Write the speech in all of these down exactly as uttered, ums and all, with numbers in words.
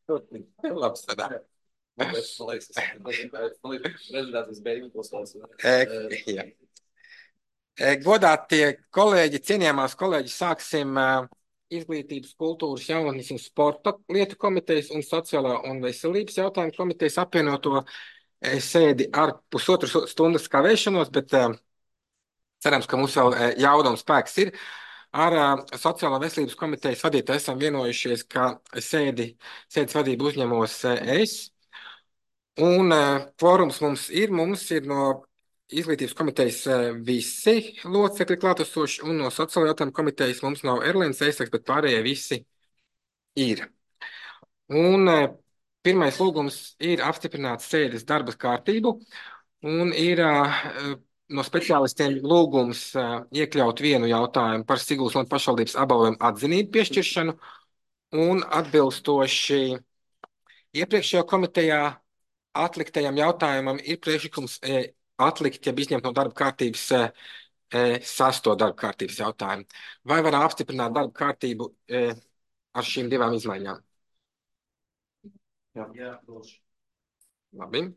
Labi strādā. Jā. Godātie kolēģi, cienījamās kolēģis, sāksim Izglītības, kultūras, jaunatnes un sporta lietu komitejas un sociālā un veselības jautājumu komitejas apvienoto sēdi ar pusotru stundas kavēšanos, bet cerams, ka mums vēl jauda un spēks ir. Ar sociālā veselības komitejas vadītāju esam vienojušies, ka sēdi, sēdes vadību uzņemos es. Un kvorums mums ir, mums ir no Izglītības komitejas visi locekļi klātesoši, un no sociālajā jautājumu komitejas mums nav Erlēns Eisaks, bet pārējie visi ir. Un pirmais lūgums ir apstiprināt sēdes darba kārtību, un ir no speciālistiem lūgums iekļaut vienu jautājumu par Siguldas un pašvaldības apbalvojumu atzinību piešķiršanu, un atbilstoši iepriekšējā komitejā atliktajam jautājumam ir priekšlikums atlikt, ja izņemt no darba kārtības sesto darba kārtības jautājumu. Vai varam apstiprināt darba kārtību ar šīm divām izmaiņām? Jā, Jā lūdzu. Labi.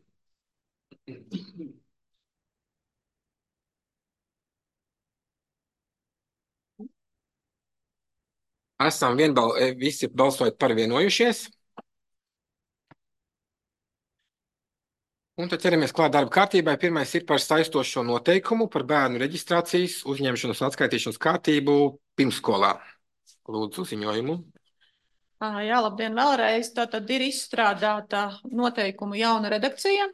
Esam vienbal, visi balsojot par vienojušies. Un tad ķeramies klāt darba kārtībai. Pirmais ir par saistošo noteikumu par bērnu reģistrācijas, uzņemšanas un atskaitīšanas kārtību pirmsskolā. Lūdzu, ziņojumu. Jā, labdien vēlreiz. Tātad ir izstrādāta noteikumu jauna redakcija.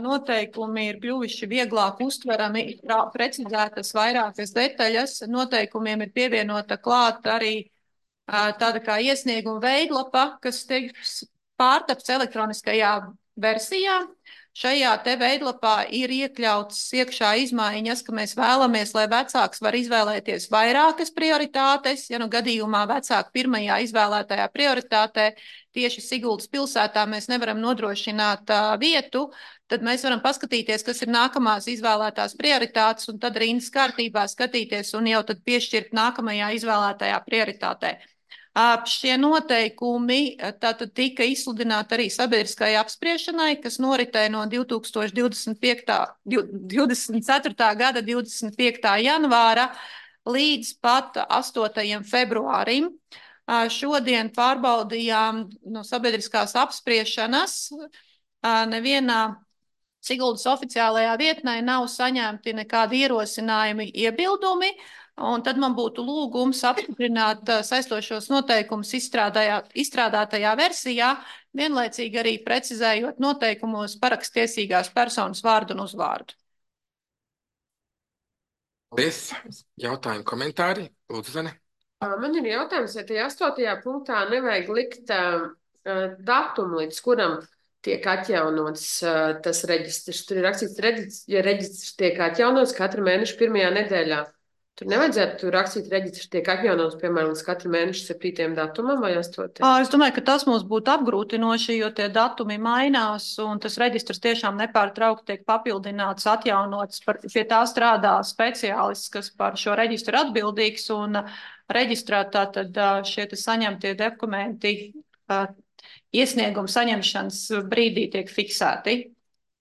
Noteikumi ir kļuvuši vieglāk uztverami, precizētas vairākas detaļas. Noteikumiem ir pievienota klāt arī tāda kā iesnieguma veidlapa, kas tiks pārtapts elektroniskajā versijā. Šajā te veidlapā ir iekļauts iekšā izmaiņas, ka mēs vēlamies, lai vecāks var izvēlēties vairākas prioritātes. Ja nu gadījumā vecāku pirmajā izvēlētajā prioritātē tieši Siguldas pilsētā mēs nevaram nodrošināt uh, vietu, tad mēs varam paskatīties, kas ir nākamās izvēlētās prioritātes, un tad rindas kārtībā skatīties un jau tad piešķirt nākamajā izvēlētajā prioritātē. Šie noteikumi tātad tika izsludināti arī sabiedriskajai apspriešanai, kas noritēja no divdesmit ceturtā gada divdesmit piektā janvāra līdz pat astotajam februārim. Šodien pārbaudījām no sabiedriskās apspriešanas. Nevienā Siguldas oficiālajā vietnē nav saņemti nekādi ierosinājumi, iebildumi. Un tad man būtu lūgums apstiprināt saistošos noteikumus izstrādātajā versijā, vienlaicīgi arī precizējot noteikumos parakstiesīgās personas vārdu un uzvārdu. Paldies. Jautājumi, komentāri? Lūdzu, Zane. Man ir jautājums, vai tajā astotajā punktā nevajag likt uh, datumu, līdz kuram tiek atjaunots uh, tas reģistrs. Tur ir rakstīts, reģistrs, ja reģistrs tiek atjaunots katru mēnešu pirmajā nedēļā. Tur nevajadzētu rakstīt reģistrs tiek atjaunots, piemēram, līdz katru mēnešu septītajam datumam vai astotajam? Es domāju, ka tas mums būtu apgrūtinoši, jo tie datumi mainās un tas reģistrs tiešām nepārtraukti tiek papildināts, atjaunots. Par, pie tā strādā speciālists, kas par šo reģistru atbildīgs, un reģistrā tātad šie saņemtie dokumenti iesniegumu saņemšanas brīdī tiek fiksēti.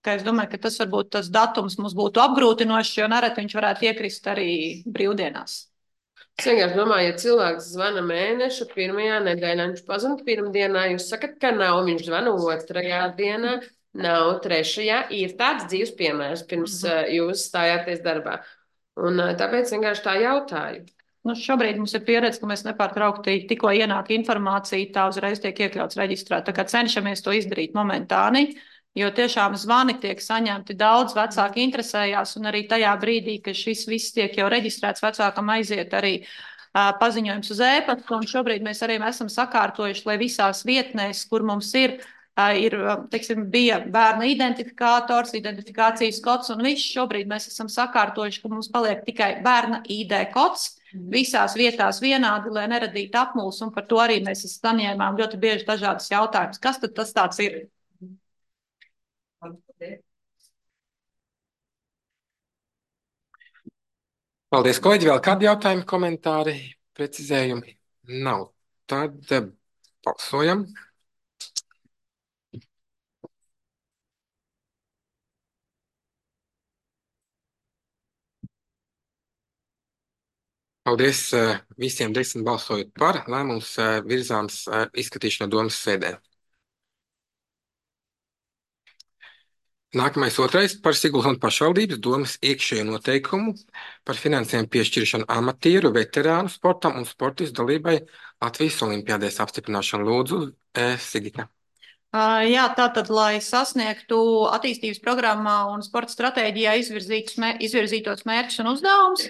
Ka es domāju, ka tas varbūt tas datums mums būtu apgrūtinošs, jo nereti viņš varētu iekrist arī brīvdienās. Es vienkārši domāju, ja cilvēks zvana mēneša pirmajā nedēļā, viņš pazina pirmdienā, jūs sakat, ka nav, viņš zvana otrajā dienā, nav trešajā, ir tāds dzīves piemērs, pirms mm-hmm. jūs stājāties darbā. Un tāpēc vienkārši tā jautāju. Nu, šobrīd mums ir pieredze, ka mēs nepārtraukti tikko ienāk informācija, tā uzreiz tiek iekļauts reģistrā. Tā kā cenšamies to izdarīt momentāni. Jo tiešām zvani tiek saņemti daudz, vecāki interesējās, un arī tajā brīdī, kad šis viss tiek jau reģistrēts, vecākam aiziet arī uh, paziņojums uz ēpastu, un šobrīd mēs arī esam sakārtojuši, lai visās vietnēs, kur mums ir, uh, ir teiksim, bija bērna identifikators, identifikācijas kods, un viss šobrīd mēs esam sakārtojuši, ka mums paliek tikai bērna I D kods, visās vietās vienādi, lai neradītu apmuls, un par to arī mēs saņēmām ļoti bieži dažādas jautājumus. Kas tad tas tāds ir? Paldies, kolēģi. Vēl kādi jautājumi, komentāri, precizējumi? Nav. Tad Balsojam. Paldies uh, visiem desmit balsojot par. Lēmums uh, virzāms uh, izskatīšanai domas sēdē. Nākamais otrais par Siguldas pašvaldības domas iekšējo noteikumu par finansējumu piešķiršanu amatieru, veterānu sportam un sportistu dalībai Latvijas olimpiādēs apstiprināšanu. Lūdzu, eh, Sigita. Uh, jā, tātad, lai sasniegtu attīstības programmā un sporta stratēģijā izvirzītus mē, izvirzītos mērķus un uzdevumus,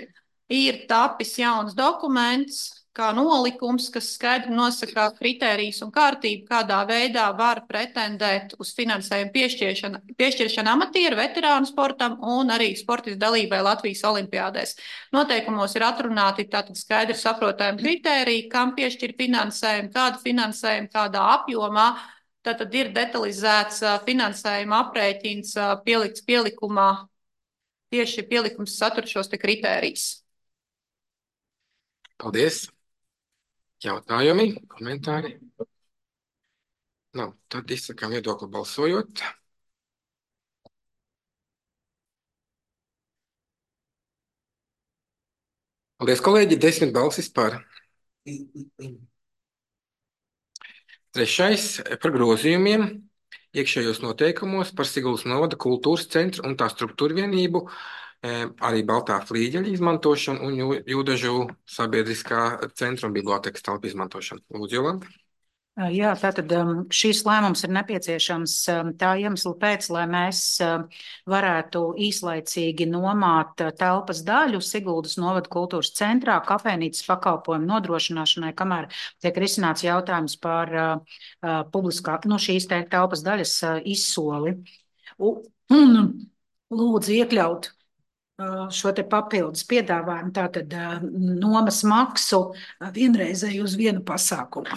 ir tapis jauns dokuments, kā nolikums, kas skaidri nosaka kritērijus un kārtību, kādā veidā var pretendēt uz finansējumu piešķiršanu, piešķiršanu amatieru, veterānu sportam un arī sportistu dalībai Latvijas olimpiādēs. Noteikumos ir atrunāti tātad skaidri saprotami kritēriji, kam piešķir finansējumu, kādu finansējumu, kādā apjomā. Tātad ir detalizēts finansējuma aprēķins pielikts pielikumā, tieši pielikums satur šos te kritērijus. Paldies. Jautājumi, komentāri? Nav. Tad izsakām viedokli balsojot. Paldies, kolēģi. Desmit balsis par. Trešais par grozījumiem iekšējos noteikumos par Siguldas novada kultūras centru un tā struktūra vienību, arī Baltā flīģeļa izmantošanu un Jūdažu sabiedriskā centra un bibliotekas telpu izmantošanu. Lūdzu, Jolanta. Jā, tātad šīs lēmums ir nepieciešams tā iemesla pēc, lai mēs varētu īslaicīgi nomāt telpas daļu Siguldas novada kultūras centrā kafejnīcas pakalpojumu nodrošināšanai, kamēr tiek risināts jautājums par uh, publiskā, no šīs te telpas daļas uh, izsoli. Un lūdzu iekļaut uh, šo te papildus piedāvājumu, tātad uh, nomas maksu uh, vienreizēju uz vienu pasākumu.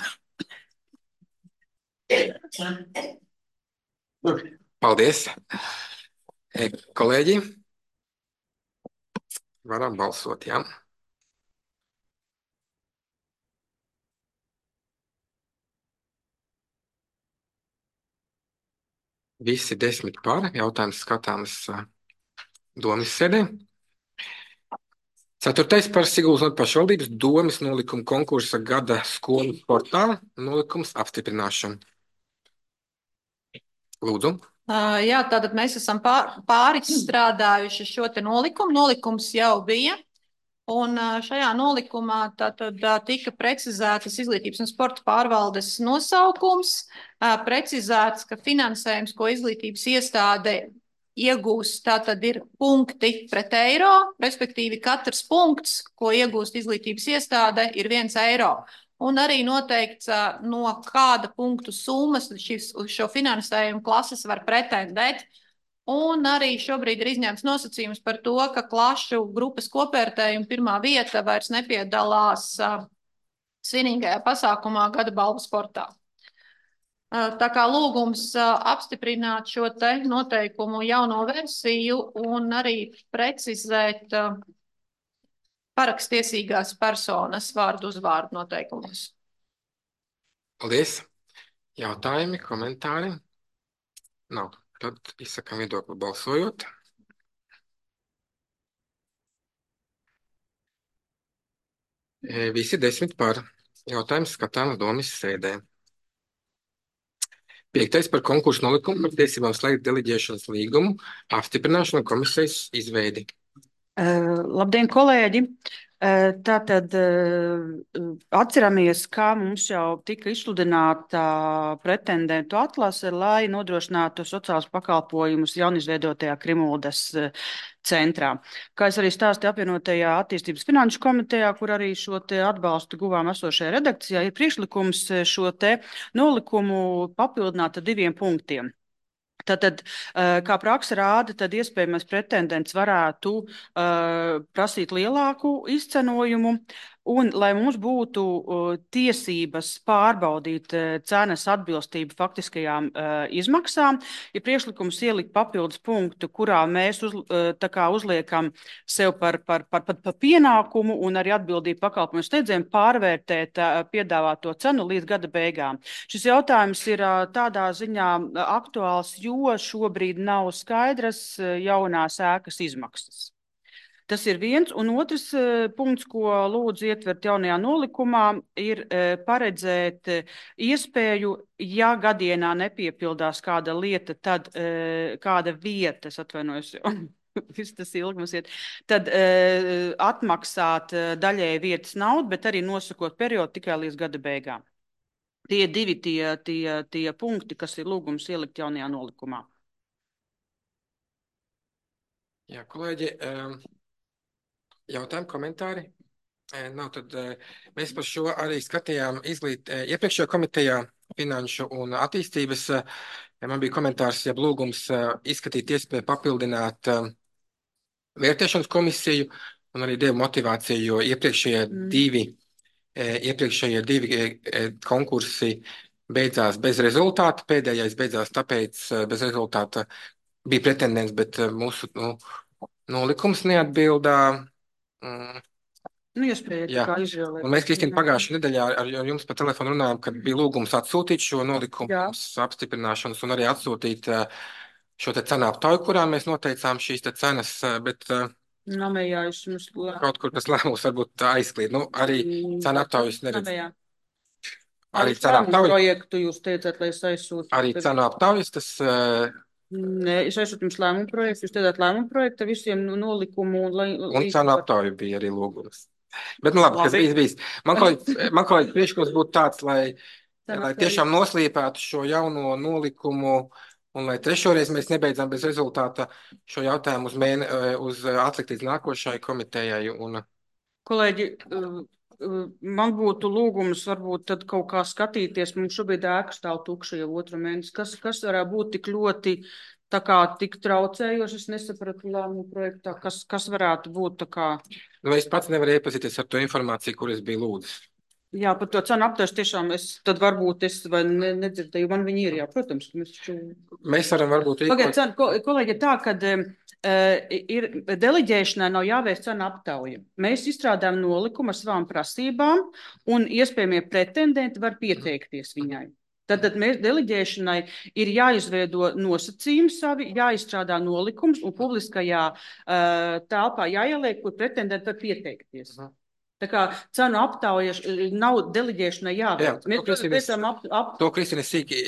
Paldies, kolēģi. Varam balsot, jā. Visi desmit par. Jautājums skatāms domas sēdē. Ceturtais par Siguldas pašvaldības domas nolikumu konkursa gada skolu sportā nolikums apstiprināšanu. Lūdzu. Uh, jā, tātad mēs esam pār, pārizstrādājuši šo te nolikumu. Nolikums jau bija. Un uh, šajā nolikumā tātad uh, tika precizētas izglītības un sporta pārvaldes nosaukums, uh, precizēts, ka finansējums, ko izglītības iestāde iegūst, tātad ir punkti pret eiro, respektīvi katrs punkts, ko iegūst izglītības iestāde, ir viens eiro. Un arī noteikts, no kāda punktu summas šis, šo finansējumu klases var pretendēt. Un arī šobrīd ir izņemts nosacījums par to, ka klašu grupas kopvērtējuma pirmā vieta vairs nepiedalās uh, svinīgajā pasākumā gada balvu sportā. Uh, tā kā lūgums uh, apstiprināt šo te noteikumu jauno versiju un arī precizēt uh, parakstiesīgās personas vārdu uzvārdu noteikumos. Paldies. Jautājumi, komentāri? Nav. Tad izsakām viedokli balsojot. E, visi desmit par. Jautājums skatāms domas sēdē. Piektais par konkursu nolikumu par tiesībām slēgt deleģēšanas līgumu apstiprināšanu komisijas izveidi. Uh, labdien, kolēģi! Uh, tātad uh, atceramies, kā mums jau tika izsludināta pretendentu atlase, lai nodrošinātu sociālus pakalpojumus jaunizveidotajā Krimuldas uh, centrā. Kā es arī stāstīju apvienotajā attīstības finanšu komitejā, kur arī šo te atbalstu guvām esošajā redakcijā, ir priekšlikums šo te nolikumu papildināt ar diviem punktiem. Tātad, kā praksa rāda, tad iespējamais pretendents varētu uh, prasīt lielāku izcenojumu, Un, lai mums būtu uh, tiesības pārbaudīt uh, cenas atbilstību faktiskajām uh, izmaksām, ir priekšlikums ielikt papildus punktu, kurā mēs uz, uh, tā kā uzliekam sev par, par, par, par, par pienākumu un arī atbildību pakalpojumu steidzējiem pārvērtēt uh, piedāvāto cenu līdz gada beigām. Šis jautājums ir uh, tādā ziņā aktuāls, jo šobrīd nav skaidras uh, jaunās ēkas izmaksas. Tas ir viens, un otrs uh, punkts, ko lūdzu ietvert jaunajā nolikumā, ir uh, paredzēt uh, iespēju, ja gadienā nepiepildās kāda lieta, tad uh, kāda vieta, es atvainojos, viss tas ilgi mums iet, tad uh, atmaksāt uh, daļēji vietas naudu, bet arī nosakot periodu tikai līdz gada beigām. Tie divi tie, tie, tie punkti, kas ir lūgums ielikt jaunajā nolikumā. Jā, kolēģi, um... jautājumi, komentāri? Nav, tad mēs par šo arī skatījām izglīt iepriekšējā komitejā finanšu un attīstības. Man bija komentārs, ja lūgums izskatīt iespēju papildināt vērtēšanas komisiju un arī devu motivāciju, jo iepriekšējie mm. divi, iepriekšējie divi konkursi beidzās bez rezultāta. Pēdējais beidzās tāpēc bez rezultāta bija pretendents, bet mūsu nu, nolikums neatbildā. Mm. Nu, iespēja, kā izvēlēt. Un mēs, Kristīna, pagājušajā nedēļā ar jums pa telefonu runājām, kad bija lūgums atsūtīt šo nolikumu apstiprināšanas un arī atsūtīt šo te cenu aptauju, kurā mēs noteicām šīs te cenas, bet Namējā, mums... kaut kur tas lēmums varbūt aizklīd. Nu, arī cenu aptaujas neredz. Namējā. Arī cenu aptaujas. Projektu jūs teicāt, lai es aizsūtu. Arī cenu aptaujas, tas... Nē, es aizsūtu jums lēmumu projektu, jūs teicāt lēmumu projektu visiem nolikumu. Lai, un cenu aptauju bija arī lūgums. Bet, nu labi, labi. kas bijis, bijis. Man kolēģi, man kolēģi priekšlikums būtu tāds, lai, lai tiešām noslīpētu šo jauno nolikumu un lai trešoreiz mēs nebeidzam bez rezultāta šo jautājumu uz, mēne, uz atlikt līdz nākošai komitejai. Un... Kolēģi, man būtu lūgums varbūt tad kaut kā skatīties, mums šobrīd ēka stāv tukša jau otru mēnesi, kas, kas varētu būt tik ļoti tā kā tik traucējoši, es nesapratu lēmumu projektā, kas, kas varētu būt tā kā... Nu, es pats nevaru iepazīties ar to informāciju, kur es biju lūdzis. Jā, par to cenu aptaujas tiešām es, tad varbūt es vai ne, nedzirdēju, man viņi ir, jā, protams. Mēs, šo... mēs varam varbūt... Pagad, cenu, ko, kolēģi, tā, kad uh, ir deleģēšanai nav jāveic cenu aptauja. Mēs izstrādājam nolikumu ar savām prasībām un iespējamie pretendenti var pieteikties viņai. Tad, tad mēs deleģēšanai ir jāizveido nosacījumi savi, jāizstrādā nolikums un publiskajā uh, telpā jāieliek, kur pretendenti var pieteikties. Uh -huh. Tā kā cenu aptaujas nav deleģēšanai jāveic. Jā, mēs pēcam ap... ap... To, Kristīne, sīki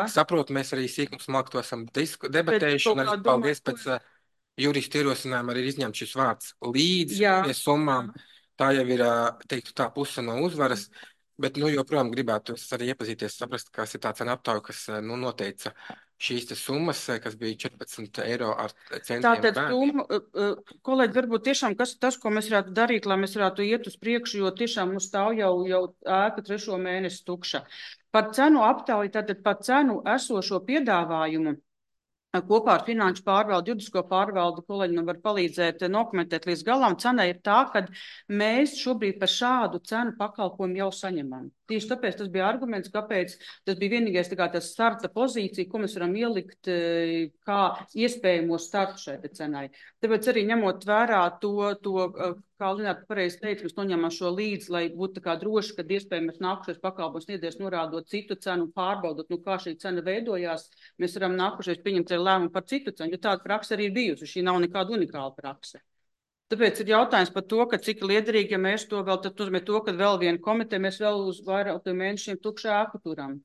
saprotu, mēs arī sīk mums malk to esam debatējuši, un arī paldies pēc uh, juristu ierosinājuma arī izņemt šis vārds līdz pie summām. Tā jau ir, uh, teiktu, tā puse no uzvaras. Bet, nu, joprojām gribētu arī iepazīties, saprast, kas ir tā cena aptauja, kas, nu, noteica šīs te summas, kas bija četrpadsmit eiro ar centiem. Tātad, summa, kolēģi, varbūt tiešām, kas ir tas, ko mēs varētu darīt, lai mēs varētu iet uz priekšu, jo tiešām mums stāv jau, jau ēka trešo mēnesi tukša. Par cenu aptauju, tātad par cenu esošo piedāvājumu, kopā ar finanšu pārvaldu, juridisko pārvaldu, kolēģi man var palīdzēt dokumentēt līdz galam. Cena ir tā, ka mēs šobrīd par šādu cenu pakalpojumu jau saņemam. Tieši tāpēc tas bija arguments, kāpēc tas bija vienīgais tā kā tas starta pozīcija, ko mēs varam ielikt kā iespējamo startu šai cenai. Tāpēc arī ņemot vērā to, to kā Linēta pareizi teica, mēs noņemam šo līdzi, lai būtu tā kā droši, kad iespējams nākušais pakalpojums sniedzējs norādot citu cenu, pārbaudot, nu kā šī cena veidojās, mēs varam nākušais pieņemt lēmumu par citu cenu, jo tāda praksa arī ir bijusi, šī nav nekāda unikāla praksa. Tāpēc ir jautājums par to, ka cik liederīgi, ja mēs to vēl, tad nozīmē to, ka vēl viena komiteja, mēs vēl uz vairāk mēnešiem tukšā ēku turam.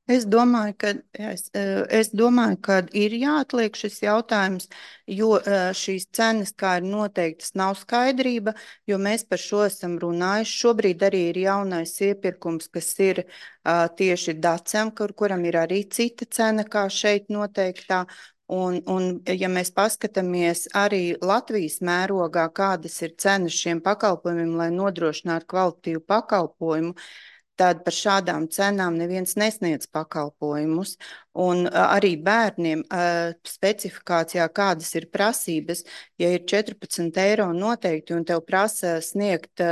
Es domāju, ka, es, es domāju, ka ir jāatliek šis jautājums, jo šīs cenas, kā ir noteiktas, nav skaidrība, jo mēs par šo esam runājuši. Šobrīd arī ir jaunais iepirkums, kas ir uh, tieši Dacem, kur, kuram ir arī cita cena, kā šeit noteiktā. Un, un, ja mēs paskatāmies arī Latvijas mērogā, kādas ir cenas šiem pakalpojumiem, lai nodrošinātu kvalitatīvu pakalpojumu, tad par šādām cenām neviens nesniedz pakalpojumus. Un arī bērniem specifikācijā, kādas ir prasības, ja ir četrpadsmit eiro noteikti un tev prasa sniegt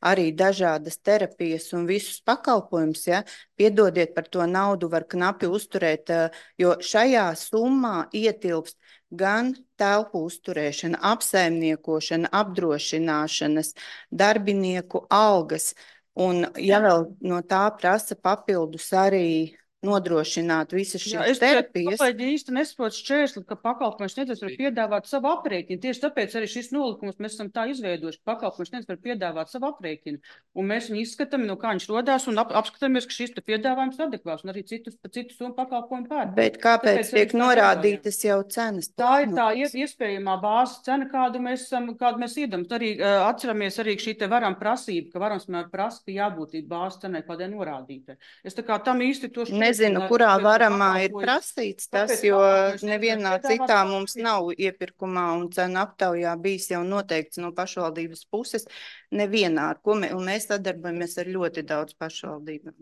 arī dažādas terapijas un visus pakalpojumus, ja, piedodiet, par to naudu var knapi uzturēt, jo šajā summā ietilpst gan telpu uzturēšana, apsaimniekošana, apdrošināšanas, darbinieku algas. Un, ja vēl no tā prasa papildus arī nodrošināt visas Jā, šīs es terapijas. kolēģi īsti nesaprotu šķērsli, ka pakalpojums sniedzējs var piedāvāt savu aprēķinu. Tieši tāpēc arī šis nolikums mēs esam tā izveidojuši. Pakalpojums sniedzējs var piedāvāt savu aprēķinu. Un mēs viņu izskatām, no kā viņš rodās, un ap, apskatāmies, ka šis piedāvājums ir adekvāts, un arī citus, citus un pakalpojumu pērk. Bet kāpēc tiek norādītas jau cenas? Tā ir tā iespējamā bāzes cena, kādu mēs, kādu mēs iedam. Arī uh, atceramies arī šī te varam prasība, ka varams mēr prasa, ka jābūt bāzes cenai kādai norādītai. Es tā kā tam īsti to šķiet. Nezinu, kurā varamā ir prasīts tas, jo nevienā citā mums nav iepirkumā un cenu aptaujā bijis jau noteikts no pašvaldības puses. Nevienā, ar ko mē, un mēs sadarbojamies ar ļoti daudz pašvaldībām.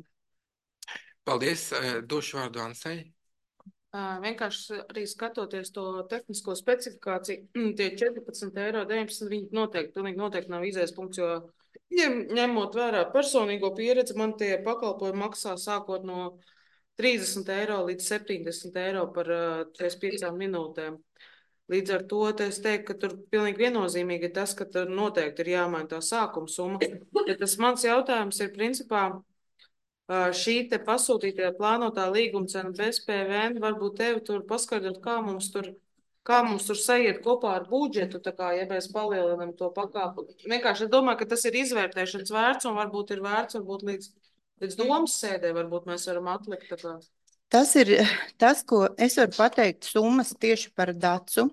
Paldies. Došu vārdu Ansai. Vienkārši arī skatoties to tehnisko specifikāciju, tie četrpadsmit eiro, deviņpadsmit, viņi noteikti, pilnīgi noteikti nav izējas punkts, jo ņem, ņemot vērā personīgo pieredzi, man tie pakalpojumi maksā sākot no trīsdesmit eiro līdz septiņdesmit eiro par četrdesmit piecām minūtēm. Līdz ar to es teiktu, ka tur pilnīgi viennozīmīgi ir tas, ka tur noteikti ir jāmaina tā sākuma summa. Ja tas mans jautājums ir principā šī te pasūtītajā plānotā līguma cena bez P V N, varbūt tevi tur paskaidrot, kā mums tur, kā mums tur sajiet kopā ar budžetu, tā kā, ja mēs palielinam to pakāpumu. Vienkārši es domāju, ka tas ir izvērtēšanas vērts un varbūt ir vērts, varbūt līdz Līdz domas sēdē varbūt mēs varam atlikt. Tā kā. Tas ir tas, ko es varu pateikt summas tieši par dacu,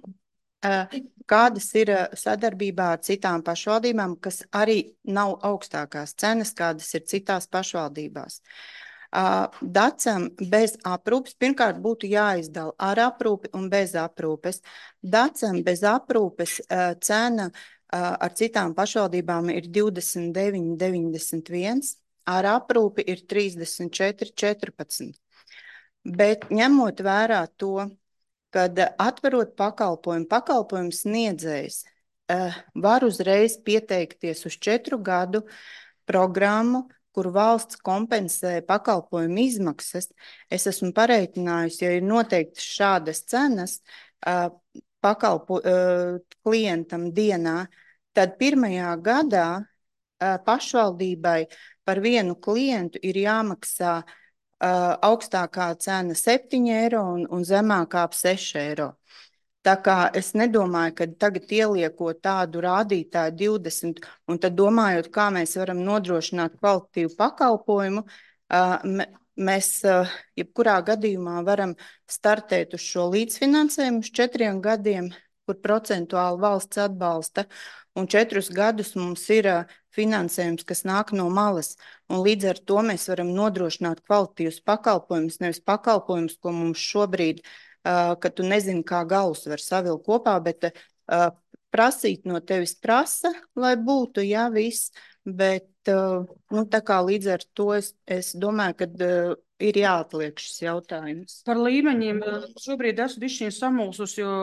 kādas ir sadarbībā ar citām pašvaldībām, kas arī nav augstākās cenas, kādas ir citās pašvaldībās. Dacam bez aprūpes, pirmkārt būtu jāizdala ar aprūpi un bez aprūpes. Dacam bez aprūpes cena ar citām pašvaldībām ir divdesmit deviņi deviņdesmit viens. Ar aprūpi ir trīsdesmit četri četrpadsmit. Bet ņemot vērā to, kad atverot pakalpojumu, pakalpojumu sniedzējs uh, var uzreiz pieteikties uz četru gadu programmu, kur valsts kompensē pakalpojumu izmaksas. Es esmu pareiķinājusi, ja ir noteikti šādas cenas uh, pakalpo, uh, klientam dienā, tad pirmajā gadā uh, pašvaldībai par vienu klientu ir jāmaksā uh, augstākā cena septiņi eiro un, un zemākā ap seši eiro. Tā kā es nedomāju, ka tagad ieliekot tādu rādītāju divdesmit un tad domājot, kā mēs varam nodrošināt kvalitatīvu pakalpojumu, uh, mēs uh, jebkurā gadījumā varam startēt uz šo līdzfinansējumu uz četriem gadiem, kur procentuāli valsts atbalsta, un četrus gadus mums ir uh, finansējums, kas nāk no malas, un līdz ar to mēs varam nodrošināt kvalitatīvus pakalpojumus, nevis pakalpojumus, ko mums šobrīd, uh, ka tu nezini, kā galus var savilkt kopā, bet uh, prasīt no tevis prasa, lai būtu, jā, viss, bet uh, nu, tā kā līdz ar to es, es domāju, ka uh, ir jāatliek šis jautājums. Par līmeņiem šobrīd esmu bišķiņ samulsus, jo,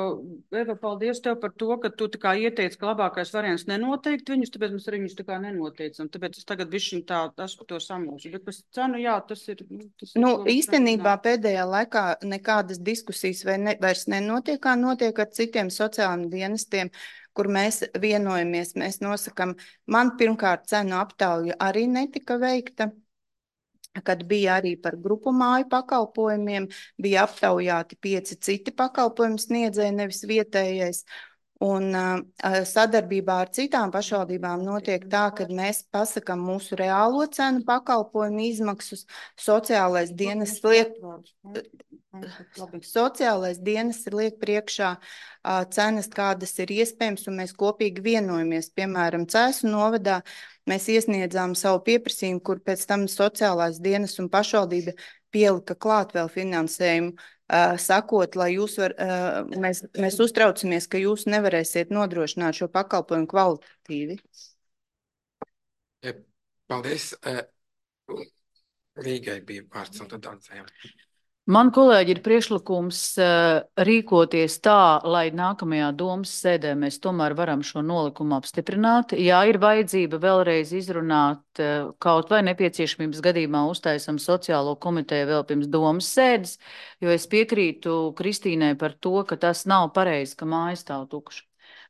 Eva, paldies tev par to, ka tu tā kā ieteici, ka labākais variants nenoteikt viņus, tāpēc mēs arī viņus tā kā nenoteicam. Tāpēc es tagad bišķiņ tā esmu to samulsu. Bet par cenu, jā, tas ir... Tas nu, ir īstenībā pēdējā laikā nekādas diskusijas vai ne, vairs nenotiek, kā notiek ar citiem sociālajiem dienestiem, kur mēs vienojamies, mēs nosakam. Man pirmkārt cenu aptauja arī netika veikta, kad bija arī par grupu māju pakalpojumiem, bija aptaujāti pieci citi pakalpojumu sniedzēji, nevis vietējais. Un uh, sadarbībā ar citām pašvaldībām notiek tā, ka mēs pasakam mūsu reālo cenu pakalpojumu izmaksas, sociālais dienas liek, sociālais dienas liek priekšā uh, cenas, kādas ir iespējams, un mēs kopīgi vienojamies. Piemēram, Cēsu novadā mēs iesniedzām savu pieprasījumu, kur pēc tam sociālās dienas un pašvaldība pielika klāt vēl finansējumu, uh, sakot, lai jūs var, uh, mēs, mēs uztraucamies, ka jūs nevarēsiet nodrošināt šo pakalpojumu kvalitatīvi. Paldies. Rīgai bija vārds un tad Andzējam. Man, kolēģi, ir priekšlikums uh, rīkoties tā, lai nākamajā domas sēdē mēs tomēr varam šo nolikumu apstiprināt. Jā, ir vajadzība vēlreiz izrunāt, uh, kaut vai nepieciešamības gadījumā uztaisam sociālo komiteju vēl pirms domas sēdes, jo es piekrītu Kristīnai par to, ka tas nav pareizi, ka māja stāv tukša.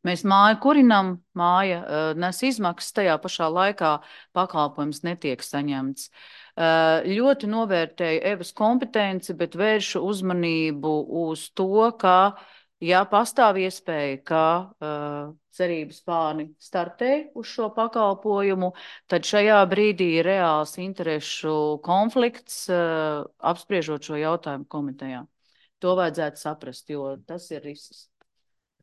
Mēs māju kurinam, māja uh, nes izmaksas, tajā pašā laikā pakalpojums netiek saņemts. Uh, ļoti novērtēju Evas kompetenci, bet vēršu uzmanību uz to, ka, ja pastāv iespēja, ka uh, cerības pārni startē uz šo pakalpojumu, tad šajā brīdī ir reāls interešu konflikts, uh, apspriežot šo jautājumu komitejā. To vajadzētu saprast, jo tas ir risks.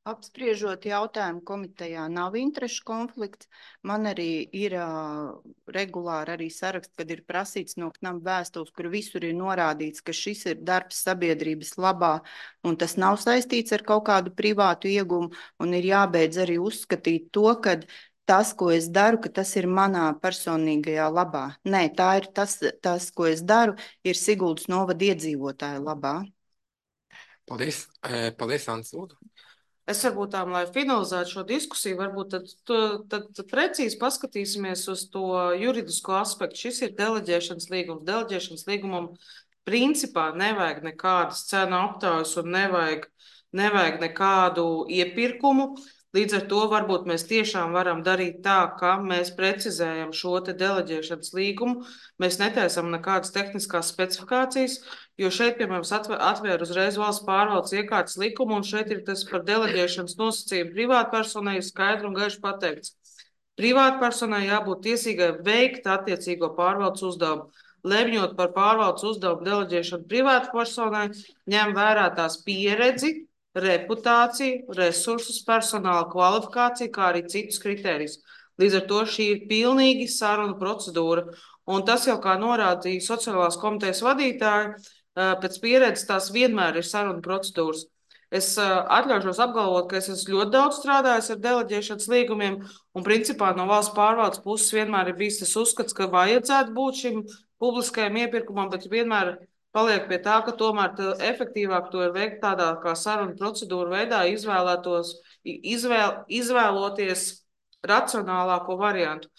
Apspriežot jautājumu komitejā nav interešu konflikts. Man arī ir uh, regulāri arī saraksts, kad ir prasīts no K N A M vēstules, kur visur ir norādīts, ka šis ir darbs sabiedrības labā un tas nav saistīts ar kaut kādu privātu iegumu, un ir jābeidz arī uzskatīt to, ka tas, ko es daru, ka tas ir manā personīgajā labā. Nē, tā ir tas, tas ko es daru, ir Siguldas novada iedzīvotāju labā. Paldies, e, paldies, Ants, lūdzu. Es varbūt tām, lai finalizētu šo diskusiju, varbūt tad, tad, tad precīzi paskatīsimies uz to juridisko aspektu. Šis ir deleģēšanas līgums. Deleģēšanas līgumam principā nevajag nekādas cenu aptaujas un nevajag, nevajag nekādu iepirkumu. Līdz ar to varbūt mēs tiešām varam darīt tā, ka mēs precizējam šo te deleģēšanas līgumu. Mēs netaisam nekādas tehniskās specifikācijas, jo šeit, piemēram, atvēr uzreiz valsts pārvaldes iekārtas likumu, un šeit ir tas par deleģēšanas nosacījumu privātpersonai skaidri un gaiši pateikts. Privātpersonai jābūt tiesīgai veikt attiecīgo pārvaldes uzdevumu. Lemjot par pārvaldes uzdevumu deleģēšanu privātpersonai, ņem vērā tās pieredzi, reputāciju, resursus, personāla kvalifikāciju, kā arī citus kritērijus. Līdz ar to šī ir pilnīgi sarunu procedūra. Un tas jau, kā norādīja sociālās komitejas vadītāji, pēc pieredzes tās vienmēr ir sarunu procedūras. Es atļaušos apgalvot, ka es esmu ļoti daudz strādājis ar deleģēšanas līgumiem, un principā no valsts pārvaldes puses vienmēr ir bijis tas uzskats, ka vajadzētu būt šim publiskajam iepirkumam, bet vienmēr paliek pie tā, ka tomēr efektīvāk to ir veikt tādā kā sarunu procedūru veidā, izvēlētos, izvēl, izvēloties racionālāko variantu.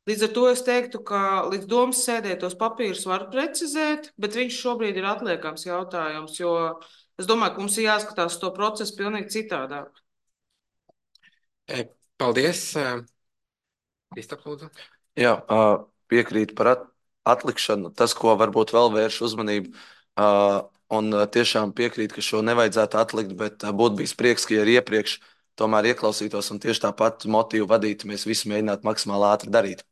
Līdz ar to es teiktu, ka līdz domas sēdē tos papīrus var precizēt, bet viņš šobrīd ir atliekams jautājums, jo es domāju, ka mums ir jāskatās to procesu pilnīgi citādāk. Paldies. Kristap, lūdzu. Jā, piekrīt par at atlikšanu. Tas, ko varbūt vēl vērš uzmanību, un tiešām piekrīt, ka šo nevajadzētu atlikt, bet būtu bijis prieks, ka arī iepriekš tomēr ieklausītos un tieši tāpat motīvu vadītu, mēs visi mēģinātu maksimāli ātri darīt.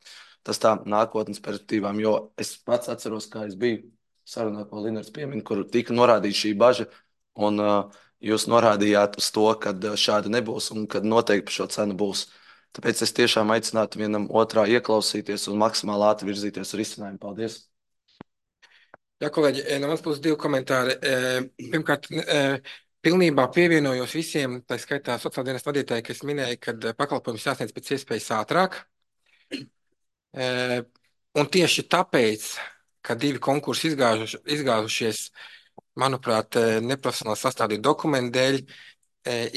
Tas tā nākotnes perspektīvām, jo es pats atceros, kā es biju sarunā, ko Linars piemin, kur tika norādīta šī baža, un uh, jūs norādījāt uz to, ka šāda nebūs un kad noteikti par šo cenu būs. Tāpēc es tiešām aicinātu vienam otrā ieklausīties un maksimāli ātri virzīties uz risinājumu. Paldies! Jā, kolēģi, no manas puses divi komentāri. Pirmkārt, pilnībā pievienojos visiem, tā skaitā sociāldienas vadītāji, kas minēja, ka pakalpojums jāsniedz pēc iespējas ātrāk. Un tieši tāpēc, ka divi konkursi izgāžuši, izgāzušies, manuprāt, neprofesionāli sastādīt dokumentu dēļ,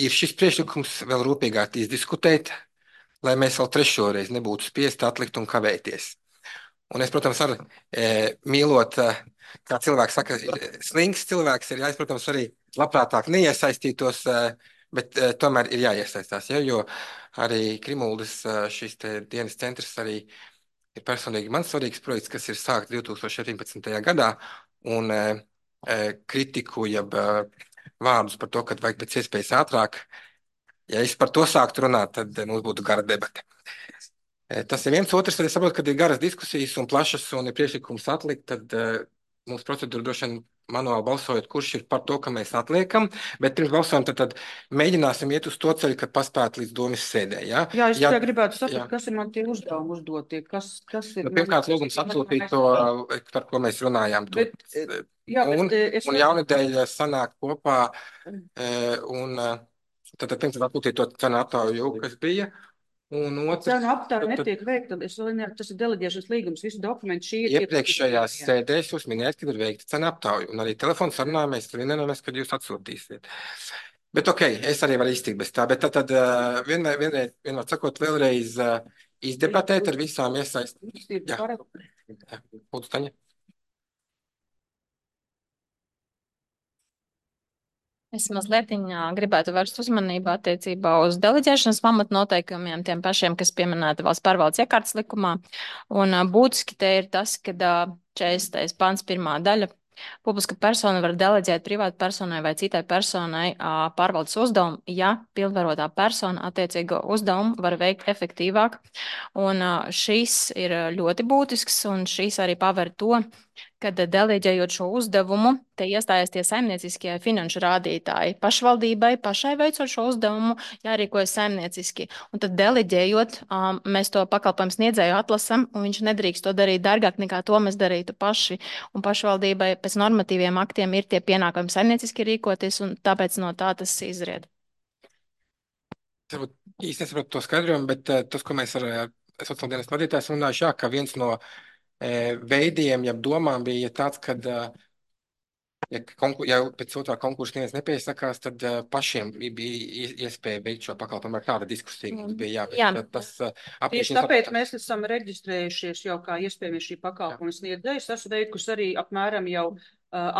ir šis priekšlikums vēl rūpīgāk izdiskutēt, lai mēs vēl trešoreiz nebūtu spiesti atlikt un kavēties. Un es, protams, arī e, mīlot, kā cilvēks saka, slings cilvēks ir, jā, es, protams, arī labprātāk neiesaistītos, bet e, tomēr ir jāiesaistās, ja, jo arī Krimuldas šis te dienas centrs arī ir personīgi man svarīgs projekts, kas ir sākts divi tūkstoši septiņpadsmitajā gadā, un e, kritiku, jeb vārdus par to, ka vajag pēc iespējas ātrāk. Ja es par to sāktu runāt, tad mums būtu gara debate. Tas ir viens. Otrs, tad es saprotu, ka ir garas diskusijas un plašas un ir priekšlikums atlikt, tad uh, mums procedūra droši vien manuāli balsojot, kurš ir par to, ka mēs atliekam, bet pirms balsojam, tad, tad mēģināsim iet uz to ceļu, kad paspēt līdz domas sēdē. Ja? Jā, es ja, tikai gribētu saprast, jā. kas ir man tie uzdevumi uzdotie, kas, kas ir... Nu, pirmkārt, lūgums atsūtīt to, par ko mēs runājām. To. Bet, jā, bet, un es... un jaunadēļ sanāk kopā un... Tad pirms atsūtīt to cenu aptauju, kas bija, Un otrs, Cenu aptāja tad, tad netiek veikta, es vēl ne, tas ir deleģēšanas līgums, visi dokumenti šī ir. iepriekšējās sēdēs jūs minējāt, kad ir veikta cenu aptauja, un arī telefonu sarunā mēs vienojāmies, kad jūs atsūtīsiet. Bet ok, es arī varu iztikt bez tā, bet tad, tad uh, vienmēr, vienmēr, vienmēr sakot, vēlreiz uh, izdebatēt ar visām iesaistītām. Jā, jā, lūdzu, Taņa. Es mazliet gribētu vērst uzmanību attiecībā uz deleģēšanas pamatnoteikumiem, tiem pašiem, kas pieminēti valsts pārvaldes iekārtas likumā. Un ā, būtiski te ir tas, ka četrdesmitais pants pirmā daļa. Publiska persona var deleģēt privātu personai vai citai personai ā, pārvaldes uzdevumu, ja pilnvarotā persona attiecīgo uzdevumu var veikt efektīvāk. Un ā, šis ir ļoti būtisks, un šis arī paver to, kad deleģējot šo uzdevumu, te iestājas tie saimnieciskie finanšu rādītāji. Pašvaldībai pašai veicot šo uzdevumu, jārīkojas saimnieciski. Un tad deleģējot, um, mēs to pakalpojumu sniedzēju atlasam, un viņš nedrīkst to darīt dārgāk nekā to mēs darītu paši. Un pašvaldībai pēc normatīviem aktiem ir tie pienākumi saimnieciski rīkoties, un tāpēc no tā tas izried. Es varbūt īsti nesaprotu to skaidrojumu, bet uh, tas, ko mēs ar uh, sociālās dienas vadītājs runājuši, jā, ka viens no veidiem, ja domām bija tāds, ka, ja, konkur, ja pēc otrā konkursa neviens nepiesakās, tad pašiem bija iespēja veikt šo pakalpojumu. Ar kāda diskusija mums bija jāveic. Jā. Tas Tieši tāpēc mēs esam reģistrējušies jau kā iespējami šī pakalpojuma sniedzējs. Esmu veikusi arī apmēram jau uh,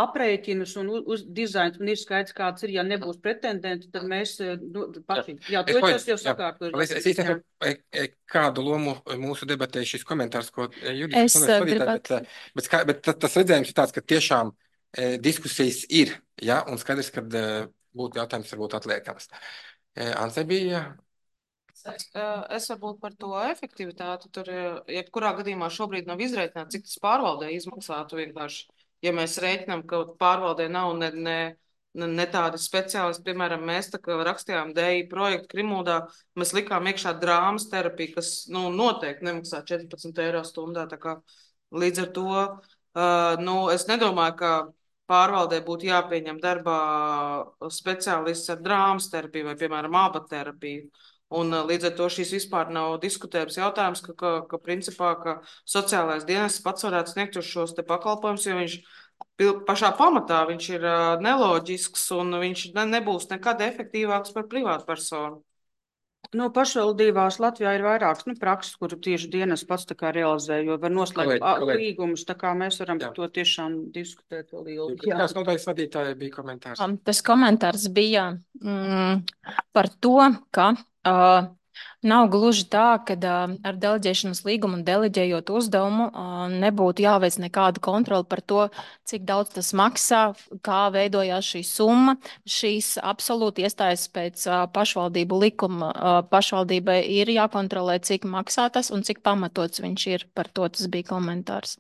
aprēķinus un uz dizainu, un ir skaidrs, kāds ir. Ja nebūs pretendenti, tad mēs nu, paši. Jā, to es jau sakārtoju. Es, es īstenībā kādu lomu mūsu debatē šis komentārs, ko Judita Es vadītāji, gribētu. bet, bet, bet, bet tas redzējums ir tāds, ka tiešām e, diskusijas ir, ja, un skaidrs, ka e, būtu jautājums varbūt atliekams. E, Ansei bija. Es, es varbūt par to efektivitāti. Tur, jebkurā gadījumā šobrīd nav izreikināts, cik tas pārvaldē izmaksātu vienkārši. Ja mēs rēķinām, ka pārvaldē nav ne, ne, ne, ne tādi speciālisti, piemēram, mēs tā kā rakstījām D I projektu Krimuldā, mēs likām iekšā drāmas terapiju, kas nu, noteikti nemaksā četrpadsmit eiro stundā. Tā kā līdz ar to uh, nu, es nedomāju, ka pārvaldē būtu jāpieņem darbā speciālists ar drāmas terapiju vai, piemēram, abaterapiju. Un līdz ar to šīs vispār nav diskutējums jautājums, ka, ka, ka principā, ka sociālais dienests pats varētu sniegt uz šos te pakalpojumus, jo viņš pašā pamatā viņš ir neloģisks un viņš ne, nebūs nekad efektīvāks par privātu personu. No pašvaldībās Latvijā ir vairākas nu, prakses, kuru tieši dienas pats tā kā realizē, jo var noslēgt līgumus, tā kā mēs varam par to tiešām diskutēt vēl ilgi. Kāds nodaļas vadītāja bija komentārs? Um, tas komentārs bija mm, par to, ka uh, nav gluži tā, ka uh, ar deleģēšanas līgumu un deleģējot uzdevumu uh, nebūtu jāveic nekāda kontrola par to, cik daudz tas maksā, kā veidojās šī summa. Šīs absolūti iestājas pēc uh, pašvaldību likuma. Uh, pašvaldībai ir jākontrolē, cik maksā tas un cik pamatots viņš ir. Par to tas bija komentārs.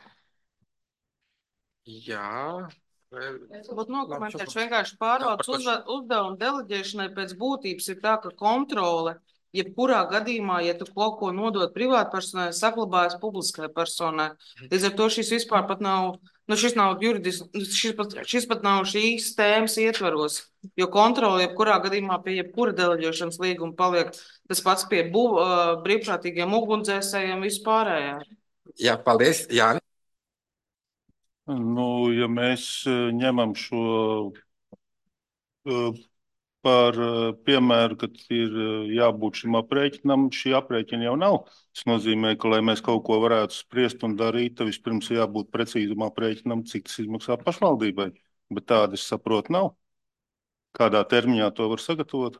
Jā. Es būtu nokomentējuši vienkārši pārvaldes uzdevumu deleģēšanai pēc būtības ir tā, ka kontrole, jebkurā gadījumā, ja tu kaut ko nodod privātpersonai, saglabājas publiskai personai. Līdz ar to šis vispār pat nav, nu šis nav juridiski, šis pat, šis pat nav šīs tēmas ietvaros, jo kontrole jebkurā gadījumā pie jebkura deleģēšanas līguma paliek tas pats pie bu, uh, brīvprātīgiem ugunsdzēsējiem vispārējā. Jā, paldies, Jāni. Nu, ja mēs ņemam šo uh, par uh, piemēru, ka ir uh, jābūt šim aprēķinam, šī aprēķina jau nav. Tas nozīmē, ka, lai mēs kaut ko varētu spriest un darīt, tad vispirms jābūt precīzam aprēķinam, cik tas izmaksā pašvaldībai. Bet tāda, es saprotu, nav. Kādā termiņā to var sagatavot?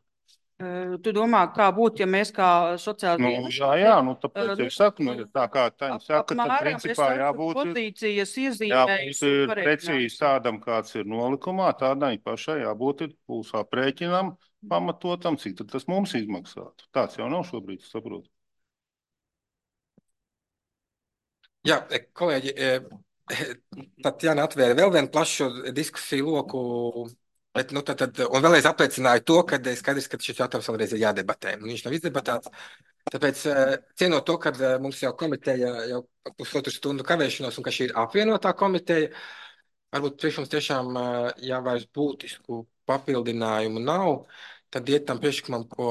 Tu domā, kā būtu, ja mēs kā sociāli... Nu, jā, jā, nu tāpēc es saku, nu, tā kā Taņa saka, tad principā jābūt, pozīcijas iezīmējas, jābūt precīzi tādam, kāds ir nolikumā, tādai pašai jābūt ir būs aprēķinam, pamatotam, cik tad tas mums izmaksātu. Tāds jau nav šobrīd, saprotu. Jā, kolēģi, tad Jāni atvēra vēl vienu plašu diskusiju loku. Bet, nu, tad, tad, un vēlreiz apliecināju to, ka skaidrs, ka šis jautājums vēlreiz ir jādebatē. Un viņš nav izdebatēts. Tāpēc, cienot to, ka mums jau komiteja jau pusotru stundu kavēšanos un ka šī ir apvienotā komiteja, varbūt priekš mums tiešām jā, vairs būtisku papildinājumu nav, tad iet tam priekšlikumam, ko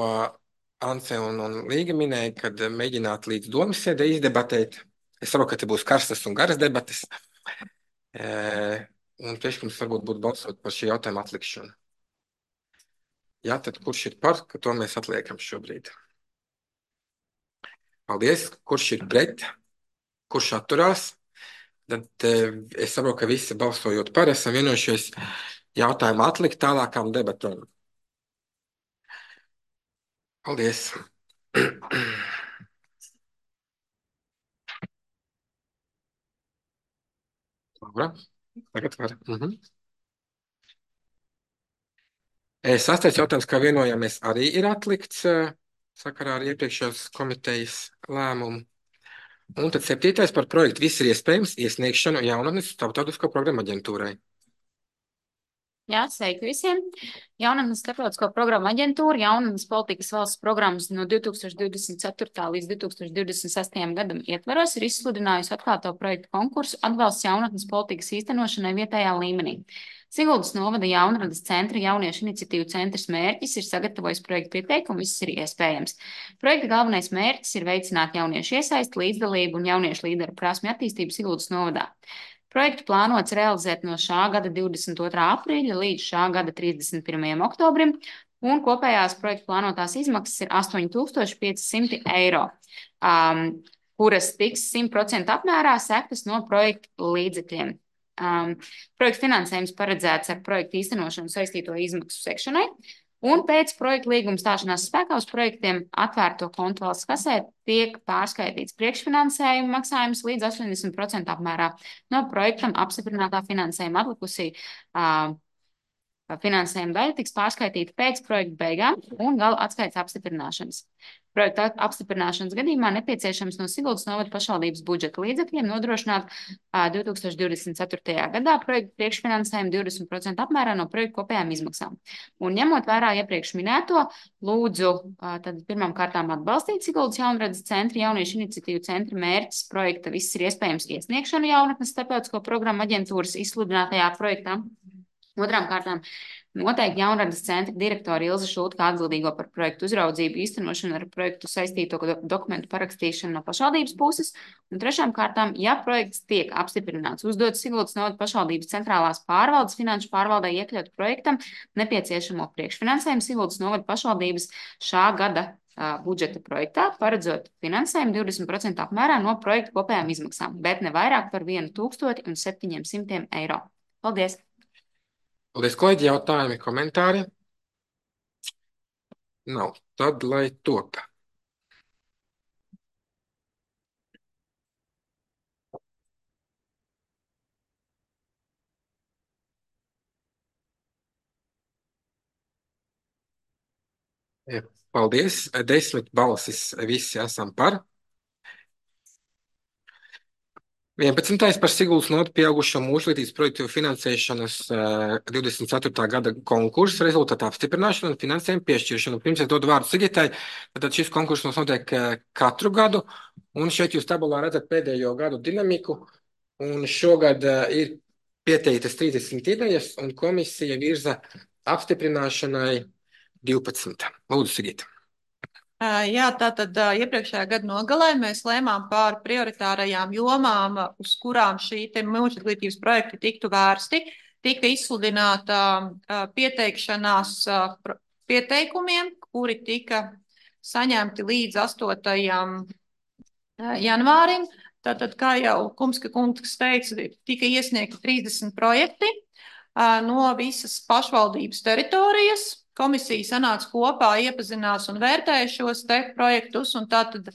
Ance un, un Līga minēja, kad mēģināt līdz domas sēdē izdebatēt. Es saprotu, ka te būs karstas un garas debates. E, un priekšlikums varbūt būtu balsot par šī jautājuma atlikšanu. Jā, tad kurš ir par, ka to mēs atliekam šobrīd? Paldies. Kurš ir pret? Kurš atturās? Tad e, es saprotu, ka visi balsojot par, esam vienojušies jautājumu atlikt tālākām debatēm. Paldies. Laura, tagad var. Mhm. Sastais jautājums, kā vienojāmies, arī ir atlikts sakarā ar iepriekšējās komitejas lēmumu. Un tad septītais par projektu viss ir iespējams iesniegšanu jaunatnes starptautisko programmu aģentūrai. Jā, sveiki visiem. Jaunatnes starptautisko programmu aģentūra jaunatnes politikas valsts programmas no divi tūkstoši divdesmit ceturtā līdz divi tūkstoši divdesmit sestajam gadam ietveros ir izsludinājusi atklāto projektu konkursu atbalsts jaunatnes politikas īstenošanai vietējā līmenī. Siguldas novada jaunradas centra jauniešu iniciatīvu centrs mērķis ir sagatavojis projektu pieteikumu, viss ir iespējams. Projekta galvenais mērķis ir veicināt jauniešu iesaisti, līdzdalību un jauniešu līderu prasmi attīstību Siguldas novadā. Projektu plānots realizēt no šā gada divdesmit otrā aprīļa līdz šā gada trīsdesmit pirmajam oktobrim, un kopējās projektu plānotās izmaksas ir astoņi tūkstoši pieci simti eiro, um, kuras tiks simt procentu apmērā sektas no projektu līdzekļiem. Um, projektu finansējums paredzēts ar projektu īstenošanu saistīto izmaksu sekšanai, un pēc projektu līguma stāšanās spēkā uz projektiem atvērto kontu valsts kasē tiek pārskaitīts priekšfinansējuma maksājums līdz astoņdesmit procentu apmērā no projektam apstiprinātā finansējuma atlikusī. Uh, Finansējuma daļa tiks pārskaitīta pēc projekta beigām un gala atskaites apstiprināšanas. Projekta apstiprināšanas gadījumā nepieciešams no Siguldas novada pašvaldības budžeta līdzekļiem nodrošināt uh, divi tūkstoši divdesmit ceturtajā gadā projekta priekšfinansējumu divdesmit procentu apmērā no projekta kopējām izmaksām. Un ņemot vērā iepriekš minēto, lūdzu uh, tad pirmām kārtām atbalstīt Siguldas jaunradas centra jauniešu iniciatīvu centra mērķis projekta viss ir iespējams iesniegšanu jaunatnes starptautisko programmu aģentūras izsludinātajā projektā. Otrām kārtām noteikti jaunradas centra direktora Ilze Šulta kā atbildīgo par projektu uzraudzību īstenošanu ar projektu saistīto dokumentu parakstīšanu no pašvaldības puses. Un trešām kārtām, ja projekts tiek apstiprināts, uzdots Siguldas novada pašvaldības centrālās pārvaldes finanšu pārvaldē iekļaut projektam nepieciešamo priekšfinansējumu Siguldas novada pašvaldības šā gada uh, budžeta projektā, paredzot finansējumu divdesmit procentu apmērā no projekta kopējām izmaksām, bet ne vairāk par vienu tūkstoti un septiņiem simtiem eiro. Paldies! Paldies, kolēģi, jautājumi, komentāri? Nav. Tad, lai top. Paldies. Desmit balsis visi esam par. vienpadsmitais par Siguldas novada pieaugušo mūžlītības projektu finansēšanas uh, divdesmit ceturtā gada konkursa rezultātu apstiprināšanu un finansējumu piešķiršanu. Pirms es dodu vārdu Sigitai, tad šis konkurss mums notiek uh, katru gadu, un šeit jūs tabulā redzat pēdējo gadu dinamiku, un šogad uh, ir pieteiktas trīsdesmit idejas, un komisija virza apstiprināšanai divpadsmit. Lūdzu, Sigita. Jā, tātad iepriekšējā gada nogalē mēs lēmām par prioritārajām jomām, uz kurām šī te mūžizglītības projekti tiktu vērsti. Tika izsludināta pieteikšanās pieteikumiem, kuri tika saņemti līdz astotajam janvārim. Tātad, kā jau Kumska kungs teica, tika iesniegti trīsdesmit projekti no visas pašvaldības teritorijas. Komisija sanāca kopā, iepazinās un vērtēja šos te projektus, un tātad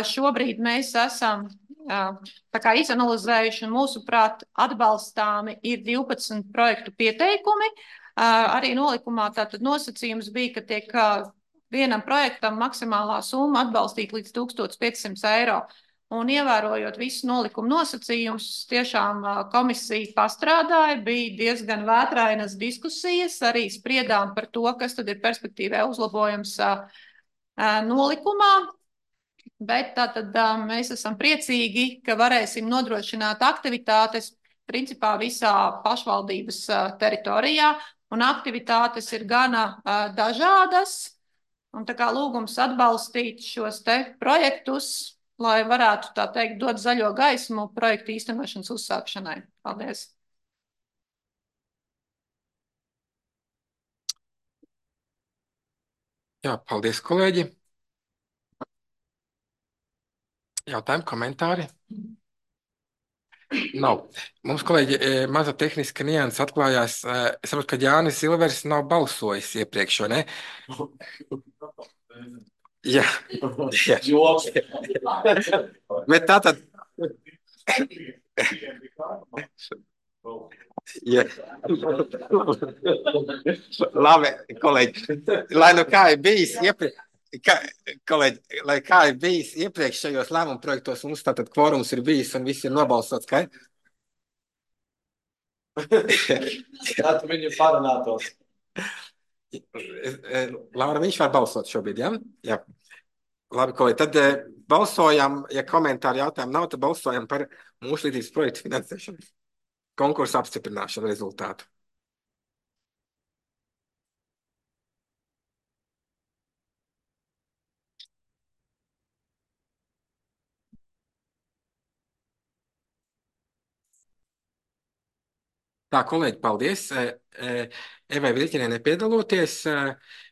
šobrīd mēs esam tā kā izanalizējuši, un mūsuprāt atbalstāmi ir divpadsmit projektu pieteikumi. Arī nolikumā tātad nosacījums bija, ka tiek vienam projektam maksimālā summa atbalstīt līdz tūkstoš piecsimt eiro. Un ievērojot visu nolikumu nosacījumus, tiešām komisija pastrādāja, bija diezgan vētrainas diskusijas, arī spriedām par to, kas tad ir perspektīvē uzlabojums nolikumā, bet tātad mēs esam priecīgi, ka varēsim nodrošināt aktivitātes principā visā pašvaldības teritorijā, un aktivitātes ir gana dažādas. Un tā kā lūgums atbalstīt šos te projektus, lai varētu, tā teikt, dot zaļo gaismu projektu īstenošanas uzsākšanai. Paldies! Jā, paldies, kolēģi. Jautājumi, komentāri? Nav. Mums, kolēģi, maza tehniska nianses atklājās. Es saprotu, ka Jānis Silvers nav balsojis iepriekš, vai ne? Jā. Joks. Bet tā tad... Jā. Labi, kolēģi. Lai nu kā ir bijis iepriekš... Kā, kolēģi, lai kā ir bijis iepriekšējos lēmumu projektos, mums tātad kvorums ir bijis un viss ir nobalsots, ka? Tātad viņi parunātos. Laura, viņš var balsot šobrīd, jā? Jā. Labi, kolēģi, tad balsojam, ja komentāri jautājumu nav, tad balsojam par mūsu līdzības projektu finansēšanu. Konkursu apstiprināšanu rezultātu. Tā, kolēģi, paldies. Evai Vilķinē nepiedaloties,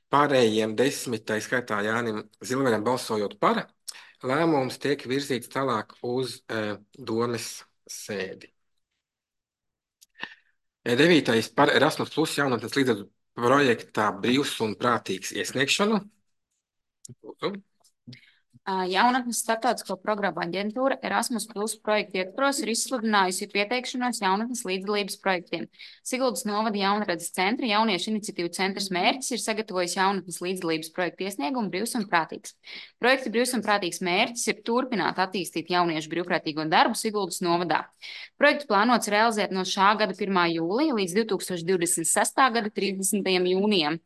pārējiem desmit, tā skaitā Jānim Zilveram balsojot par, lēmums tiek virzīts tālāk uz domes sēdi. Devītais par Erasmus Plus jaunatnes līdzekļu projektā brīvs un prātīgs iesniegšanu. Lūdzu. Jaunatnes starptautisko programmu aģentūra Erasmus Plus projektu ietvaros ir izsludinājusi pieteikšanos jaunatnes līdzdalības projektiem. Siguldas novada jaunredzes centra jauniešu iniciatīvu centrs mērķis ir sagatavojis jaunatnes līdzdalības projektu iesniegumu brīvs un prātīgs. Projekta brīvs un prātīgs mērķis ir turpināt attīstīt jauniešu brīvprātīgo darbu Siguldas novadā. Projektu plānots realizēt no šā gada pirmā jūlija līdz divi tūkstoši divdesmit sestā gada trīsdesmitajam jūnijam.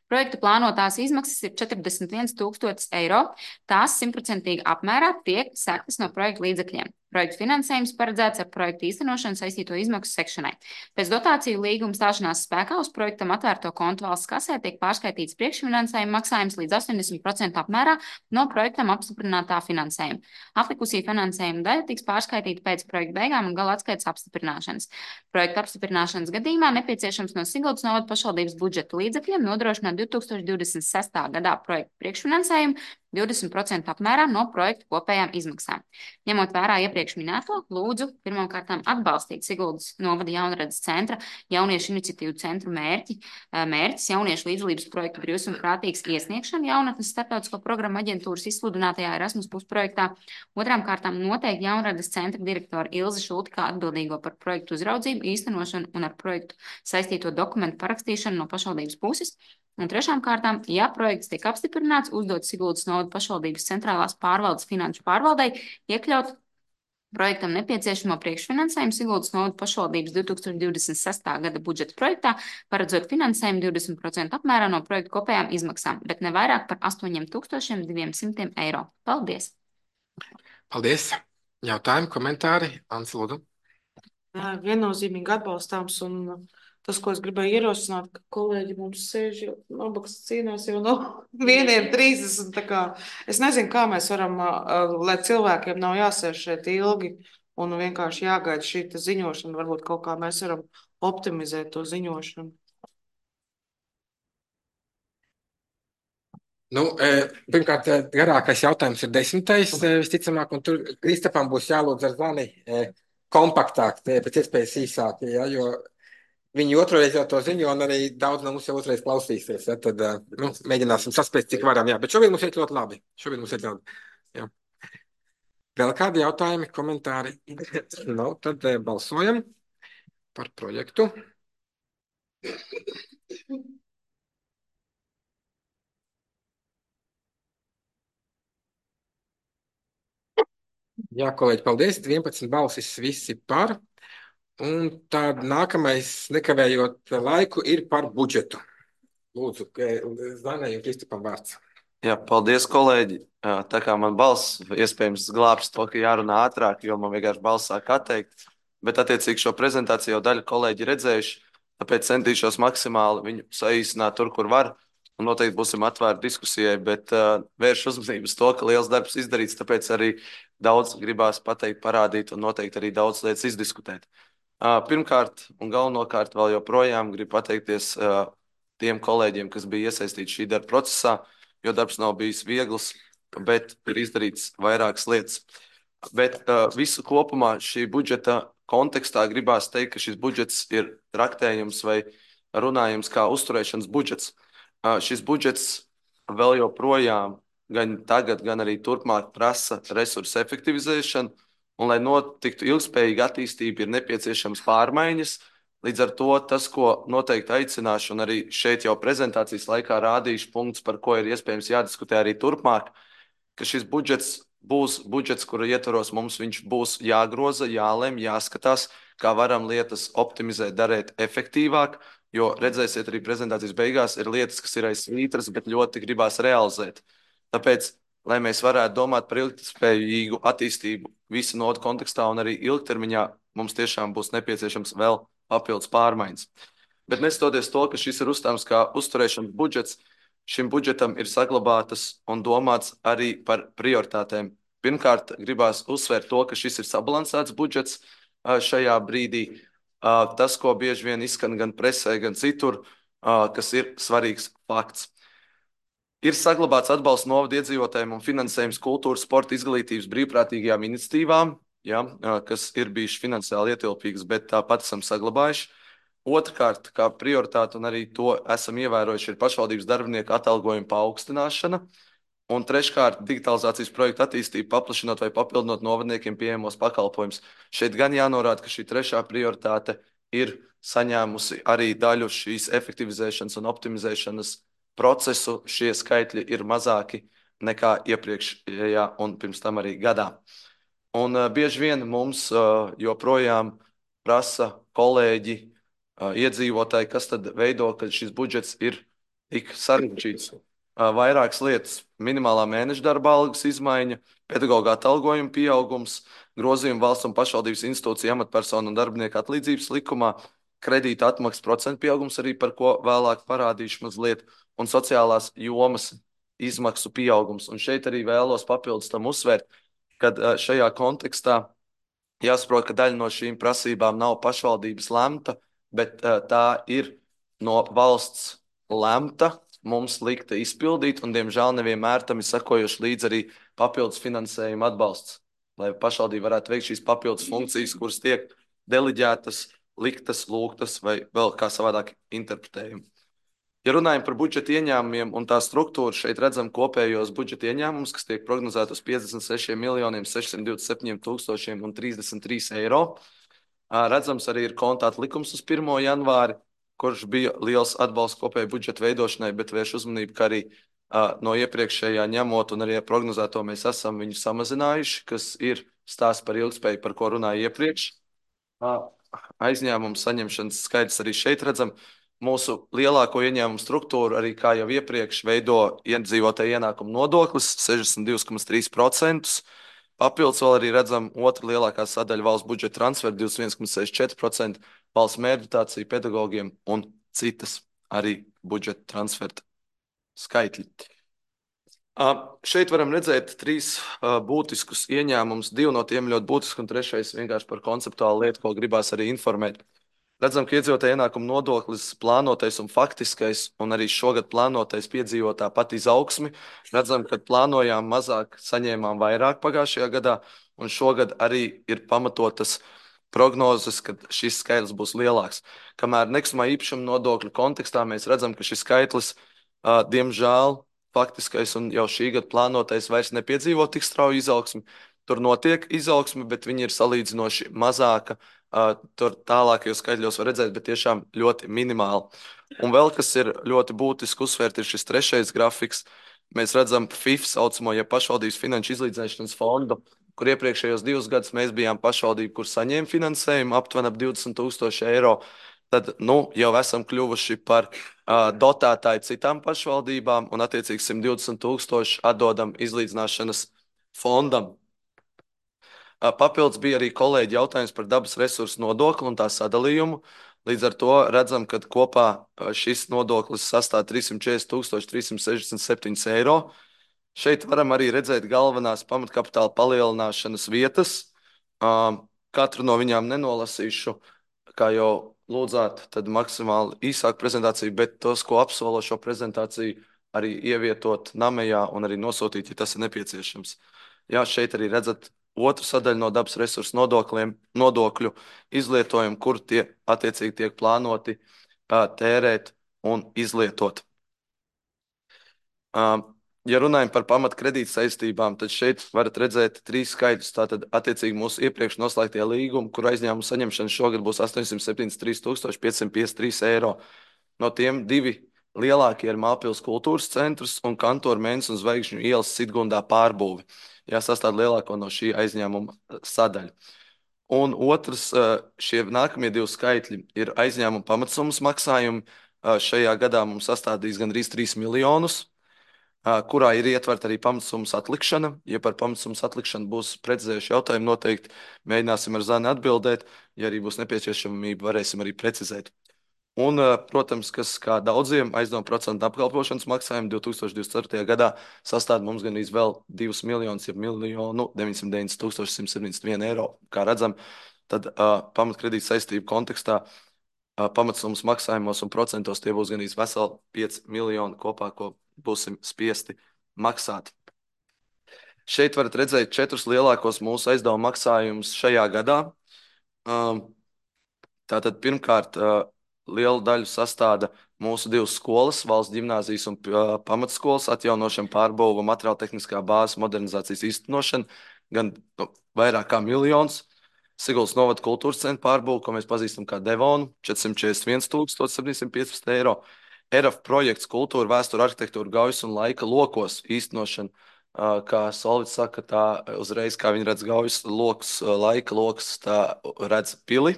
Projekta plānotās izmaksas ir četrdesmit viens tūkstotis eiro. Tās simtprocentīgi apmērā tiek sektas no projekta līdzekļiem. Projekta finansējums paredzēts ar projektu īstenošanu saistīto izmaksu sekšanai. Pēc dotāciju līguma stāšanās spēkā uz projektam atvērto kontu valsts kasē tiek pārskaitīts priekšfinansējuma maksājums līdz astoņdesmit procentu apmērā no projektam apstiprinātā finansējuma. Aplikusī finansējuma daļa tiks pārskaitīta pēc projekta beigām un gala atskaites apstiprināšanas. Projekta apstiprināšanas gadījumā nepieciešams no Siguldas novada pašvaldības budžeta līdzekļiem nodrošināt divi tūkstoši divdesmit sestā gadā projekta priekšfinansējumu divdesmit procentu apmērā no projekta kopējām izmaksām. Ņemot vērā iepriekš minēto, lūdzu pirmkārtām atbalstīt Siguldas novada jaunredzes centra jauniešu iniciatīvu centru mērķi, mērķis jauniešu līdzdalības projektu brīvs un prātīgs iesniegšanu jaunatnes starptautisko programmu aģentūras izsludinātajā Erasmus Plus projektā. Otrām kārtām noteikti jaunredzes centra direktora Ilze Šulti kā atbildīgo par projektu uzraudzību, īstenošanu un ar projektu saistīto dokumentu parakstīšanu no pašvaldības puses. Un trešām kārtām, ja projekts tiek apstiprināts, uzdot Siguldas novada pašvaldības centrālās pārvaldes finanšu pārvaldei iekļaut projektam nepieciešamo priekšfinansējumu Siguldas novada pašvaldības divi tūkstoši divdesmit sestā gada budžeta projektā, paredzot finansējumu divdesmit procentu apmērā no projekta kopējām izmaksām, bet ne vairāk par astoņiem tūkstošiem diviem simtiem eiro. Paldies! Paldies! Jautājumi, komentāri? Ansi, lūdzu. Viennozīmīgi atbalstāms un tas, ko es gribēju ierosināt, ka kolēģi mums sēž jau nabaks cīnās jau no vieniem trīsdesmit. Tā kā es nezinu, kā mēs varam, lai cilvēkiem nav jāsēž šeit ilgi un vienkārši jāgaida šī ziņošana. Varbūt kaut kā mēs varam optimizēt to ziņošanu. Nu, pirmkārt, garākais jautājums ir desmitais, visticamāk, un tur Kristapam būs jālūdz ar zvani kompaktāk, pēc iespējas īsāk, ja, jo viņi otrreiz jau to ziņo, un arī daudz no mums jau otrreiz klausīsies. Ja, tad nu, mēģināsim saspēt, cik varam. Jā. Bet šobrīd mums iet ļoti labi. Šobrīd mums iet ļoti. Jā. Vēl kādi jautājumi, komentāri? No, tad balsojam par projektu. Jā, kolēģi, paldies. vienpadsmit balsis visi par. Un tad nākamais, nekavējot laiku, ir par budžetu. Lūdzu, Zanai un Kristapam vārds. Jā, paldies, kolēģi. Tā kā man balss iespējams glābs to, ka jārunā ātrāk, jo man vienkārši balss sāk atteikt. Bet attiecīgi šo prezentāciju jau daļa kolēģi redzējuši, tāpēc centīšos maksimāli viņu saīsināt tur, kur var. un noteikti būsim atvērti diskusijai, bet uh, vērš uzmanību uz to, ka liels darbs izdarīts, tāpēc arī daudz gribās pateikt, parādīt un noteikti arī daudz lietas izdiskutēt. Uh, pirmkārt un galvenokārt vēl joprojām gribu pateikties uh, tiem kolēģiem, kas bija iesaistīti šī darba procesā, jo darbs nav bijis viegls, bet ir izdarīts vairākas lietas. Bet uh, visu kopumā šī budžeta kontekstā gribās teikt, ka šis budžets ir traktējums vai runājums kā uzturēšanas budžets. Uh, šis budžets vēl joprojām gan tagad, gan arī turpmāk prasa resursu efektivizēšanu, un, lai notiktu ilgspējīga attīstība, ir nepieciešams pārmaiņas. Līdz ar to tas, ko noteikti aicināšu, un arī šeit jau prezentācijas laikā rādīšu punktus, par ko ir iespējams jādiskutē arī turpmāk, ka šis budžets būs budžets, kura ietvaros mums viņš būs jāgroza, jālem, jāskatās, kā varam lietas optimizēt, darīt efektīvāk, jo redzēsiet arī prezentācijas beigās ir lietas, kas ir aiz svītras, bet ļoti gribās realizēt. Tāpēc, lai mēs varētu domāt par ilgtspējīgu attīstību visu nodu kontekstā un arī ilgtermiņā, mums tiešām būs nepieciešams vēl papildus pārmaiņas. Bet neskatoties to, ka šis ir uzstāms kā uzturēšanas budžets, šim budžetam ir saglabātas un domāts arī par prioritātēm. Pirmkārt, gribās uzsvērt to, ka šis ir sabalansēts budžets šajā brīdī. Tas, ko bieži vien izskan gan presē, gan citur, kas ir svarīgs fakts. Ir saglabāts atbalsts novadu iedzīvotājiem un finansējums kultūras, sporta, izglītības brīvprātīgajām iniciatīvām, ja, kas ir bijuši finansiāli ietilpīgas, bet tāpat esam saglabājuši. Otrkārt, kā prioritāte, un arī to esam ievērojuši, ir pašvaldības darbinieku atalgojuma paaugstināšana. Un treškārt, digitalizācijas projektu attīstību, paplašinot vai papildinot novadniekiem pieejamos pakalpojumus. Šeit gan jānorāda, ka šī trešā prioritāte ir saņēmusi arī daļu šīs efektivizēšanas un optimizēšanas procesu. Šie skaitļi ir mazāki nekā iepriekšējā un pirms tam arī gadā. Un uh, bieži vien mums uh, joprojām prasa kolēģi, uh, iedzīvotāji, kas tad veido, ka šis budžets ir tik sarežģīts. Vairākas lietas - minimālā mēneša darba algas izmaiņa, pedagoga atalgojuma pieaugums, grozījumi valsts un pašvaldības institūciju amatpersonu un darbinieku atlīdzības likumā, kredīta atmaksas procentu pieaugums, arī par ko vēlāk parādīšu mazliet, un sociālās jomas izmaksu pieaugums. Un šeit arī vēlos papildus tam uzsvērt, kad šajā kontekstā jāsaprot, ka daļa no šīm prasībām nav pašvaldības lemta, bet tā ir no valsts lemta, mums likta izpildīt, un, diemžēl, nevienmēr tam ir sekojuši līdz arī papildus finansējuma atbalsts, lai pašvaldība varētu veikt šīs papildus funkcijas, kuras tiek deliģētas, liktas, lūgtas vai vēl kā savādāk interpretējumi. Ja runājam par budžeta ieņēmumiem un tā struktūru, šeit redzam kopējos budžeta ieņēmumus, kas tiek prognozēti uz piecdesmit sešiem miljoniem sešsimt divdesmit septiņiem tūkstošiem un trīsdesmit trīs eiro. Redzams arī ir kontāta likums uz pirmo janvāri, kurš bija liels atbalsts kopēju budžeta veidošanai, bet vērš uzmanību, ka arī uh, no iepriekšējā ņemot un arī prognozēto mēs esam viņu samazinājuši, kas ir stāsts par ilgspēju, par ko runāju iepriekš. Uh, aizņēmumu saņemšanas skaidrs arī šeit redzam. Mūsu lielāko ieņēmumu struktūru arī, kā jau iepriekš, veido iedzīvotāju ienākumu nodoklis sešdesmit divi komats trīs procenti. Papildus vēl arī redzam otru lielākā sadaļa valsts budžeta transferu divdesmit viens komats sešdesmit četri procenti, valsts mērķdotācija pedagogiem un citas arī budžeta transferta skaitļi. Uh, šeit varam redzēt trīs uh, būtiskus ieņēmumus, divi no tiem ļoti būtiski un trešais vienkārši par konceptuālu lietu, ko gribās arī informēt. Redzam, ka iedzīvotāju ienākumu nodoklis plānotais un faktiskais un arī šogad plānotais piedzīvo tāpat izaugsmi. Redzam, ka plānojām mazāk, saņēmām vairāk pagājušajā gadā, un šogad arī ir pamatotas prognozes, ka šis skaitlis būs lielāks. Kamēr nekustamā īpašuma nodokļu kontekstā mēs redzam, ka šis skaitlis, uh, diemžēl, faktiskais un jau šī gada plānotais vairs nepiedzīvo tik strauju izaugsmi. Tur notiek izaugsme, bet viņi ir salīdzinoši mazāka. Uh, tur tālākajos skaitļos var redzēt, bet tiešām ļoti minimāli. Un vēl, kas ir ļoti būtiski uzsvērt, ir šis trešais grafiks. Mēs redzam F I F saucamo, ja pašvaldības finanšu izlīdzināšanas fondu, kur iepriekšējos divus gadus mēs bijām pašvaldība, kur saņēma finansējumu aptuveni ap divdesmit tūkstoši eiro. Tad, nu, jau esam kļuvuši par uh, dotētāju citām pašvaldībām un attiecīgi simt divdesmit tūkstoši atdodam izlīdzināšanas fondam. Papildus bija arī kolēģi jautājums par dabas resursu nodokli un tā sadalījumu. Līdz ar to redzam, ka kopā šis nodoklis sastāv trīssimt četrdesmit tūkstoši trīssimt sešdesmit septiņi eiro. Šeit varam arī redzēt galvenās pamatkapitāla palielināšanas vietas. Katru no viņām nenolasīšu, kā jau lūdzāt, tad maksimāli īsāku prezentāciju, bet tos, ko apsolo šo prezentāciju, arī ievietot namejā un arī nosūtīt, ja tas ir nepieciešams. Jā, šeit arī redzat otru sadaļu no dabas resursu nodokļiem, nodokļu izlietojumu, kur tie attiecīgi tiek plānoti uh, tērēt un izlietot. Uh, ja runājam par pamatkredīt saistībām, tad šeit varat redzēt trīs skaidrs. Tātad attiecīgi mūsu iepriekš noslēgtie līgumi, kur aizņēmumu saņemšana šogad būs astoņsimt septiņdesmit trīs tūkstoši piecsimt piecdesmit trīs eiro. No tiem divi lielākie ir Māpils kultūras centrs un Kantora Mēness un Zvaigžņu ielas Sitgundā pārbūve. Jā, sastāv lielāko no šī aizņēmuma sadaļa. Un otrs, šie nākamie divi skaitļi ir aizņēmuma pamatsummas maksājumi. Šajā gadā mums sastādīs gandrīz trīs miljonus, kurā ir ietverta arī pamatsummas atlikšana. Ja par pamatsummas atlikšanu būs precizējuši jautājumi, noteikti mēģināsim ar Zani atbildēt. Ja arī būs nepieciešamība, varēsim arī precizēt. Un, protams, kas kā daudziem aizdevuma procentu apkalpošanas maksājumi divi tūkstoši divdesmit ceturtajā gadā sastāv mums gan vēl divus miljonus, ja miljonu deviņsimt deviņdesmit tūkstoši simt septiņdesmit vienu eiro. Kā redzam, tad uh, pamatkredīta saistību kontekstā uh, pamatsummas maksājumos un procentos tie būs gan veseli pieci miljoni kopā, ko būsim spiesti maksāt. Šeit varat redzēt četrus lielākos mūsu aizdevuma maksājumus šajā gadā. Uh, tātad pirmkārt, uh, lielu daļu sastāda mūsu divas skolas, valsts ģimnāzijas un uh, pamatskolas atjaunošana, pārbūve, materiāla tehniskā bāzes modernizācijas īstenošana, gan nu, vairāk kā miljons. Siguldas novada kultūras centra pārbūve, ko mēs pazīstam kā Devonu, četrsimt četrdesmit viens tūkstoši septiņsimt piecpadsmit eiro. E R A F projekts kultūra, vēstura, arhitektūra, gaujas un laika lokos īstenošana, uh, kā Solvits saka, tā uzreiz, kā viņi redz gaujas lokus, uh, laika lokus, tā redz pili.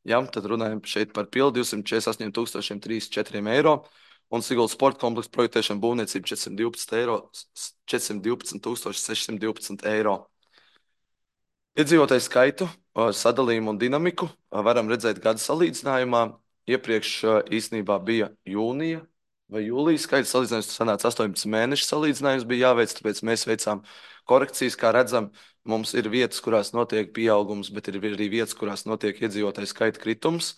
Jā, tad runājam šeit par pili divsimt četrdesmit astoņi tūkstoši trīsdesmit četri eiro un Siguldas sporta kompleksa projektēšana būvniecība četrsimt divpadsmit eiro, četrsimt divpadsmit tūkstoši sešsimt divpadsmit eiro. Iedzīvotāju skaitu, sadalījumu un dinamiku varam redzēt gada salīdzinājumā. Iepriekš īstenībā bija jūnija vai jūlijas skaits salīdzinājums, sanāca astoņpadsmit mēnešu salīdzinājums bija jāveic, tāpēc mēs veicām korekcijas, kā redzam, mums ir vietas, kurās notiek pieaugums, bet ir arī vietas, kurās notiek iedzīvotāju skaita kritums.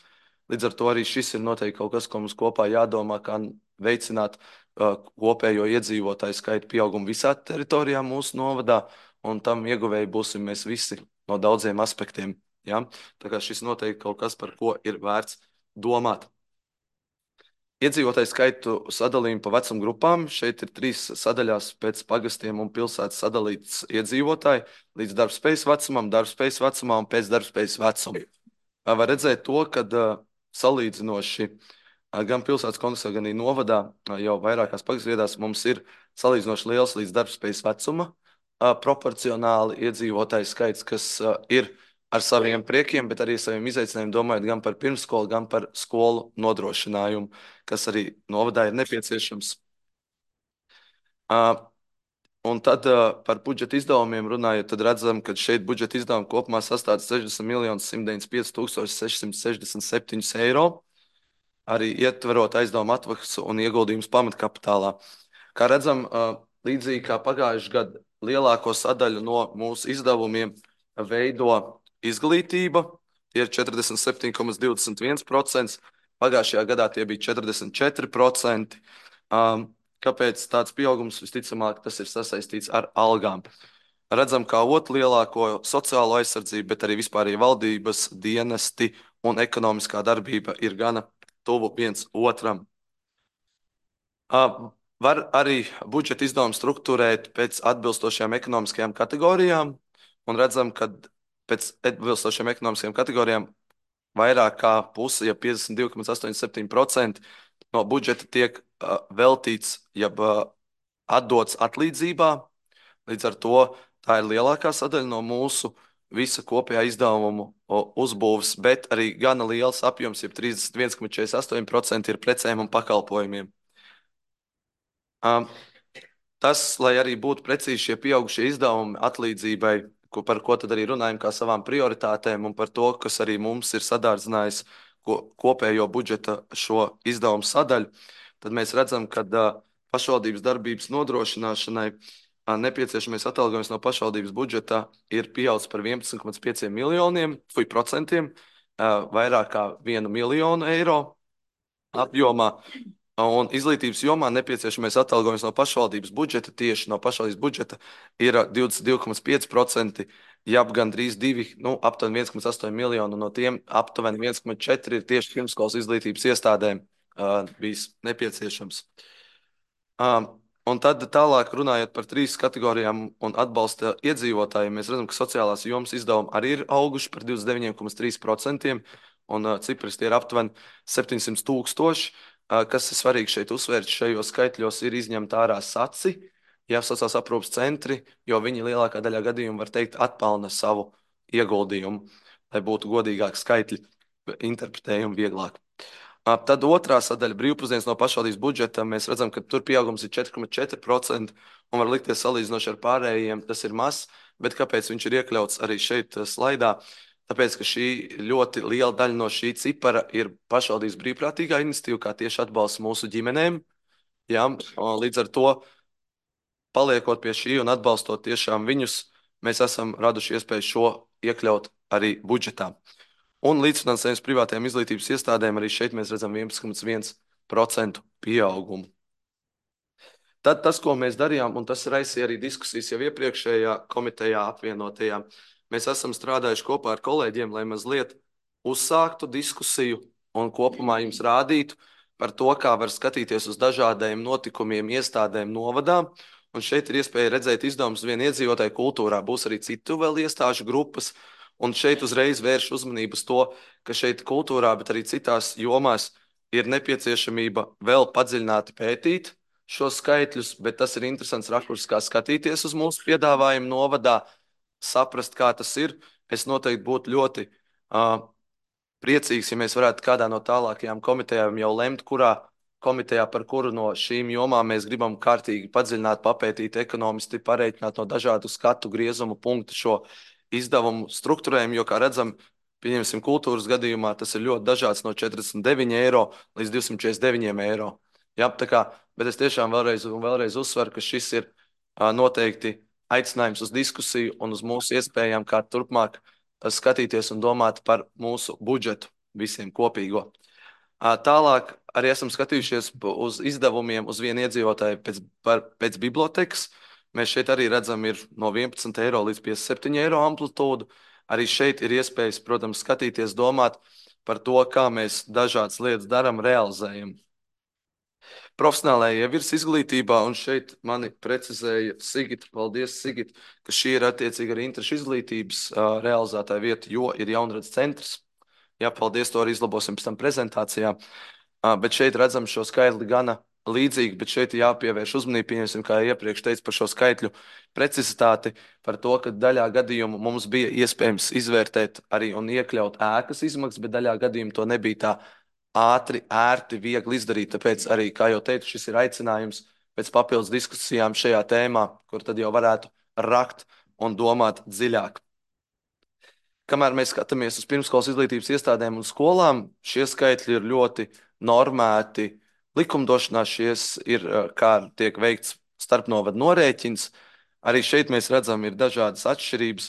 Līdz ar to arī šis ir noteikti kaut kas, ko mums kopā jādomā, kā veicināt uh, kopējo iedzīvotāju skaita pieaugumu visā teritorijā mūsu novadā, un tam ieguvēji būsim mēs visi no daudziem aspektiem. Ja? Tā kā šis noteikti kaut kas, par ko ir vērts domāt. Iedzīvotāju skaitu sadalījumu pa vecuma grupām. Šeit ir trīs sadaļās pēc pagastiem un pilsētas sadalīts iedzīvotāji līdz darbspējas vecumam, darbspējas vecumā un pēc darbspējas vecuma. Var redzēt to, ka salīdzinoši gan pilsētas kontekstā, gan arī novadā jau vairākās pagasvietās mums ir salīdzinoši liels līdz darbspējas vecuma proporcionāli iedzīvotāju skaits, kas ir ar saviem priekiem, bet arī saviem izaicinājumiem domājot gan par pirmskolu, gan par skolu nodrošinājumu, kas arī novadā ir nepieciešams. Uh, un tad uh, par budžeta izdevumiem runājot, tad redzam, ka šeit budžeta izdevumi kopumā sastāv sešdesmit miljonus simt deviņdesmit pieci tūkstoši sešsimt sešdesmit septiņi eiro, arī ietverot aizdevumu atmaksu un ieguldījumus pamatkapitālā. Kā redzam, uh, līdzīgi kā pagājuši gadu, lielāko sadaļu no mūsu izdevumiem veido izglītība, tie ir četrdesmit septiņi komats divdesmit viens procents, pagājušajā gadā tie bija četrdesmit četri procenti. Um, kāpēc tāds pieaugums? Visticamāk, tas ir sasaistīts ar algām. Redzam, kā otru lielāko sociālo aizsardzību, bet arī vispārēji valdības dienesti un ekonomiskā darbība ir gana tuvu viens otram. Uh, var arī budžeta izdevumu struktūrēt pēc atbilstošajām ekonomiskajām kategorijām, un redzam, ka pēc atbilstošiem ekonomiskajām kategorijām vairāk kā puse, ja piecdesmit divi komats astoņdesmit septiņi procenti no budžeta tiek uh, veltīts, jeb uh, atdots atlīdzībā. Līdz ar to tā ir lielākā sadaļa no mūsu visa kopējā izdevumu uzbūves, bet arī gana liels apjoms, jeb trīsdesmit viens komats četrdesmit astoņi procenti ir precēm un pakalpojumiem. Um, tas, lai arī būtu precīzi šie pieaugušie izdevumi atlīdzībai, ko, par ko tad arī runājam kā savām prioritātēm un par to, kas arī mums ir sadārdzinājis ko, kopējo budžeta šo izdevumu sadaļu, tad mēs redzam, ka uh, pašvaldības darbības nodrošināšanai uh, nepieciešamais atalgojums no pašvaldības budžeta ir pieaudzis par vienpadsmit komats pieciem miljoniem, fuj, procentiem, uh, vairāk kā vienu miljonu eiro apjomā. Un izglītības jomā nepieciešamais atalgojums no pašvaldības budžeta, tieši no pašvaldības budžeta, ir divdesmit divi komats pieci procenti, jeb gandrīz divi, nu, aptuveni viens komats astoņi miljonu, no tiem aptuveni viens komats četri ir tieši pirmskolas izglītības iestādēm uh, bijis nepieciešams. Um, un tad tālāk runājot par trīs kategorijām un atbalsta iedzīvotājiem, mēs redzam, ka sociālās jomas izdevumi arī ir auguši par divdesmit deviņi komats trīs procenti, un uh, cipras tie ir aptuveni septiņsimt tūkstoši. Kas ir svarīgi šeit uzsvērt, šajos skaitļos ir izņemta ārā saci, ja sociālās aprūpes centri, jo viņi lielākā daļā gadījumu, var teikt, atpelna savu ieguldījumu, lai būtu godīgāki skaitļi, interpretējumi vieglāk. Tad otrā sadaļa brīvpusdienas no pašvaldības budžeta, mēs redzam, ka tur pieaugums ir četri komats četri procenti un var likties salīdzinoši ar pārējiem, tas ir mazs, bet kāpēc viņš ir iekļauts arī šeit slaidā? Tāpēc, ka šī ļoti liela daļa no šī cipara ir pašvaldības brīvprātīgā iniciatīva, kā tieši atbalsts mūsu ģimenēm. Ja? Līdz ar to, paliekot pie šī un atbalstot tiešām viņus, mēs esam raduši iespēju šo iekļaut arī budžetā. Un līdzfinansējums privātajām izglītības iestādēm arī šeit mēs redzam vienpadsmit komats viens procenti pieaugumu. Tad tas, ko mēs darījām, un tas raisīja arī diskusijas jau iepriekšējā komitejā apvienotajā, mēs esam strādājuši kopā ar kolēģiem, lai mazliet uzsāktu diskusiju un kopumā jums rādītu par to, kā var skatīties uz dažādiem notikumiem, iestādēm, novadām. Un šeit ir iespēja redzēt izdevumus vien iedzīvotāju kultūrā. Būs arī citu vēl iestāžu grupas. Un šeit uzreiz vērš uzmanību uz to, ka šeit kultūrā, bet arī citās jomās ir nepieciešamība vēl padziļināti pētīt šos skaitļus, bet tas ir interesants rakurs, kā skatīties uz mūsu piedāvājumu novadā, saprast, kā tas ir. Es noteikti būtu ļoti uh, priecīgs, ja mēs varētu kādā no tālākajām komitejām jau lemt, kurā komitejā par kuru no šīm jomām mēs gribam kārtīgi padziļināt, papētīt, ekonomisti pareiķināt no dažādu skatu griezumu punktu šo izdevumu struktūrējumu, jo, kā redzam, pieņemsim kultūras gadījumā, tas ir ļoti dažāds no četrdesmit deviņi eiro līdz divsimt četrdesmit deviņi eiro. Jā, tā kā, bet es tiešām vēlreiz un vēlreiz uzsveru, ka šis ir uh, noteikti aicinājums uz diskusiju un uz mūsu iespējām, kā turpmāk skatīties un domāt par mūsu budžetu visiem kopīgo. Tālāk arī esam skatījušies uz izdevumiem uz vienu iedzīvotāju pēc, par, pēc bibliotekas. Mēs šeit arī redzam ir no vienpadsmit eiro līdz piecdesmit septiņi eiro amplitūdu. Arī šeit ir iespējas, protams, skatīties, domāt par to, kā mēs dažādas lietas daram, realizējam. Profesionālajā virs izglītībā, un šeit mani precizēja Sigita, paldies Sigita, ka šī ir attiecīgi arī interešu izglītības uh, realizētāja vieta, jo ir jaunradas centrs. Jā, paldies, to arī izlabosim pēc tam prezentācijā. Uh, bet šeit redzam šo skaitli gana līdzīgi, bet šeit jāpievērš uzmanību, pieņemsim, kā iepriekš teicu par šo skaitļu precizitāti, par to, ka daļā gadījumu mums bija iespējams izvērtēt arī un iekļaut ēkas izmaksas, bet daļā gadījumu to nebija tā ātri, ērti, viegli izdarīt. Tāpēc arī, kā jau teicu, šis ir aicinājums pēc papildus diskusijām šajā tēmā, kur tad jau varētu rakt un domāt dziļāk. Kamēr mēs skatāmies uz pirmskolas izglītības iestādēm un skolām, šie skaitļi ir ļoti normēti. Likumdošanā šies ir, kā tiek veikts starpnovadu norēķins. Arī šeit mēs redzam, ir dažādas atšķirības,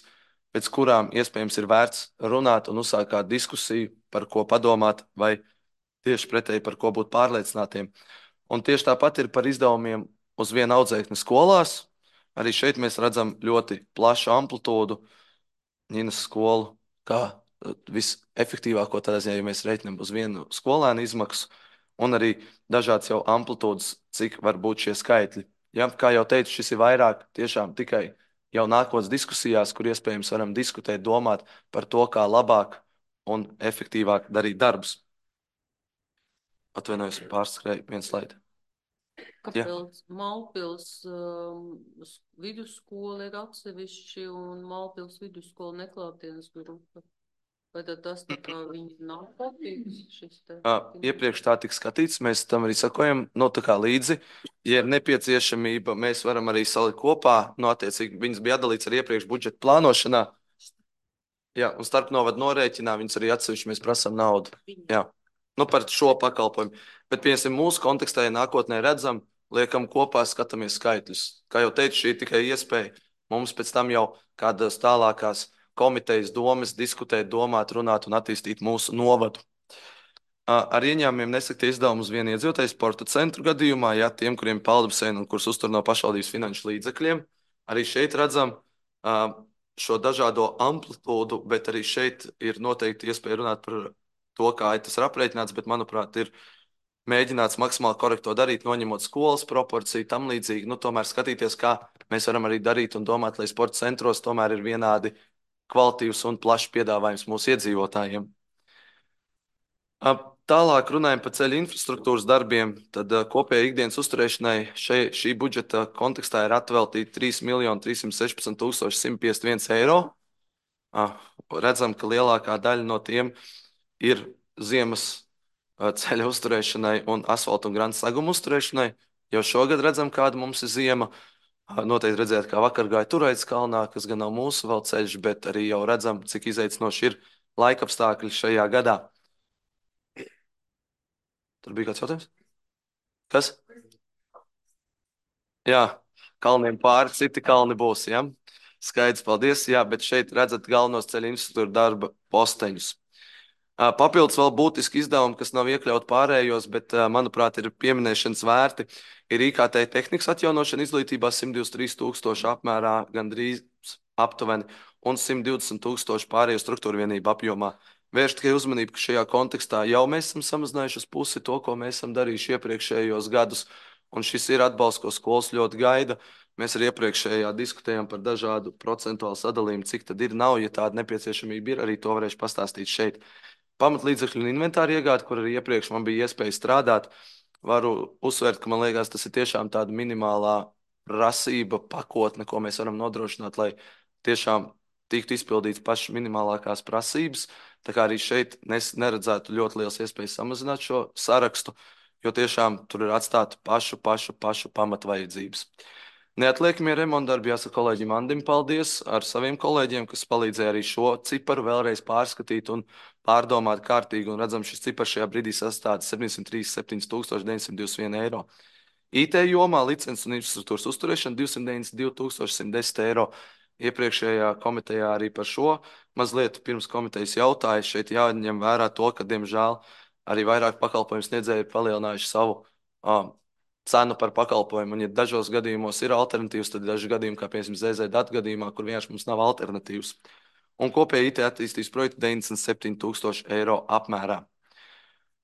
pēc kurām iespējams ir vērts runāt un uzsākt kādu diskusiju, par ko padomāt vai tieši pretēji, par ko būt pārliecinātiem. Un tieši tāpat ir par izdevumiem uz vienu audzēkni skolās. Arī šeit mēs redzam ļoti plašu amplitūdu. Ņinas skolu kā visefektīvāko tādā ziņā, ja mēs reiķinām uz vienu skolēnu izmaksu, un arī dažāds jau amplitūdas, cik var būt šie skaitļi. Ja, kā jau teicu, šis ir vairāk tiešām tikai jau nākotnes diskusijās, kur iespējams varam diskutēt, domāt par to, kā labāk un efektīvāk darīt darbus. Atvainojos, pārskrēju vienu slaidu. Kāpēc Malpils um, vidusskola ir atsevišķi un Malpils vidusskola neklātienes grupa? Vai tad tas tā kā viņi nav kopīgs šis te? Uh, iepriekš tā tika skatīts, mēs tam arī sakojam, no tā kā līdzi. Ja ir nepieciešamība, mēs varam arī salikt kopā, no attiecīgi viņas bija atdalīts arī iepriekš budžeta plānošanā. Jā, un starp novadu norēķinā viņas arī atsevišķi mēs prasām naudu. Jā, nu par šo pakalpojumu. Bet, piemēram, mūsu kontekstā, ja nākotnē redzam, liekam kopā, skatāmies skaitļus. Kā jau teicu, šī ir tikai iespēja mums pēc tam jau kādas tālākās komitejas domas diskutēt, domāt, runāt un attīstīt mūsu novadu. Ar ieņēmumiem nesaktie izdevumi uz vienu iedzīvotāju sporta centru gadījumā, ja tiem, kuriem ir peldbaseini un kurus uztur no pašvaldības finanšu līdzekļiem, arī šeit redzam šo dažādo amplitūdu, bet arī šeit ir noteikti iespēja runāt par to, kā tas ir aprēķināts, bet, manuprāt, ir mēģināts maksimāli korekto darīt, noņemot skolas proporciju, tam līdzīgi, nu, tomēr skatīties, kā mēs varam arī darīt un domāt, lai sporta centros tomēr ir vienādi kvalitīvs un plašs piedāvājums mūsu iedzīvotājiem. Tālāk runājam par ceļu infrastruktūras darbiem, tad kopējai ikdienas uzturēšanai šai, šī budžeta kontekstā ir atveltīti trīs miljoni trīs simt sešpadsmit tūkstoši simt piecdesmit viens eiro. Redzam, ka lielākā daļa no tiem ir ziemas ceļa uzturēšanai un asfaltu un grandu segumu uzturēšanai. Jau šogad redzam, kāda mums ir ziema. Noteikti redzēt, kā vakar gāja Turaitas kalnā, kas gan nav mūsu vēl ceļš, bet arī jau redzam, cik izaicinoši ir laikapstākļi šajā gadā. Tur bija kāds jautājums? Kas? Jā, kalniem pāri, citi kalni būs, ja? Skaidrs, paldies, jā, bet šeit redzat galvenos ceļu infrastruktūra darba posteņus. Papildus vēl būtiski izdevumi, kas nav iekļaut pārējos, bet, manuprāt, ir pieminēšanas vērti, ir I K T tehnikas atjaunošana izglītībā simt divdesmit trīs tūkstoši apmērā, gandrīz aptuveni, un simt divdesmit tūkstoši pārējo struktūra vienību apjomā. Vērš tikai uzmanību, ka šajā kontekstā jau mēs esam samazinājuši uz pusi to, ko mēs esam darījuši iepriekšējos gadus, un šis ir atbalsts, ko skolas ļoti gaida. Mēs arī iepriekšējā diskutējām par dažādu procentuālu sadalījumu, cik tad ir nav, ja tāda nepieciešamība ir, arī to varēšu pastāstīt šeit. Pamatlīdzekļu un inventāru iegādi, kur arī iepriekš man bija iespēja strādāt, varu uzsvērt, ka man liekas, tas ir tiešām tāda minimālā prasība pakotne, ko mēs varam nodrošināt, lai tiešām tiktu izpildīts pašas minimālākās prasības. Tā kā arī šeit neredzētu ļoti liels iespējas samazināt šo sarakstu, jo tiešām tur ir atstāta pašu, pašu, pašu pamatvajadzības. Neatliekamie remontdarbi, jāsaka kolēģim Andim paldies ar saviem kolēģiem, kas palīdzēja arī šo ciparu vēlreiz pārskatīt un pārdomāt kārtīgi, un redzam, šis cipars šajā brīdī sastāda septiņsimt trīsdesmit septiņi tūkstoši deviņsimt divdesmit viens eiro. I T jomā licences un infrastruktūras uzturēšana divsimt deviņdesmit divi tūkstoši simt desmit eiro. Iepriekšējā komitejā arī par šo mazliet pirms komitejas jautāja. Šeit jāņem vērā to, ka, diemžēl, arī vairāk pakalpojumu sniedzēji ir palielinājuši savu uh, cenu par pakalpojumu. Un, ja dažos gadījumos ir alternatīvas, tad daži gadījumi, kā piemēram Z Z datu gadījumā, kur vienkārši mums nav alternatīvas. Un kopēji I T attīstības projekti deviņdesmit septiņi tūkstoši eiro apmērā.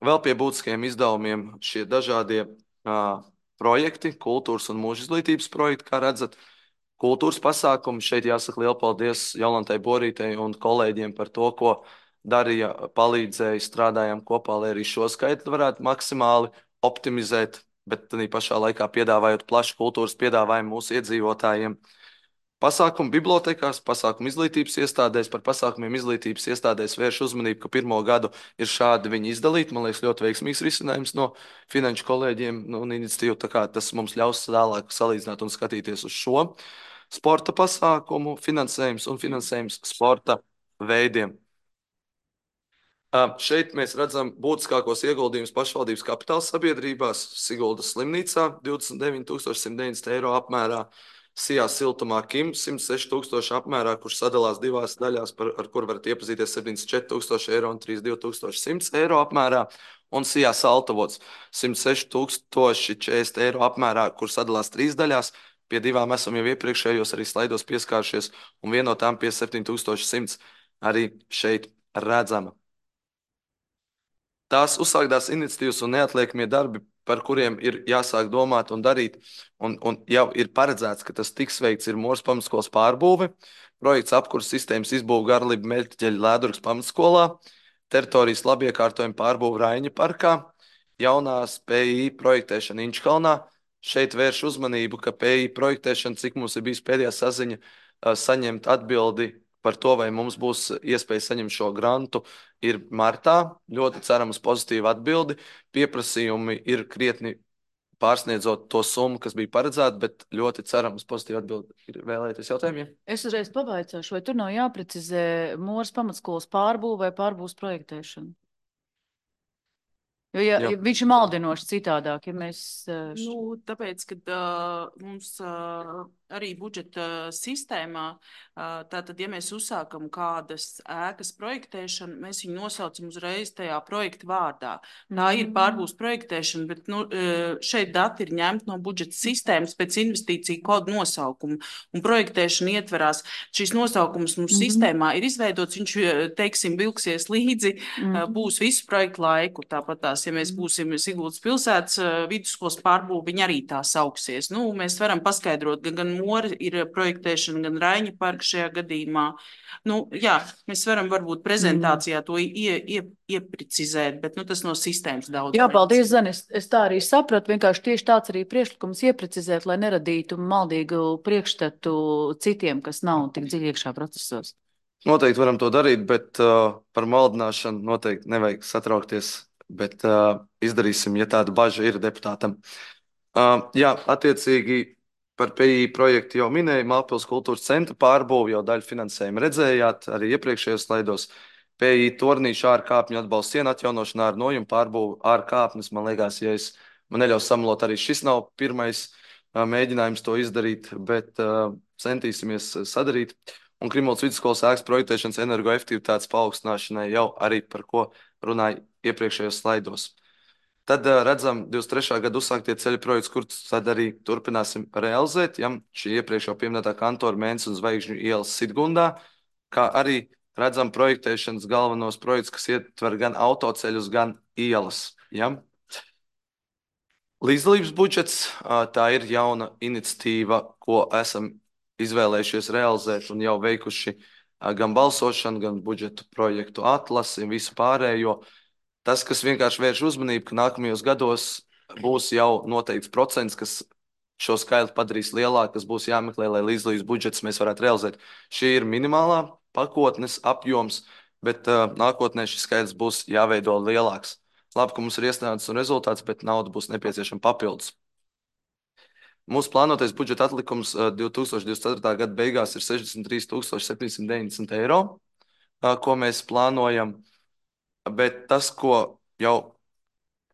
Vēl pie būtiskajiem izdevumiem šie dažādie uh, projekti, kultūras un mūža izglītības projekti, kā redzat, kultūras pasākumi. Šeit jāsaka lielu paldies Jolantai Borītei un kolēģiem par to, ko darīja, palīdzēja, strādājām kopā, lai arī šo skaitli varētu maksimāli optimizēt, bet tādā pašā laikā piedāvājot plašu kultūras piedāvājumu mūsu iedzīvotājiem. Pasākumu bibliotekās, pasākumu izglītības iestādēs, par pasākumiem izglītības iestādēs vērš uzmanību, ka pirmo gadu ir šādi viņi izdalīti. Man liekas, ļoti veiksmīgs risinājums no finanšu kolēģiem nu, un iniciatīvu, tā kā tas mums ļaus tālāk salīdzināt un skatīties uz šo sporta pasākumu, finansējums un finansējums sporta veidiem. Šeit mēs redzam būtiskākos ieguldījumus pašvaldības kapitāla sabiedrībās, Siguldas slimnīcā divdesmit deviņi tūkstoši simt deviņdesmit eiro apmērā, Sijā siltumā Kim simt seši tūkstoši apmērā, kurš sadalās divās daļās, par, ar kur varat iepazīties septiņdesmit četri tūkstoši eiro un trīsdesmit divi tūkstoši simts eiro apmērā, un Sijā Saltavots simt seši tūkstoši četrdesmit eiro apmērā, kur sadalās trīs daļās. Pie divām esam jau iepriekšējos arī slaidos pieskāršies, un viena no tām pie septiņi tūkstoši simts arī šeit redzama. Tās uzsāktās iniciatīvas un neatliekamie darbi, par kuriem ir jāsāk domāt un darīt, un, un jau ir paredzēts, ka tas tiks veikts, ir Mūras pamatskolas pārbūve, projekts apkuras sistēmas izbūve Garliba Meļķeļa Lēdurgas pamatskolā, teritorijas labiekārtojuma pārbūve Raiņa parkā, jaunās P I projektēšana Inčkalnā. Šeit vērš uzmanību, ka P I projektēšana, cik mums ir bijis pēdējā saziņa, saņemt atbildi par to, vai mums būs iespēja saņemt šo grantu, ir martā. Ļoti ceram uz pozitīvu atbildi. Pieprasījumi ir krietni pārsniedzot to summu, kas bija paredzēta, bet ļoti ceram uz pozitīvu atbildi. Ir vēlēties jautājumiem? Es uzreiz pavaicāšu, vai tur nav jāprecizē Mūras pamatskolas pārbūve vai pārbūves projektēšana? Jo, ja, Jā. ja viņš ir maldinoši citādāk, ja mēs... Uh, š- Nu, tāpēc, ka uh, mums uh, arī budžeta sistēmā, uh, tātad, ja mēs uzsākam kādas ēkas projektēšanu, mēs viņu nosaucam uzreiz tajā projekta vārdā. Tā ir pārbūves projektēšana, bet nu, uh, šeit dati ir ņemti no budžeta sistēmas pēc investīciju kodu nosaukuma. Un projektēšana ietverās, šīs nosaukums mums Mhm. sistēmā ir izveidots, viņš, uh, teiksim, vilksies līdzi, uh, Mhm. būs visu projektu laiku. Tāpat tās, ja mēs būsim Siguldas pilsētas uh, vidusskolas pārbūve, viņa arī tā sauksies. Nu, mēs varam paskaidrot, gan, gan Mora ir projektēšana, gan Raiņa parka šajā gadījumā. Nu, jā, mēs varam varbūt prezentācijā to ie, ie, ieprecizēt, bet nu, tas no sistēmas daudz. Jā, paldies, Zani. Es, es tā arī sapratu. Vienkārši tieši tāds arī priekšlikums ieprecizēt, lai neradītu maldīgu priekšstatu citiem, kas nav tik dziļi iekšā procesos. Noteikti varam to darīt, bet uh, par maldināšanu noteikti nevajag satraukties. Bet uh, izdarīsim, ja tāda baža ir deputātam. Uh, jā, attiecīgi par P I projektu jau minēju, Mālpils kultūras centra pārbūvi, jau daļu finansējumu redzējāt, arī iepriekšējos slaidos. P I tornīšu ārkāpņu atbalsts sienu atjaunošanā ar nojumu pārbūvi ārkāpnes. Man liekas, ja es man neļaus samalot, arī šis nav pirmais uh, mēģinājums to izdarīt, bet uh, centīsimies sadarīt. Un Krimuldas vidusskolas ēkas projektēšanas energoefektivitātes paaugstināšanai jau arī par ko runāju iepriekšējos slaidos. Tad uh, redzam, divdesmit trešā gada uzsāktie ceļu projekts, kurus tad arī turpināsim realizēt. Ja? Šī iepriekš jau pieminētā kantora Mēnes un Zvaigžņu ielas Sidgundā, kā arī redzam projektēšanas galvenos projekts, kas ietver gan autoceļus, gan ielas. Ja? Līdzdalības budžets, uh, tā ir jauna iniciatīva, ko esam izvēlējušies realizēt un jau veikuši uh, gan balsošanu, gan budžetu projektu atlasi un visu pārējo. Tas, kas vienkārši vērš uzmanību, ka nākamajos gados būs jau noteikts procents, kas šo skaitli padarīs lielāku, kas būs jāmeklē, lai līdzdalības budžets mēs varētu realizēt. Šī ir minimālā pakotnes apjoms, bet uh, nākotnē šis skaitlis būs jāveido lielāks. Labi, ka mums ir iesniegts un rezultāts, bet nauda būs nepieciešama papildus. Mūsu plānotais budžeta atlikums uh, divi tūkstoši divdesmit ceturtā gada beigās ir sešdesmit trīs tūkstoši septiņsimt deviņdesmit eiro, uh, ko mēs plānojam. Bet tas, ko jau,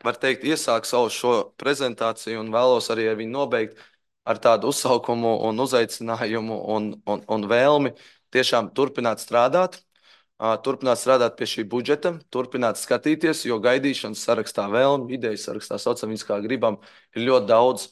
var teikt, iesāk savu šo prezentāciju un vēlos arī ar viņu nobeigt ar tādu uzsaukumu un uzaicinājumu un, un, un vēlmi tiešām turpināt strādāt, uh, turpināt strādāt pie šī budžeta, turpināt skatīties, jo gaidīšanas sarakstā vēlmi, idejas sarakstā saucam viņas kā gribam, ir ļoti daudz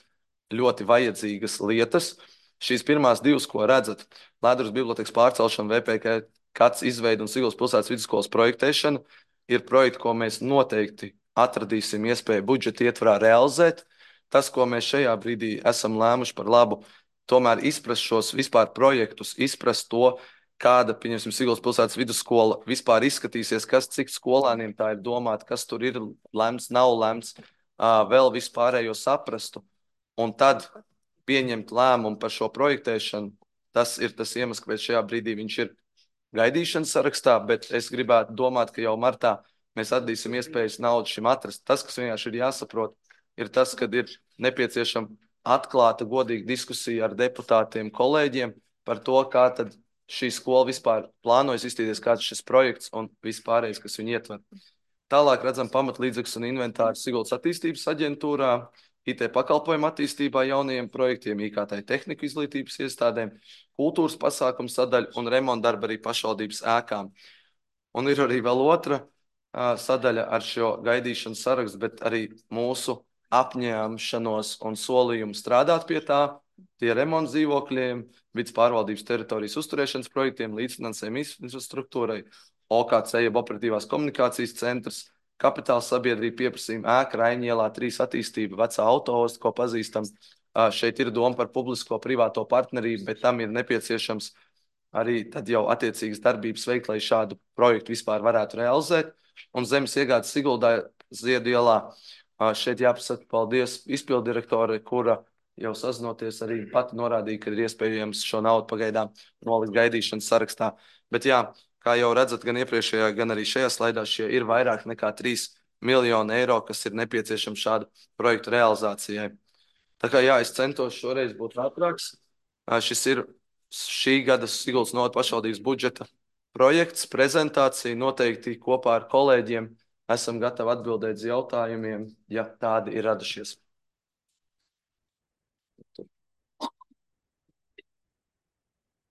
ļoti vajadzīgas lietas. Šīs pirmās divas, ko redzat, Lēdruras bibliotekas pārcelšana, V P K Kats izveida un Siguldas pilsētas vidusskolas projektēšana, ir projekti, ko mēs noteikti atradīsim iespēju budžeta ietvarā realizēt. Tas, ko mēs šajā brīdī esam lēmuši par labu, tomēr izprast šos vispār projektus, izprast to, kāda, pieņemsim, Siguldas pilsētas vidusskola vispār izskatīsies, kas cik skolēniem tā ir domāta, kas tur ir lemts, nav lemts, vēl vispārējo saprastu. Un tad pieņemt lēmumu par šo projektēšanu, tas ir tas iemesls, kāpēc šajā brīdī viņš ir gaidīšanas sarakstā, bet es gribētu domāt, ka jau martā mēs atdīsim iespējas naudu šim atrast. Tas, kas vienkārši ir jāsaprot, ir tas, kad ir nepieciešama atklāta, godīga diskusija ar deputātiem, kolēģiem par to, kā tad šī skola vispār plānojas izstīties, kāds šis projekts un vispārējais, kas viņu ietver. Tālāk redzam pamatlīdzekļus un inventāru Siguldas attīstības aģentūrā, I T pakalpojumu attīstībā jaunajiem projektiem, I K T tehniku izglītības iestādēm, kultūras pasākumu sadaļu un remontdarbu arī pašvaldības ēkām. Un ir arī vēl otra uh, sadaļa ar šo gaidīšanas sarakstu, bet arī mūsu apņēmšanos un solījumu strādāt pie tā, tie remonta dzīvokļiem, vidas pārvaldības teritorijas uzturēšanas projektiem, līdzfinansējuma infrastruktūrai, O K C, jeb operatīvās komunikācijas centrs, kapitāla sabiedrība pieprasījuma ēka Raiņielā trīs attīstība, vecā autoosta, ko pazīstam. Šeit ir doma par publisko-privāto partnerību, bet tam ir nepieciešams arī tad jau attiecīgas darbības veikt, lai šādu projektu vispār varētu realizēt. Un zemes iegādes Siguldā Ziedu ielā. Šeit jāpasaka paldies izpildirektore, kura jau sazinoties arī pati norādīja, ka ir iespējams šo naudu pagaidām nolikt gaidīšanas sarakstā. Bet jā, kā jau redzat, gan iepriekšējā, gan arī šajā slaidā šie ir vairāk nekā trīs miljonu eiro, kas ir nepieciešams šādu projektu realizācijai. Tā kā jā, es centos šoreiz būt ātrāks. Šis ir šī gada Siguldas novada pašvaldības budžeta projekts, prezentācija. Noteikti kopā ar kolēģiem esam gatavi atbildēt uz jautājumiem, ja tādi ir radušies.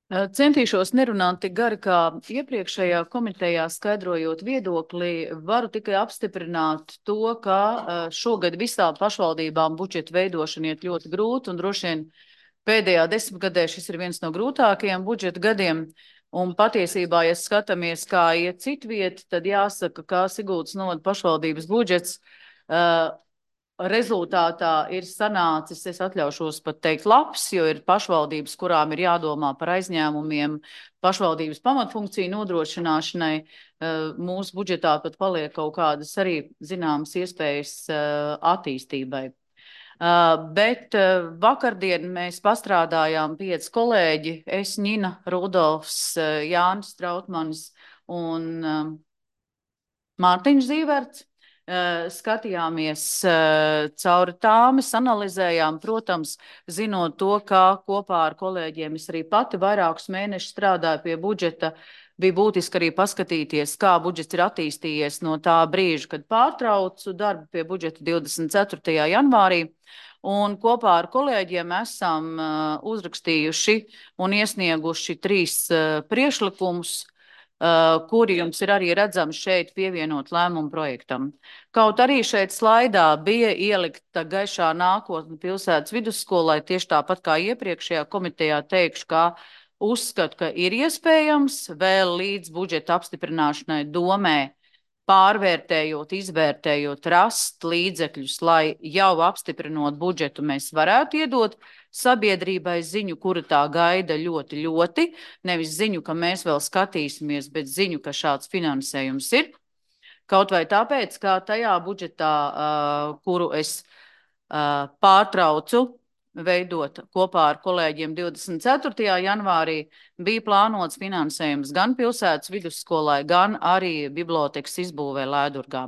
Centīšos nerunāt tik gari kā iepriekšējā komitejā skaidrojot viedokli. Varu tikai apstiprināt to, ka šogad visām pašvaldībām budžeta veidošana iet ļoti grūti un droši vien pēdējā desmitgadē šis ir viens no grūtākajiem budžeta gadiem. Un patiesībā, ja skatāmies, kā iet citviet, tad jāsaka, ka Siguldas novada pašvaldības budžets uh, rezultātā ir sanācis, es atļaušos pat teikt, labs, jo ir pašvaldības, kurām ir jādomā par aizņēmumiem pašvaldības pamatfunkciju nodrošināšanai. Mūsu budžetā pat paliek kaut kādas arī zināmas iespējas attīstībai. Bet vakardien mēs pastrādājām pieci kolēģi, es, Ņina, Rudolfs, Jānis Trautmanis un Mārtiņš Zīverts. Skatījāmies cauri tāmes, analizējām, protams, zinot to, ka kopā ar kolēģiem es arī pati vairākus mēnešus strādāju pie budžeta, bija būtiski arī paskatīties, kā budžets ir attīstījies no tā brīža, kad pārtraucu darbu pie budžeta divdesmit ceturtajā janvārī. Un kopā ar kolēģiem esam uzrakstījuši un iesnieguši trīs priekšlikumus, Uh, kuri jums ir arī redzami šeit pievienot lēmumu projektam. Kaut arī šeit slaidā bija ielikta gaišā nākotne pilsētas vidusskolai, tieši tāpat kā iepriekšējā komitejā teikšu, ka uzskatu, ka ir iespējams vēl līdz budžeta apstiprināšanai domē pārvērtējot, izvērtējot, rast līdzekļus, lai jau apstiprinot budžetu mēs varētu iedot sabiedrībai ziņu, kura tā gaida ļoti, ļoti. Nevis ziņu, ka mēs vēl skatīsimies, bet ziņu, ka šāds finansējums ir. Kaut vai tāpēc, ka tajā budžetā, uh, kuru es uh, pārtraucu veidot kopā ar kolēģiem divdesmit ceturtajā janvārī, bija plānots finansējums gan pilsētas vidusskolai, gan arī bibliotekas izbūvē Lēdurgā.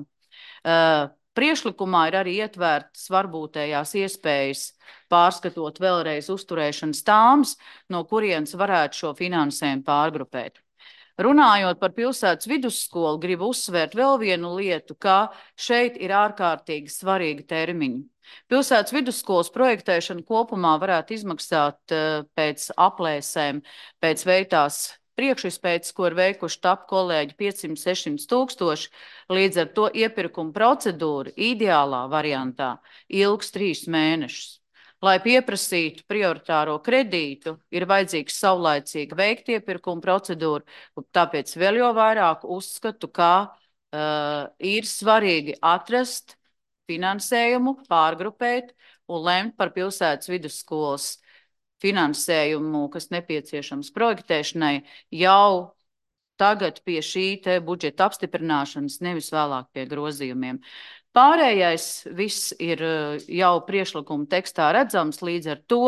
Uh, priekšlikumā ir arī ietvērtas varbūtējās iespējas pārskatot vēlreiz uzturēšanas tāmes, no kurienes varētu šo finansējumu pārgrupēt. Runājot par pilsētas vidusskolu, gribu uzsvērt vēl vienu lietu, ka šeit ir ārkārtīgi svarīgi termiņi. Pilsētas vidusskolas projektēšana kopumā varētu izmaksāt uh, pēc aplēsēm, pēc veiktās priekšizpētes, ko ir veikuši TAP kolēģi piecsimt līdz sešsimt tūkstoši, līdz ar to iepirkuma procedūra ideālā variantā ilgs trīs mēnešus. Lai pieprasītu prioritāro kredītu, ir vajadzīgs saulaicīgi veikt iepirkuma procedūru, tāpēc vēl jau vairāk uzskatu, ka uh, ir svarīgi atrast finansējumu, pārgrupēt un lemt par pilsētas vidusskolas finansējumu, kas nepieciešams projektēšanai, jau tagad pie šī te budžeta apstiprināšanas, nevis vēlāk pie grozījumiem. Pārējais viss ir jau priekšlikuma tekstā redzams, līdz ar to,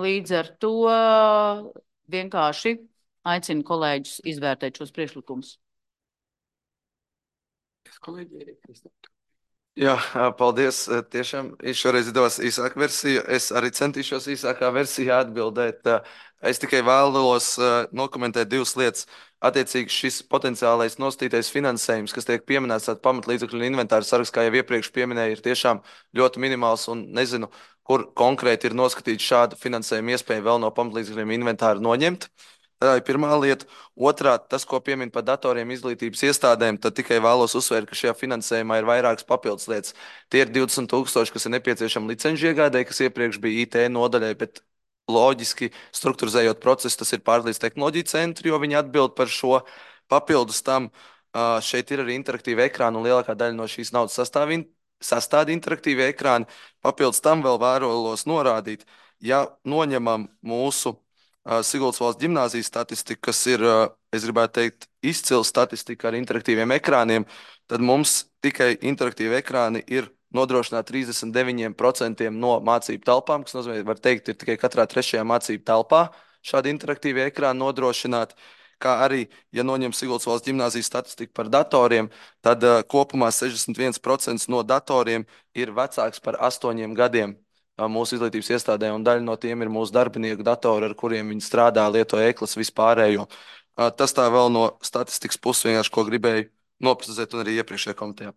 līdz ar to vienkārši aicinu kolēģus izvērtēt šos priekšlikumus. Jā, paldies. Tiešām šoreiz izdevās īsāka versija. Es arī centīšos īsākā versijā atbildēt. Es tikai vēlos nokomentēt divas lietas. Attiecīgi šis potenciālais nostītais finansējums, kas tiek pieminēts tāda pamatlīdzekļu un inventāra saraksts, kā jau iepriekš pieminēja, ir tiešām ļoti minimāls un nezinu, kur konkrēti ir noskatīts šādu finansējumu iespēju vēl no pamatlīdzekļiem inventāra noņemt. Tā ir pirmā lieta. Otrā, tas, ko piemin par datoriem izglītības iestādēm, tad tikai vēlos uzsvērt, ka šajā finansējumā ir vairākas papildus lietas. Tie ir divdesmit tūkstoši, kas ir nepieciešami licenču iegādē, kas iepriekš bija I T nodaļai, bet loģiski strukturizējot procesu, tas ir pārlīdz tehnoloģiju centri, jo viņi atbild par šo. Papildus tam šeit ir arī interaktīvi ekrāni, un lielākā daļa no šīs naudas sastāv, sastāda interaktīvi ekrāni. Papildus tam vēl vēlos norādīt, ja noņemam mūsu Siguldas valsts ģimnāzijas statistika, kas ir, es gribētu teikt, izcila statistika ar interaktīviem ekrāniem, tad mums tikai interaktīvi ekrāni ir nodrošināti trīsdesmit deviņi procenti no mācību telpām, kas nozīmē, var teikt, ir tikai katrā trešajā mācību telpā šādi interaktīvi ekrāni nodrošināti, kā arī, ja noņem Siguldas valsts ģimnāzijas statistiku par datoriem, tad uh, kopumā sešdesmit viens procents no datoriem ir vecāks par astoņiem gadiem uh, mūsu izglītības iestādē, un daļa no tiem ir mūsu darbinieku datori, ar kuriem viņi strādā, lieto e-klases vispārējo. Uh, tas tā vēl no statistikas puses vienkārši, ko gribēju noprecizēt, un arī iepriekšējā komitejā.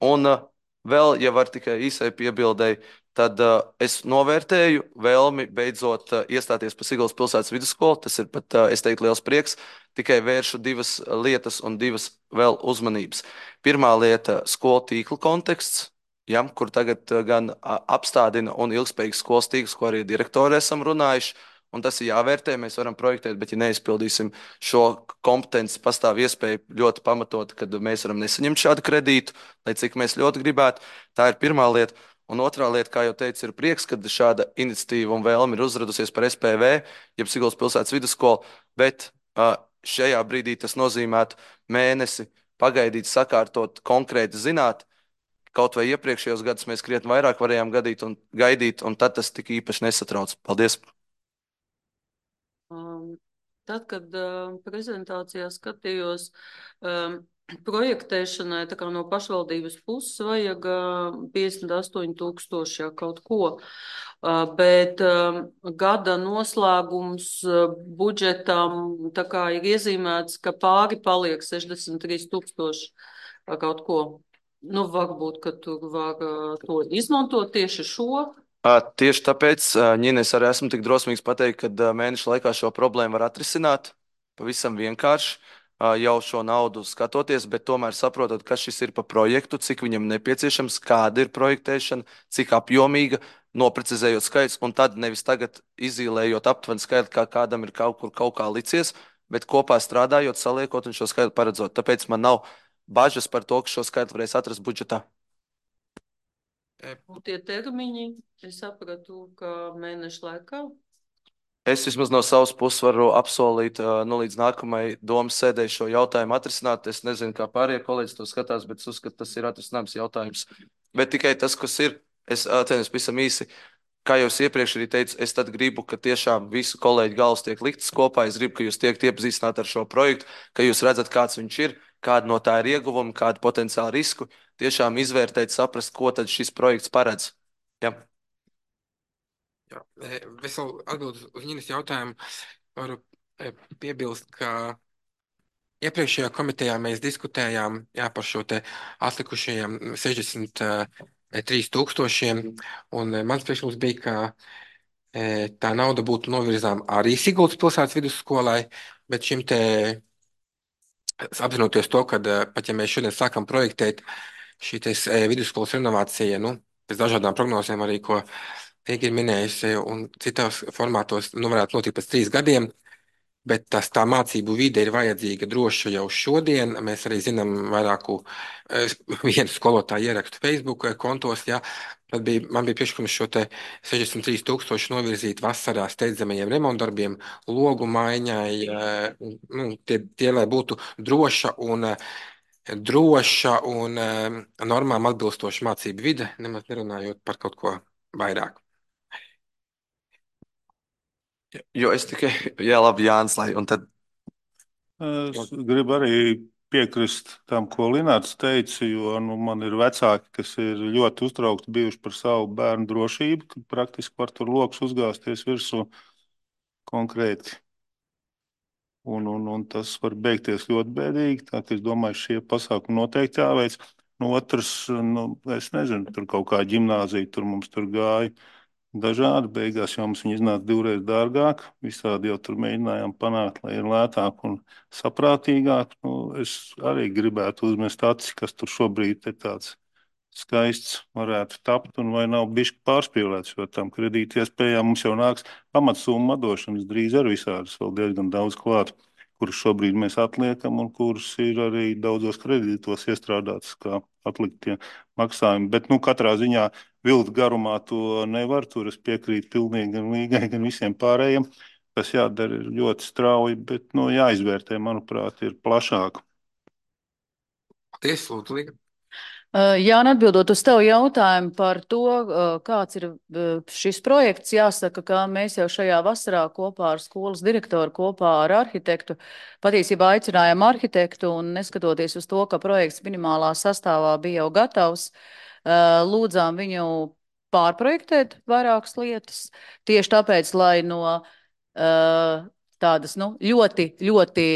Un uh, vēl, ja var tikai īsai piebildēji, tad uh, es novērtēju vēlmi beidzot uh, iestāties par Siguldas pilsētas vidusskolu. Tas ir pat, uh, es teiktu, liels prieks. Tikai vēršu divas lietas un divas vēl uzmanības. Pirmā lieta - skolu tīkla konteksts, ja, kur tagad uh, gan uh, apstādina un ilgspējīgs skolas tīkls, ko arī direktori esam runājuši. Un tas ir jāvērtē, mēs varam projektēt, bet ja neizpildīsim šo kompetenci, pastāv iespēja ļoti pamatot, kad mēs varam nesaņemt šādu kredītu, lai cik mēs ļoti gribētu. Tā ir pirmā lieta. Un otrā lieta, kā jau teicu, ir prieks, ka šāda iniciatīva un vēlme ir uzradusies par S P V, jeb Siguldas pilsētas vidusskolu, bet uh, šajā brīdī tas nozīmētu mēnesi pagaidīt, sakārtot, konkrēti zināt. Kaut vai iepriekšējos gadus mēs krietni vairāk varējām gadīt un gaidīt, un tad tas tik īpaši nesatrauc. Paldies! Um, tad, kad uh, prezentācijā skatījos, um, projektēšanai tā kā no pašvaldības puses vajag uh, piecdesmit astoņi tūkstoši ja, kaut ko, uh, bet uh, gada noslēgums uh, budžetam tā kā ir iezīmēts, ka pāri paliek sešdesmit trīs tūkstoši uh, kaut ko. Nu, varbūt, ka tur var uh, to izmantot tieši šo. Uh, Tieši tāpēc, uh, Ņina, es arī esmu tik drosmīgs pateikt, ka uh, mēneša laikā šo problēmu var atrisināt pavisam vienkārši, uh, jau šo naudu skatoties, bet tomēr saprotot, kas šis ir pa projektu, cik viņam nepieciešams, kāda ir projektēšana, cik apjomīga, noprecizējot skaits, un tad nevis tagad izīlējot aptuveni skaitu, kā kādam ir kaut kur kaut kā licies, bet kopā strādājot, saliekot un šo skaitu paredzot. Tāpēc man nav bažas par to, ka šo skaitu varēs atrast budžetā. Un tie termiņi, es sapratu, ka mēneša laikā. Es vismaz no savas puses varu apsolīt, nu, līdz nākamajai domas sēdē šo jautājumu atrisināt. Es nezinu, kā pārējie kolēģi to skatās, bet es uzskatu, tas ir atrisināms jautājums. Bet tikai tas, kas ir, es atceros pavisam īsi, kā jau es iepriekš arī teicu, es tad gribu, ka tiešām visu kolēģu galvas tiek liktas kopā. Es gribu, ka jūs tiek iepazīstināti ar šo projektu, ka jūs redzat, kāds viņš ir, kāda no tā ir ieguvuma, kāda potenciāla risku. Tiešām izvērtēt, saprast, ko tad šis projekts paredz. Ja. Jā, es vēl atbildu uz Ņinas jautājumu. Varu piebilst, ka iepriekšējā komitejā mēs diskutējām jā, par šo te atlikušajiem sešdesmit trīs tūkstošiem, un mans priekšlikums bija, ka tā nauda būtu novirzām arī Siguldas pilsētas vidusskolai, bet šim te apzinoties to, ka pat ja mēs šodien sākam projektēt šī vidusskolas renovācija, nu, pēc dažādām prognozēm arī, ko Tīgi ir minējusi, un citās formātos, nu, varētu notikt pēc trīs gadiem, bet tas tā mācību vide ir vajadzīga droša jau šodien. Mēs arī zinām vairāku vienu skolotāju ierakstu Facebook kontos, jā. Tad bija, man bija priekšlikums šo te sešdesmit trīs tūkstoši novirzīt vasarā steidzamajiem remontdarbiem, logu maiņai, nu, tie, tie, lai būtu droša un droša un normām atbilstoša mācību vide, nemaz nerunājot par kaut ko vairāk. Jo es tikai, jā, labi, Jānis, lai, un tad. Es gribu arī piekrist tam, ko Linārs teica, jo nu, man ir vecāki, kas ir ļoti uztraukti bijuši par savu bērnu drošību, kad praktiski var tur loks uzgāzties virsū konkrēti. Un, un, un tas var beigties ļoti bēdīgi, tā ka es domāju, šie pasākumi noteikti jāveic. Nu, otrs, nu, es nezinu, tur kaut kā ģimnāzija, tur mums tur gāja dažādi. Beigās jau mums viņi iznāca divreiz dārgāk. Visādi jau tur mēģinājām panākt, lai ir lētāk un saprātīgāk. Nu, es arī gribētu uzmest acis, kas tur šobrīd ir tāds skaists varētu tapt un vai nav bišķi pārspīlēts, jo tam kredīti iespējām mums jau nāks pamatsumma atdošanas drīz ar visādas vēl diezgan daudz klāt, kurus šobrīd mēs atliekam un kurus ir arī daudzos kredītos iestrādāts kā atliktie maksājumi. Bet, nu, katrā ziņā vilkt garumā to nevar, tur es piekrītu pilnīgi gan Līgai, gan visiem pārējiem. Tas jādara ļoti strauji, bet, nu, jāizvērtē, manuprāt, ir plašāk. Paldies, lūdzu, Līga. Jā, un atbildot uz tavu jautājumu par to, kāds ir šis projekts, jāsaka, ka mēs jau šajā vasarā kopā ar skolas direktoru, kopā ar arhitektu, patiesībā aicinājām arhitektu un neskatoties uz to, ka projekts minimālā sastāvā bija jau gatavs, lūdzām viņu pārprojektēt vairākas lietas, tieši tāpēc, lai no tādas, nu, ļoti, ļoti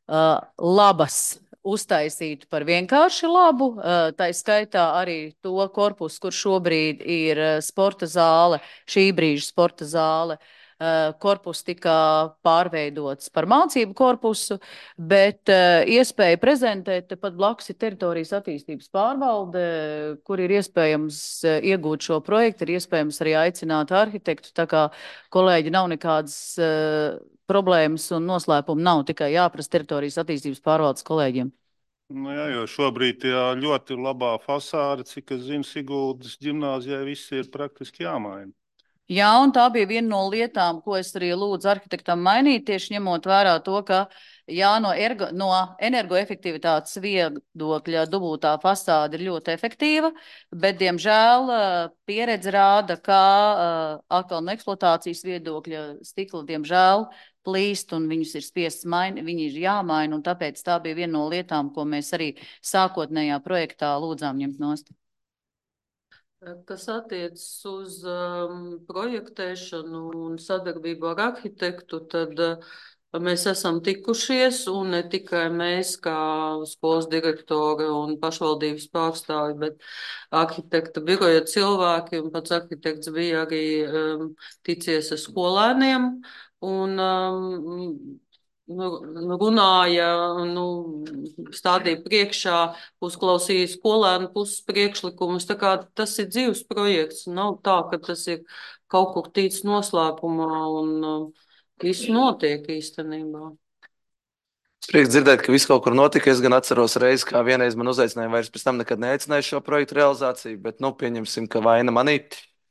labas uztaisītu par vienkārši labu, tā skaitā arī to korpusu, kur šobrīd ir sporta zāle, šī brīža sporta zāle, korpus tika pārveidots par mācību korpusu, bet iespēja prezentēt, tepat blakus ir teritorijas attīstības pārvalde, kur ir iespējams iegūt šo projektu, ir iespējams arī aicināt arhitektu, tā kā kolēģi nav nekādas problēmas un noslēpumi nav, tikai jāprasa teritorijas attīstības pārvaldes kolēģiem. Nu jā, jo šobrīd tajā ļoti labā fasāde, cik es zinu, Siguldas ģimnāzijai viss ir praktiski jāmaina. Jā, un tā bija viena no lietām, ko es arī lūdzu arhitektam mainīt, tieši ņemot vērā to, ka jā, no, ergo, no energoefektivitātes viedokļa dubultā fasāde ir ļoti efektīva, bet, diemžēl, pieredze rāda, ka atkal no eksploatācijas viedokļa stikla, diemžēl, plīst un viņus ir spiests maini, viņi ir jāmaina, un tāpēc tā bija viena no lietām, ko mēs arī sākotnējā projektā lūdzām ņemt nost. Kas attiecas uz um, projektēšanu un sadarbību ar arhitektu, tad uh, mēs esam tikušies, un ne tikai mēs kā skolas direktori un pašvaldības pārstāvi, bet arhitekta biroja cilvēki, un pats arhitekts bija arī um, ticies ar skolēniem, un um, runāja, nu, stādīja priekšā, uzklausīja skolēnu puses priekšlikumus. Tā kā tas ir dzīves projekts. Nav tā, ka tas ir kaut kur tīts noslēpumā un uh, viss notiek īstenībā. Es prieks dzirdēt, ka viss kaut kur notika. Es gan atceros reizi, kā vienreiz man uzaicināja, vairs pēc tam nekad neaicināju šo projektu realizāciju, bet, nu, pieņemsim, ka vaina manī,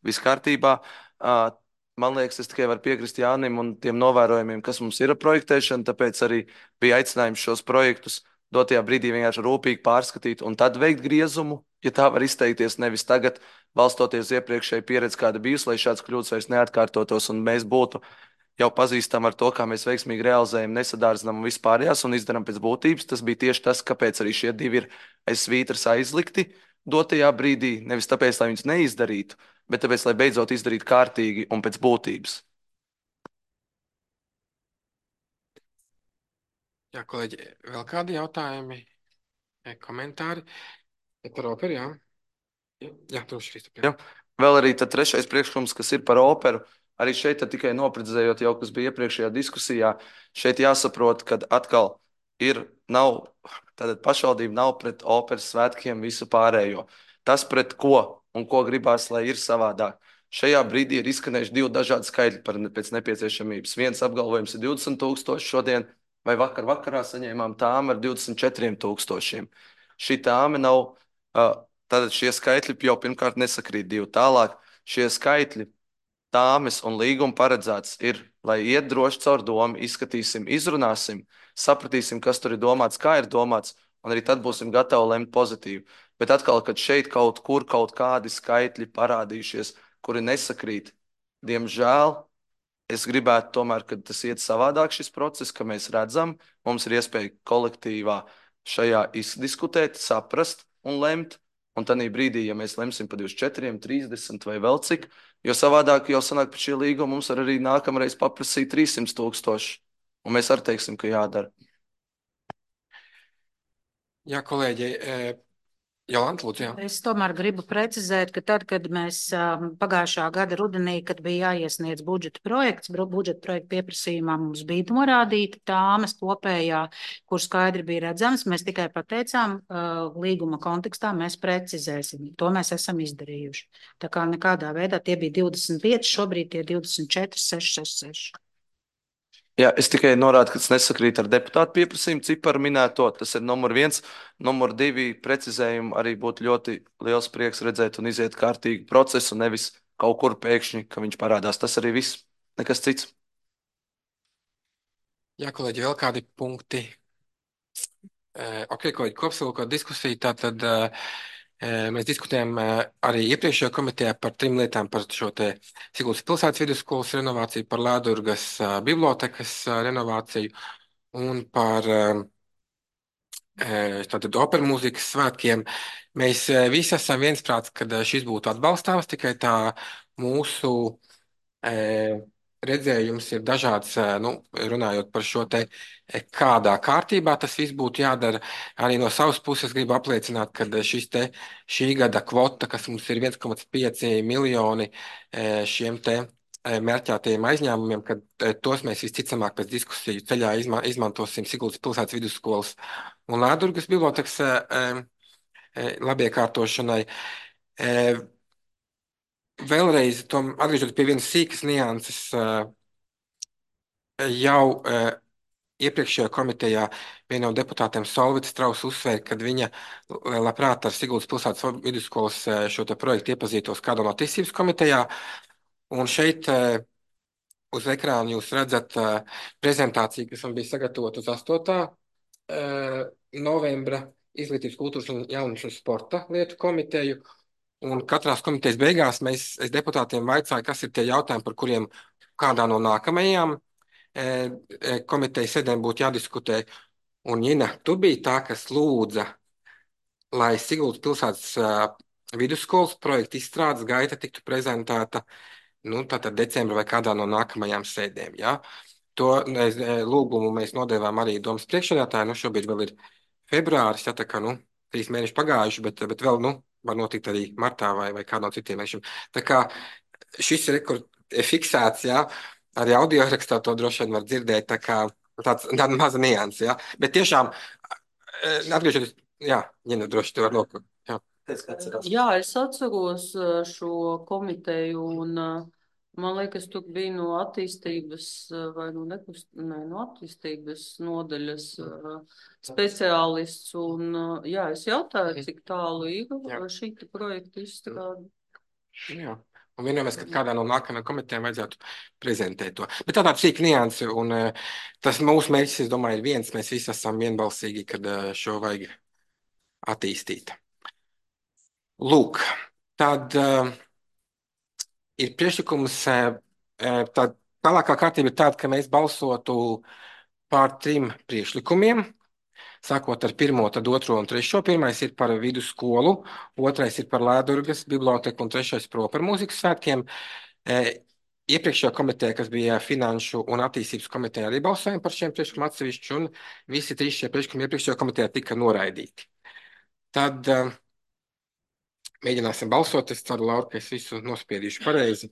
viss kārtībā. Uh, Man liekas, es tikai varu piekrist Jānim un tiem novērojumiem, kas mums ir ar projektēšanu, tāpēc arī bija aicinājums šos projektus dotajā brīdī vienkārši rūpīgi pārskatīt un tad veikt griezumu, ja tā var izteikties, nevis tagad balstoties iepriekšēji pieredzi, kāda bijusi, lai šāds kļūdas vairs neatkārtotos un mēs būtu jau pazīstami ar to, kā mēs veiksmīgi realizējam, nesadārdzinām un vispārējās un izdarām pēc būtības. Tas bija tieši tas, kāpēc arī šie divi ir aiz svītras aizlikti dotajā brīdī, nevis tāpēc, lai viņus neizdarītu, bet tāpēc, lai beidzot izdarītu kārtīgi un pēc būtības. Jā, kolēģi, vēl kādi jautājumi, komentāri? Ja par operu, jā. Jā, jā tu Kristap. Jā. Vēl arī tad trešais priekšlikums, kas ir par operu. Arī šeit tikai noprecizējot jau, kas bija iepriekšējā diskusijā, šeit jāsaprot, ka atkal ir, nav, tātad pašvaldība nav pret operas svētkiem visu pārējo. Tas, pret ko un ko gribās, lai ir savādāk. Šajā brīdī ir izskanējuši divi dažādi skaitļi par pēc nepieciešamības. Viens apgalvojums ir divdesmit tūkstoši šodien, vai vakar vakarā saņēmām tāmu ar divdesmit četriem tūkstošiem. Šī tāma nav, tātad šie skaitļi jau pirmkārt nesakrīt divi. Tālāk šie skaitļi, tāmes un līguma paredzēts ir, lai iet droši caur domu, izskatīsim, izrunāsim, sapratīsim, kas tur ir domāts, kā ir domāts, un arī tad būsim gatavi lemt pozitīvi. Bet atkal, kad šeit kaut kur kaut kādi skaitļi parādījušies, kuri nesakrīt, diemžēl, es gribētu tomēr, ka tas iet savādāk šis process, ka mēs redzam, mums ir iespēja kolektīvā šajā izdiskutēt, saprast un lemt, un tādī brīdī, ja mēs lemsim par divdesmit četriem, trīsdesmit vai vēl cik, jo savādāk jau sanāk pēc šī līguma mums var arī nākamreiz paprasīt trīssimt tūkstoši, un mēs arī teiksim, ka jādara. Jā, kolēģi, Jolanta, lūdzu, jā. Es tomēr gribu precizēt, ka tad, kad mēs pagājušā gada rudenī, kad bija jāiesniedz budžeta projekts, budžeta projekta pieprasījumā mums bija norādīta tāmes kopējā, kur skaidri bija redzams, mēs tikai pateicām līguma kontekstā, mēs precizēsim. To mēs esam izdarījuši. Tā kā nekādā veidā tie bija divdesmit pieci, šobrīd tie divdesmit četri, seši, seši, seši. Jā, es tikai norādu, ka tas nesakrīt ar deputātu pieprasījumu ciparu minēto. Tas ir numur viens. Numur divi precizējumu arī būtu ļoti liels prieks redzēt un iziet kārtīgu procesu, nevis kaut kur pēkšņi, ka viņš parādās. Tas arī viss, nekas cits. Jā, kolēģi, vēl kādi punkti? Ok, kolēģi, kopsavilkot diskusiju, tātad mēs diskutējam arī iepriekšējā komitejā par trim lietām, par šo te Siguldas pilsētas vidusskolas renovāciju, par Lēdurgas bibliotekas renovāciju un par tātad operu mūzikas svētkiem. Mēs visi esam viensprāts, ka šis būtu atbalstāms, tikai tā mūsu redzējums ir dažāds, nu, runājot par šo te, kādā kārtībā tas viss būtu jādara. Arī no savas puses gribu apliecināt, ka šis te šī gada kvota, kas mums ir viens komats pieci miljoni šiem te mērķētajiem aizņēmumiem, kad tos mēs visticamāk pēc diskusiju ceļā izma izmantosim Siguldas pilsētas vidusskolas un Lēdurgas bibliotekas labiekārtošanai. Vēlreiz, tom, atgriežot pie vienas sīkas nianses, jau iepriekšējā komitejā viena no deputātiem Solvita Strauss uzsvēra, ka viņa labprāt ar Siguldas pilsētas vidusskolas šo te projektu iepazītos kādā no attīstības komitejā. Un šeit uz ekrāna jūs redzat prezentāciju, kas man bija sagatavota uz astotā novembra Izglītības, kultūras un jauniešu un sporta lietu komiteju. Un katrās komitejas beigās mēs es deputātiem vaicāju, kas ir tie jautājumi, par kuriem kādā no nākamajām komitejas sēdēm būtu jādiskutē. Un, Jina, tu biji tā, kas lūdza, lai Siguldas pilsētas vidusskolas projekta izstrādes gaita tiktu prezentēta, nu, tātad decembra vai kādā no nākamajām sēdēm, jā. To lūgumu mēs nodevām arī domas priekšsēdētāju, nu, šobrīd vēl ir februāris, jā, tā kā, nu, trīs mēneši pagājuši, bet, bet vēl, nu, var notikt arī martā vai, vai kādā no citiem mēnešiem. Tā kā šis rekord fiksēts, jā, arī audio ierakstā to droši vien var dzirdēt, tā kā tāds, tāda maza nianse, jā. Bet tiešām, atgriežoties, jā, Ņina, droši tu var noku. Jā. Jā, es atceros šo komiteju un man liekas, tu biji no attīstības vai no nekust, ne, no attīstības nodaļas speciālists un jā, es jautāju, cik tālu ir šī projekta izstrāde. Jā. Un vienojamies, ka kādā no nākamajām komitejām vajadzētu prezentēt to. Bet tā tāda sīka nianse, un tas mūsu mērķis, es domāju, ir viens, mēs visi esam vienbalsīgi, kad šo vajag attīstīt. Lūk, tad uh, ir priekšlikums, uh, tā tālākā kārtība ir tāda, ka mēs balsotu pār trim priekšlikumiem, sākot ar pirmo, tad otro un trešo. Pirmais ir par vidusskolu, otrais ir par Lēdurgas biblioteku un trešais par operu mūzikas svētkiem. Uh, iepriekšējā komiteja, kas bija finanšu un attīstības komiteja, arī balsojām par šiem priekšlikumiem atsevišķi, un visi trīs šie priekšlikumi iepriekšējā komitejā tika noraidīti. Tad uh, mēģināsim balsot. Es ceru, Laura, ka es visu nospiedīšu pareizi.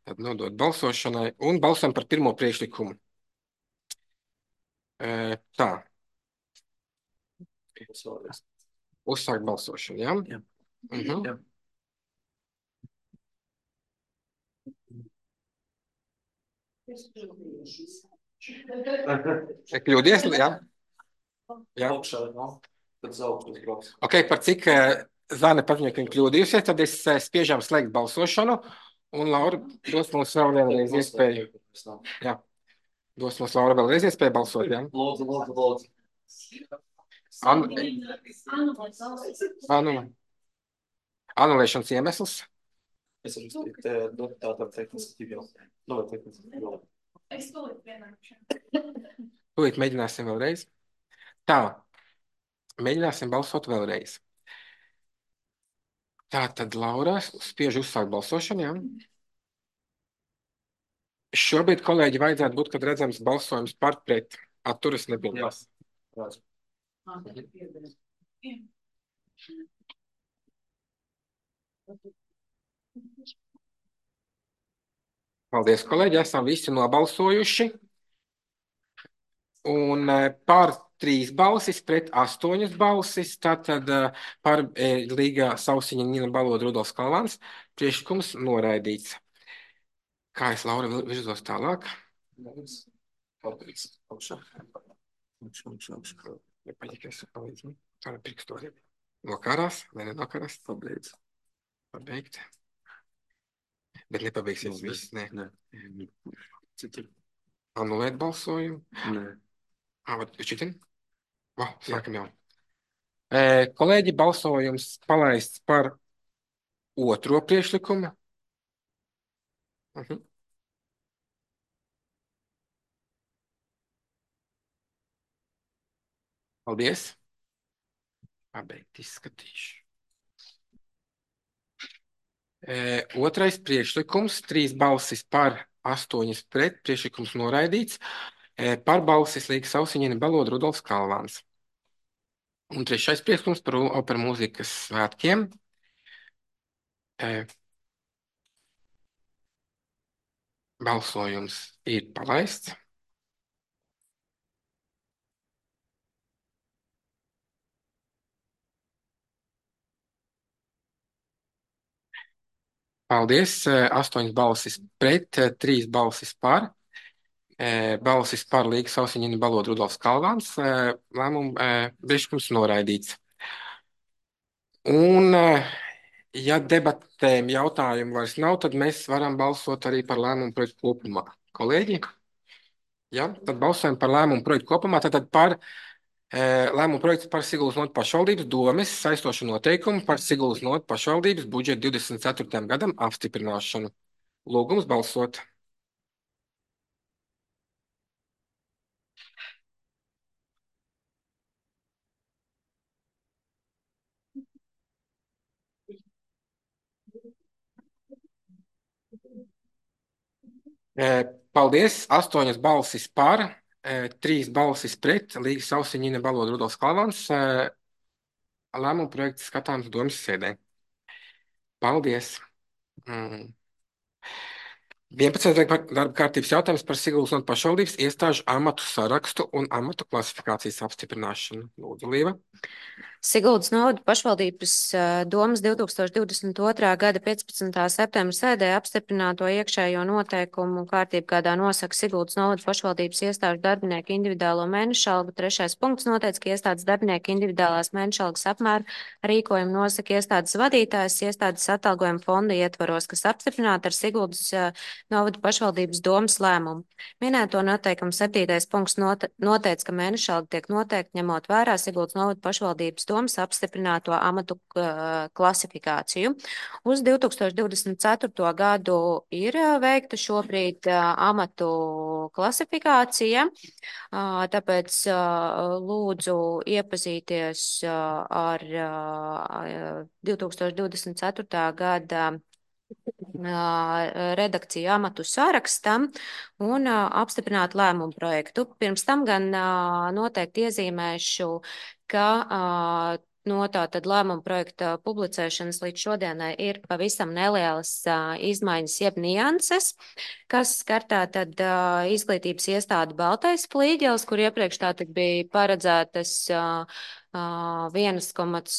Tad nodot balsošanai un balsam par pirmo priekšlikumu. E, tā. Uzsākt balsošanu, jā? Jā. Mhm. Jā. Kļūdies, jā? Jā. Ok, par cik Zāne paziņoja, ka viņa kļūdījusies, tad es spiežam slēgt balsošanu, un Laura dos mums vēl vienreiz iespēju. Jā, dos mums Laura vēlreiz iespēju balsot, jā? Lūdzu, lūdzu, lūdzu. Anu... Anu... Anulēšanas iemesls? Es arī tātad tehniski jau. Es tūlīt vienākšu. Tūlīt mēģināsim vēlreiz. Tā, mēģināsim balsot vēlreiz. Tā tad Laura spiež uzsākt balsošanu, jā? Šobrīd, kolēģi, vajadzētu būt, kad redzams balsojums par pret. Atturas nepiedalās. Paldies, kolēģi, esam visi nobalsojuši. Un par trīs balsis pret astoņas balsis, tātad par Līga Sausiņa Nina Baloda Rudolfs Kalvāns priekšlikums noraidīts. Kā es, Laura, virzos tālāk? Paldies. Nokarās, vai nenokarās? Pabeidz. Pabeigt. Bet nepabeigsies viss, ne? Nē. Anulēt balsojumu? Nē. А, вот, Читин? Va, sākam jau. E, kolēģi, balsojums palaists par otro priekšlikumu. Mhm. Paldies. Pabeigt izskatīšu. E, otrais priekšlikums, trīs balsis par, astoņas pret, priekšlikums noraidīts. E, par balsis Līga Sausiņina Balod Rudolfs Kalvāns. Un trešais priekšlikums par operu mūzikas svētkiem. E, balsojums ir palaists. Paldies. Astoņas balsis pret, trīs balsis par. Balsis par Līga Sausiņina Balod Rudolfs Kalvāns. Lēmumu priekšlikums noraidīts. Un, ja debatēm jautājumu vairs nav, tad mēs varam balsot arī par lēmumu projektu kopumā. Kolēģi? Ja? Tad balsojam par lēmumu projektu kopumā. Tātad par lēmumu projektu par Siguldas notu pašvaldības domes saistošu noteikumu par Siguldas notu pašvaldības budžetu divdesmit ceturtajam gadam apstiprināšanu. Lūgums balsot. Paldies. Astoņas balsis par, trīs balsis pret, Līga Sausiņina Balod Rudolfs Kalvāns. Lēmumu projekts skatāms domas sēdē. Paldies. Mm. vienpadsmitais darba kārtības jautājums par Siguldas notu pašvaldības iestāžu amatu sarakstu un amatu klasifikācijas apstiprināšanu. Lūdzu, Līva. Siguldas novada pašvaldības domas divi tūkstoši divdesmit otrā gada piecpadsmitā septembra sēdē apstiprināto iekšējo noteikumu kārtību, kādā nosaka Siguldas novada pašvaldības iestāžu darbinieku individuālo mēnešu algu. Trešais punkts noteica, ka iestādes darbinieku individuālās mēnešu algas apmēru rīkojumu nosaka iestādes vadītājs iestādes atalgojuma fonda ietvaros, kas apstiprināta ar Siguldas novada pašvaldības domas lēmumu. Minēto noteikumu septītais punkts note, noteica, ka mēnešu alga tiek noteikta ņemot vērā Siguldas novada pašvaldības domas apstiprināto amatu klasifikāciju. Uz divi tūkstoši divdesmit ceturto gadu ir veikta šobrīd amatu klasifikācija, tāpēc lūdzu iepazīties ar divi tūkstoši divdesmit ceturtā gada redakciju amatu sārakstam un apstiprināt lēmumu projektu. Pirms tam gan noteikti iezīmēšu, ka no tātad lēmuma projekta publicēšanas līdz šodienai ir pavisam nelielas izmaiņas jeb nianses, kas skar tātad izglītības iestādi Baltais Flīģelis, kur iepriekš tātad bija paredzētas viens komats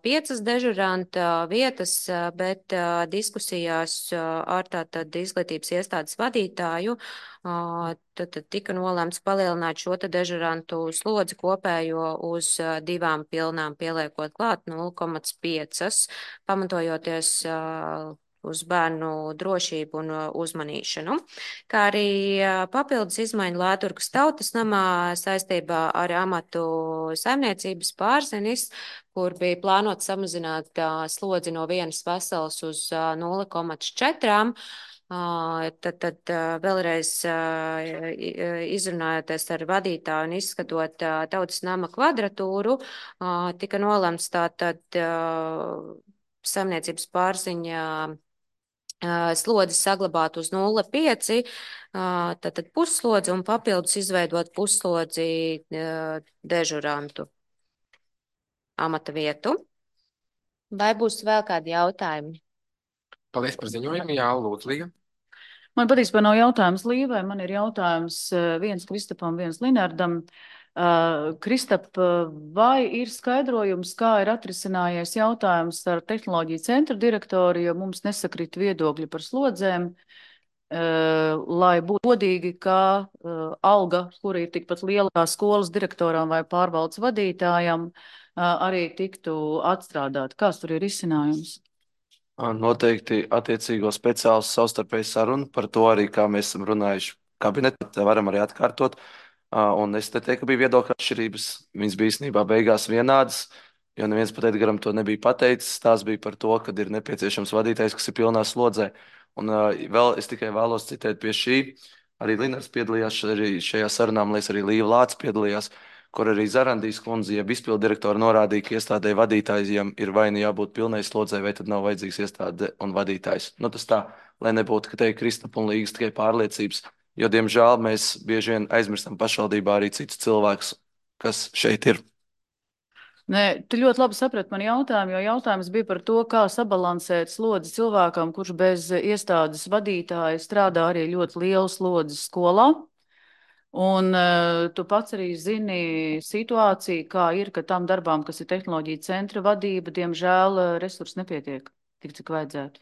pieci dežuranta vietas, bet diskusijās ar tātad izglītības iestādes vadītāju tad, tad tika nolēmts palielināt šo te dežurantu slodzi kopējo uz divām pilnām, pieliekot klāt nulle komats pieci, pamatojoties uz bērnu drošību un uzmanīšanu, kā arī papildus izmaiņu Lēturgas tautas namā saistībā ar amatu saimniecības pārzinis, kur bija plānot samazināt slodzi no vienas veselas uz nulle komats četri. Tad, tad vēlreiz izrunājoties ar vadītāju un izskatot tautas nama kvadratūru, tika nolemts tātad saimniecības pārziņa slodzi saglabāt uz nulle komats pieci, tātad pusslodzi un papildus izveidot pusslodzi dežurantu amata vietu. Vai būs vēl kādi jautājumi? Paldies par ziņojumu. Jā, lūdzu, Līga. Man patiesībā nav jautājums Līvai, man ir jautājums viens Kristapam, viens Linardam. Uh, Kristap, vai ir skaidrojums, kā ir atrisinājies jautājums ar tehnoloģiju centra direktoru, jo mums nesakrīt viedokļi par slodzēm, uh, lai būtu godīgi, ka uh, alga, kura ir tikpat liela kā skolas direktoram vai pārvaldes vadītājam, uh, arī tiktu atstrādāt. Kāds tur ir izcinājums? Noteikti attiecīgo speciālistu savstarpēju sarunu par to arī, kā mēs esam runājuši kabinetā, varam arī atkārtot. Un es te teiktu, ka bija viedokļa atšķirības. Viņas bija īstenībā beigās vienādas, jo neviens pat Edgaram to nebija pateicis. Tās bija par to, ka ir nepieciešams vadītājs, kas ir pilnā slodzē. Un vēl es tikai vēlos citēt pie šī. Arī Linars piedalījās arī šajā sarunā, man liekas, arī Līva Lācis piedalījās, kur arī Zarandijas kundze, jeb izpildu direktora norādīja, ka iestādē vadītājiem ir vai nu jābūt pilnai slodzē, vai tad nav vajadzīgs iestāde un vadītājs. Nu, tas tā, lai nebūtu, ka te ir Kristapa un Līgas tikai pārliecības, jo, diemžēl, mēs bieži vien aizmirstam pašvaldībā arī citus cilvēkus, kas šeit ir. Nē, tu ļoti labi saprati man jautājumu, jo jautājums bija par to, kā sabalansēt slodzi cilvēkam, kurš bez iestādes vadītāja strādā arī ļoti lielu slodzi skolā. Un uh, tu pats arī zini situāciju, kā ir, ka tam darbām, kas ir tehnoloģija centra vadība, diemžēl resursi nepietiek tik, cik vajadzētu.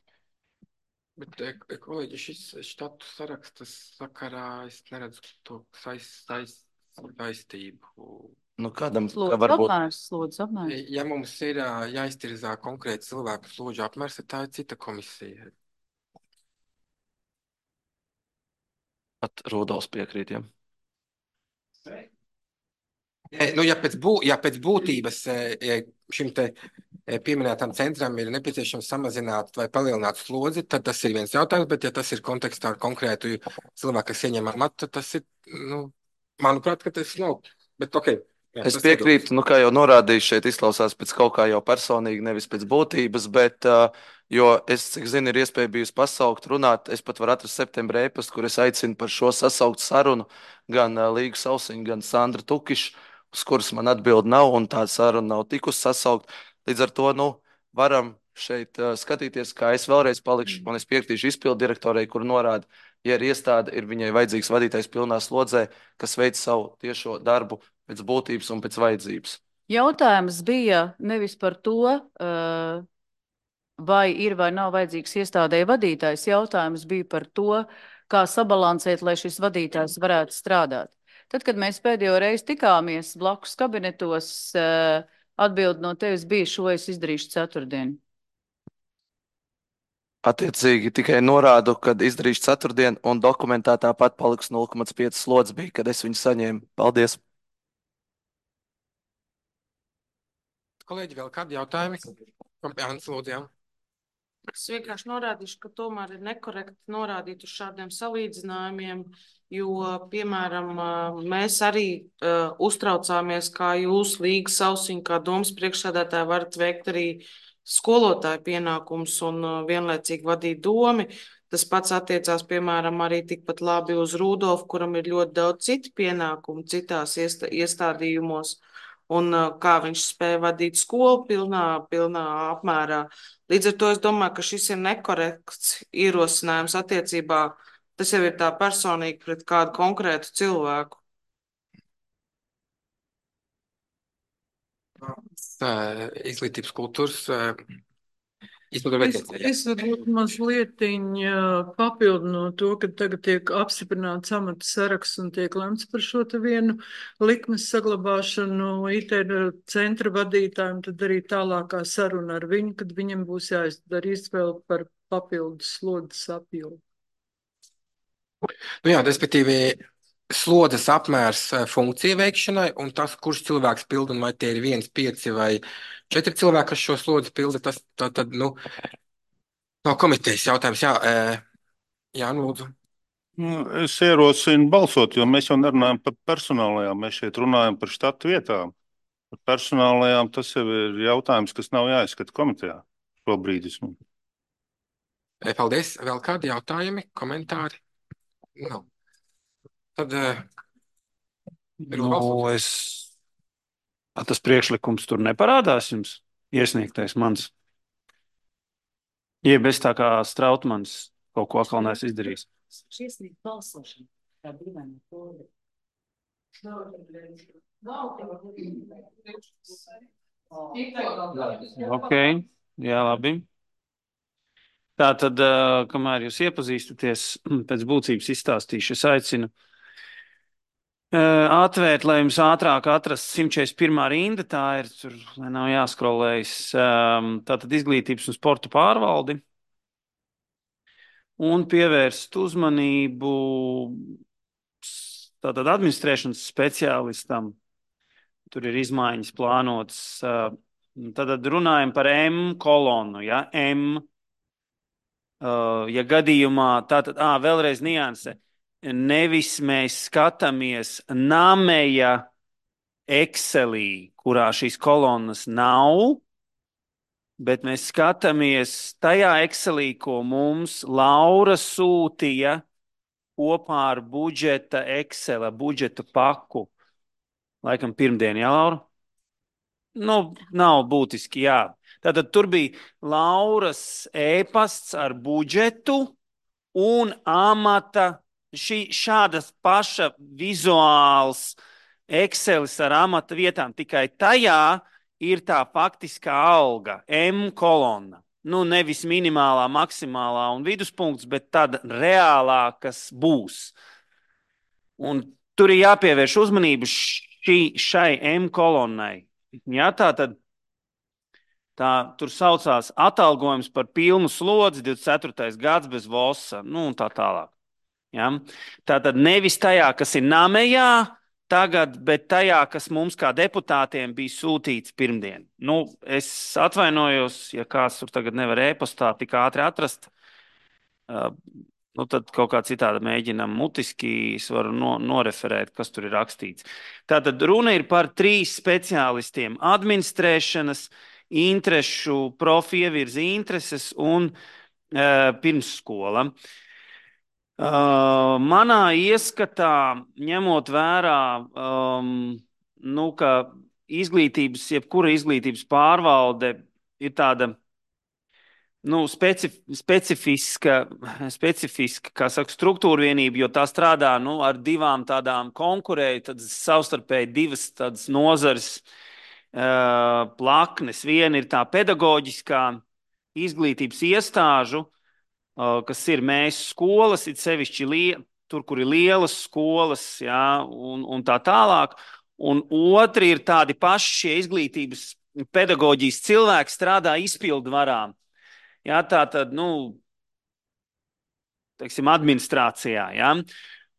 Bet, kolēģi, šis štatu sarakstas sakarā es neredzu to saist, saist, saistību. Nu, kādam Slodzi kā varbūt... apmērs, slodzi apmērs. Ja mums ir jāiztirzā konkrēti cilvēku slodžu apmērs, tā ir cita komisija. Pat Rudolfs piekrīt, ja? Nu, ja, pēc bū, ja pēc būtības šim te pieminētam centram ir nepieciešams samazināt vai palielināt slodzi, tad tas ir viens jautājums, bet ja tas ir kontekstā ar konkrētu cilvēku, kas ieņem amatu, tad tas ir, nu, manuprāt, ka tas nav. Bet, okay, jā, es piekrītu, nu, kā jau norādīju, šeit izklausās pēc kaut kā jau personīgi, nevis pēc būtības, bet, uh, jo es, cik zinu, ir iespēja bijusi pasaukt, runāt, es pat varu atrast septembra ēpastu, kur es aicinu par šo sasaukt sarunu gan uh, Līgu Sausiņu, gan Sandra Tukišu, uz kuras man atbild nav, un tā saruna nav tikus sasaukt. Līdz ar to, nu, varam šeit uh, skatīties, kā es vēlreiz palikšu, un es piekritīšu izpildu direktorei, kur norāda, ja ir iestāde, ir viņai vajadzīgs vadītājs pilnā slodzē, kas veic savu tiešo darbu pēc būtības un pēc vajadzības. Jautājums bija nevis par to, uh, vai ir vai nav vajadzīgs iestādēji vadītājs. Jautājums bija par to, kā sabalansēt, lai šis vadītājs varētu strādāt. Tad, kad mēs pēdējo reizi tikāmies blakus kabinetos, atbildi no tevis bija, šo es izdarīšu ceturtdien. Attiecīgi tikai norādu, kad izdarīšu ceturtdien, un dokumentā tāpat paliks nulle komats pieci slodzes bija, kad es viņu saņēmu. Paldies! Kolēģi, vēl kādi jautājumi? Jānis, lūdzu, jā. Es vienkārši norādīšu, ka tomēr ir nekorekti norādīt uz šādiem salīdzinājumiem, jo, piemēram, mēs arī uh, uztraucāmies, kā jūs Līga Sausiņa, kā domas priekšsēdētāji varat veikt arī skolotāju pienākumus un uh, vienlaicīgi vadīt domi. Tas pats attiecās, piemēram, arī tikpat labi uz Rudolfu, kuram ir ļoti daudz citu pienākumu citās iestā, iestādījumos. Un uh, kā viņš spēja vadīt skolu pilnā, pilnā apmērā. Līdz ar to es domāju, ka šis ir nekorekts ierosinājums attiecībā, tas jau ir tā personīgi pret kādu konkrētu cilvēku. Izglītības kultūras Es, es varbūt mazliet papildinu to, ka tagad tiek apstiprināts amata saraksts un tiek lemts par šo te vienu likmes saglabāšanu I T centra vadītājiem, tad arī tālākā saruna ar viņu, kad viņam būs jāizdara izvēle par papildus slodzes apjomu. Nu jā, respektīvi, slodzes apmērs funkciju veikšanai un tas, kurš cilvēks pilda, un vai tie ir viens, pieci vai četri cilvēki, kas šo slodzi pilda, tas tā, tad, nu, no komitejas jautājums, jā, jā, lūdzu. Es ierosinu balsot, jo mēs jau nerunājam par personālajām, mēs šeit runājam par štatu vietām. Par personālajām tas jau ir jautājums, kas nav jāizskata komitejā šobrīd. Paldies. Vēl kādi jautājumi, komentāri? Nav. Tad nu, es... tas priekšlikums tur neparādās jums iesniegtais mans. Jeb es tā kā Strautmans kaut ko atkal neesmu izdarījis. Iesniegt balsošanu. Tā dīvaina kode. Ok, jā, labi. Tā tad, kamēr jūs iepazīstaties, pēc būtības izstāstīšu, es aicinu atvērt, lai jums ātrāk atrast simt četrdesmit pirmā rinda, tā ir, tur, lai nav jāskrolējas, tātad izglītības un sporta pārvaldi, un pievērst uzmanību tātad administrēšanas speciālistam. Tur ir izmaiņas plānotas. Tad runājam par M kolonu, ja, M. Ja gadījumā, tātad, ā, vēlreiz nianse, nevis mēs skatāmies nameja Excelī, kurā šīs kolonas nav, bet mēs skatāmies tajā Excelī, ko mums Laura sūtīja kopā ar budžeta Excela, budžeta paku. Laikam pirmdien, jā, Laura? Nu, nav būtiski, jā. Tātad tur bija Lauras e-pasts ar budžetu un amata, šī šādas paša vizuāls Excelis ar amata vietām, tikai tajā ir tā faktiskā alga, M kolonna. Nu, nevis minimālā, maksimālā un viduspunkts, bet tāda reālā, kas būs. Un tur ir jāpievērš uzmanību šī, šai M kolonnai. Jā, tā tad tā, tur saucās atalgojums par pilnu slodzi, divdesmit ceturtais gads bez vosa, nu un tā tālāk. Ja? Tā tad nevis tajā, kas ir namejā tagad, bet tajā, kas mums kā deputātiem bija sūtīts pirmdien. Nu, es atvainojos, ja kāds tur tagad nevar e-pastā tik ātri atrast, uh, nu tad kaut kā citādi mēģinam mutiski, es varu no, noreferēt, kas tur ir rakstīts. Tātad runa ir par trīs speciālistiem - administrēšanas, interešu, profi ievirzi intereses un uh, pirmsskola. Uh, manā ieskatā, ņemot vērā, um, nu, ka izglītības, jebkura izglītības pārvalde ir tāda, nu, specif, specifiska, specifiska, kā saka, struktūra vienība, jo tā strādā, nu, ar divām tādām konkurēju, tad savstarpēji divas tādas nozares uh, plaknes. Viena ir tā pedagoģiskā izglītības iestāžu, uh, kas ir mēs skolas, it sevišķi lie, tur, kur ir lielas skolas, jā, un, un tā tālāk. Un otri ir tādi paši šie izglītības pedagoģijas cilvēki strādā izpildvarām. Jā, tā tad, nu, teiksim, administrācijā, jā.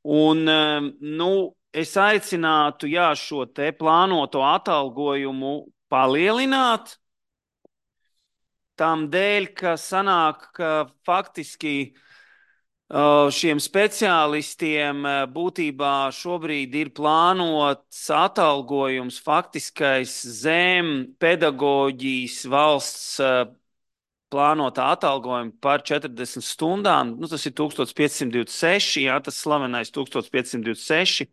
Un, nu, es aicinātu, jā, šo te plānoto atalgojumu palielināt, tam dēļ, ka sanāk, ka faktiski šiem speciālistiem būtībā šobrīd ir plānots atalgojums faktiskais zem pedagoģijas valsts plānotā atalgojuma par četrdesmit stundām, nu, tas ir tūkstoš piecsimt divdesmit seši, jā, tas slavenais tūkstoš piecsimt divdesmit seši.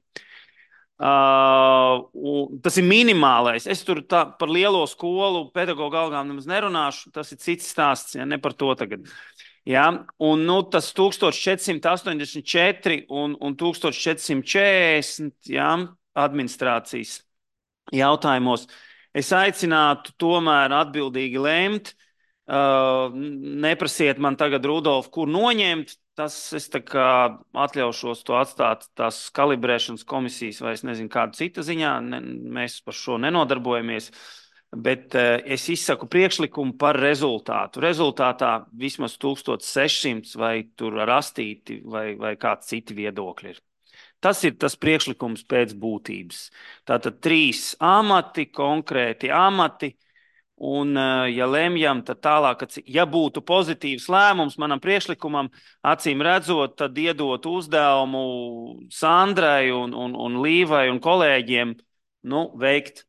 Uh, tas ir minimālais. Es tur tā, par lielo skolu pedagogu algām nemaz nerunāšu, tas ir cits stāsts, ja, ne par to tagad. Jā, un nu, tas tūkstoš četrsimt astoņdesmit četri un, un tūkstoš četrsimt četrdesmit, jā, administrācijas jautājumos. Es aicinātu tomēr atbildīgi lemt. Uh, neprasiet man tagad, Rudolf, kur noņemt, tas es tā kā atļaušos to atstāt tās kalibrēšanas komisijas vai es nezinu kādu citu ziņā, ne, mēs par šo nenodarbojamies, bet uh, es izsaku priekšlikumu par rezultātu. Rezultātā vismaz tūkstoš sešsimt vai tur rastīti vai, vai kāds citi viedokļi ir. Tas ir tas priekšlikums pēc būtības. Tātad trīs amati, konkrēti amati. Un, ja lemjam, tad tālāk, ja būtu pozitīvs lēmums manam priekšlikumam, acīm redzot, tad iedot uzdevumu Sandrai un, un, un Līvai un kolēģiem, nu, veikt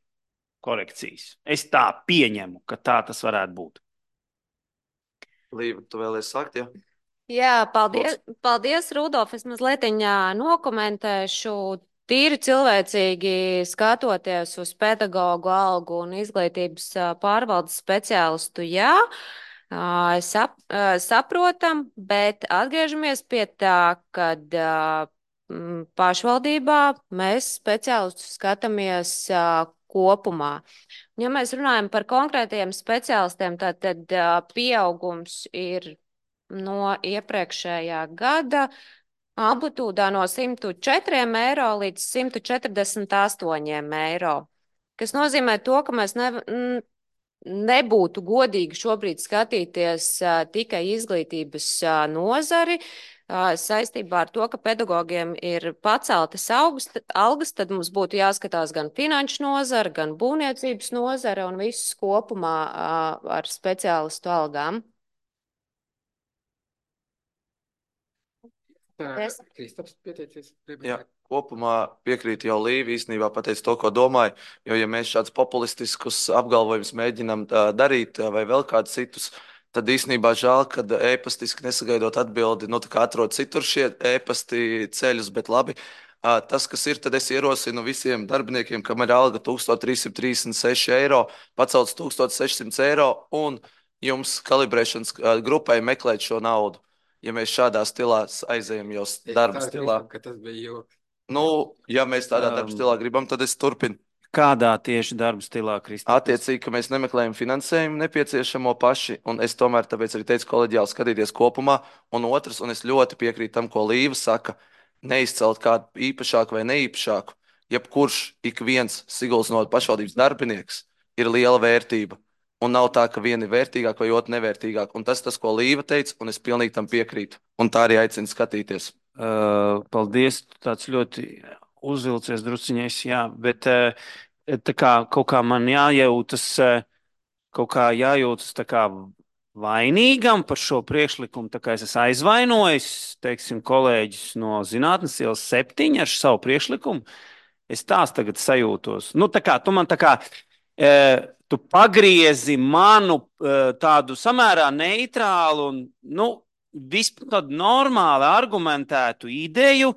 korekcijas. Es tā pieņemu, ka tā tas varētu būt. Līva, tu vēlies sakt, ja? Jā, paldies, paldies Rudolf. Es mazliet nokomentēšu. Tīri cilvēcīgi skatoties uz pedagogu algu un izglītības pārvaldes speciālistu, jā, sap, saprotam, bet atgriežamies pie tā, kad pašvaldībā mēs speciālistus skatāmies kopumā. Ja mēs runājam par konkrētiem speciālistiem, tad, tad pieaugums ir no iepriekšējā gada amplitūdā no simt četriem eiro līdz simt četrdesmit astoņiem eiro, kas nozīmē to, ka mēs ne, nebūtu godīgi šobrīd skatīties uh, tikai izglītības uh, nozari. Uh, saistībā ar to, ka pedagogiem ir paceltas augas, algas, tad mums būtu jāskatās gan finanšu nozara, gan būvniecības nozara un viss kopumā uh, ar speciālistu algām. Es... Kristaps pieteicies. Jā, kopumā piekrītu jau Līvi, īstenībā pateicu to, ko domāju, jo ja mēs šādus populistiskus apgalvojumus mēģinam uh, darīt uh, vai vēl kādus citus, tad īstenībā žēl, ka ēpastiski nesagaidot atbildi, nu tā kā atrod citur šie ēpasti ceļus, bet labi. Uh, tas, kas ir, tad es ierosinu visiem darbiniekiem, kam ir alga tūkstoš trīs simti trīsdesmit seši eiro, pacelts tūkstoš sešsimt eiro un jums kalibrēšanas uh, grupai meklēt šo naudu. Ja mēs šādā stilā aizējam jau darba stilā. Ka tas bija joks. Nu, ja mēs tādā um, darba stilā gribam, tad es turpinu. Kādā tieši darba stilā, Kristā? Attiecīgi, ka mēs nemeklējam finansējumu nepieciešamo paši, un es tomēr tāpēc arī teicu koleģiāli skatīties kopumā, un otrs, un es ļoti piekrītu tam, ko Līva saka, neizcelt kādu īpašāku vai neīpašāku. Jebkurš ik viens Siguldas novada pašvaldības darbinieks ir liela vērtība. Un nav tā, ka viena ir vērtīgāka vai otra nevērtīgāka. Un tas, tas, ko Līva teica, un es pilnīgi tam piekrītu. Un tā arī aicinu skatīties. Uh, paldies, tāds ļoti uzvilcies drusciņais, jā. Bet uh, tā kā kaut kā man jājūtas, uh, kaut kā jājūtas tā kā vainīgam par šo priekšlikumu. Tā kā es esmu aizvainojis, teiksim, kolēģis no Zinātnes ielas septiņi ar savu priekšlikumu. Es tās tagad sajūtos. Nu, tā kā tu man tā kā... Uh, Tu pagriezi manu uh, tādu samērā neitrālu un nu, vispār tādu normāli argumentētu ideju,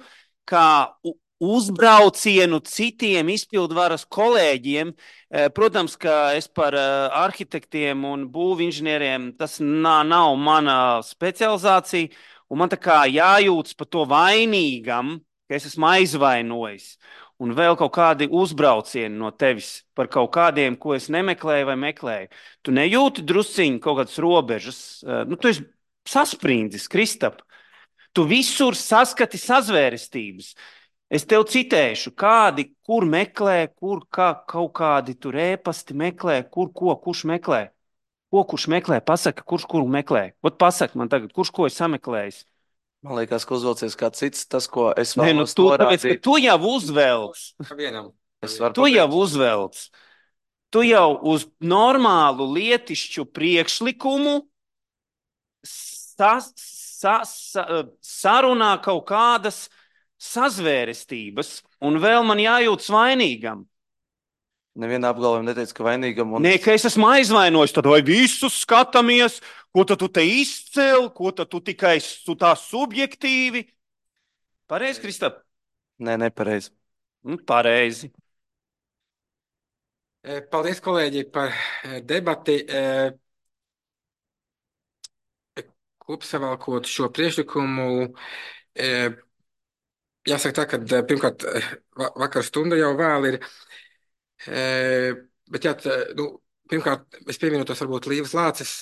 kā uzbraucienu citiem izpildvaras kolēģiem. Uh, protams, ka es par uh, arhitektiem un būvinženieriem tas nā, nav mana specializācija, un man tā kā jājūtas par to vainīgam, ka es esmu aizvainojis. Un vēl kaut kādi uzbraucieni no tevis par kaut kādiem, ko es nemeklēju vai meklēju. Tu nejūti drusciņi kaut kādas robežas. Nu, tu esi sasprindzis, Kristap. Tu visur saskati sazvērestības. Es tev citēšu, kādi, kur meklē, kur kā, kaut kādi tur ēpasti meklē, kur ko, kurš meklē. Ko kurš meklē, pasaka, kurš kuru meklē. Ot pasaka man tagad, kurš ko ir sameklējis. Man liekas, ka uzvelcies kā cits, tas, ko es vēlos Nē, nu, tu, tāpēc, norādīt. Tu jau uzvelc. Tu jau uzvelc. Tu jau uz normālu lietišķu priekšlikumu sa, sa, sa, sarunā kaut kādas sazvērestības, un vēl man jājūtas vainīgam. Nevienā apgalvojumā neteica, ka vainīgam. Un... Nē, ka es esmu aizvainojis, tad vai visus skatāmies, ko tad tu te izcēl, ko tad tu tikai tu tā subjektīvi. Pareizi, Kristap? Nē, nepareizi. Nu, pareizi. Paldies, kolēģi, par debati. Kopsavilkot šo priekšlikumu, jāsaka tā, ka pirmkārt vakar stunda jau vēl ir. Bet jā, nu, pirmkārt, es pievienotos varbūt Līvas Lāces,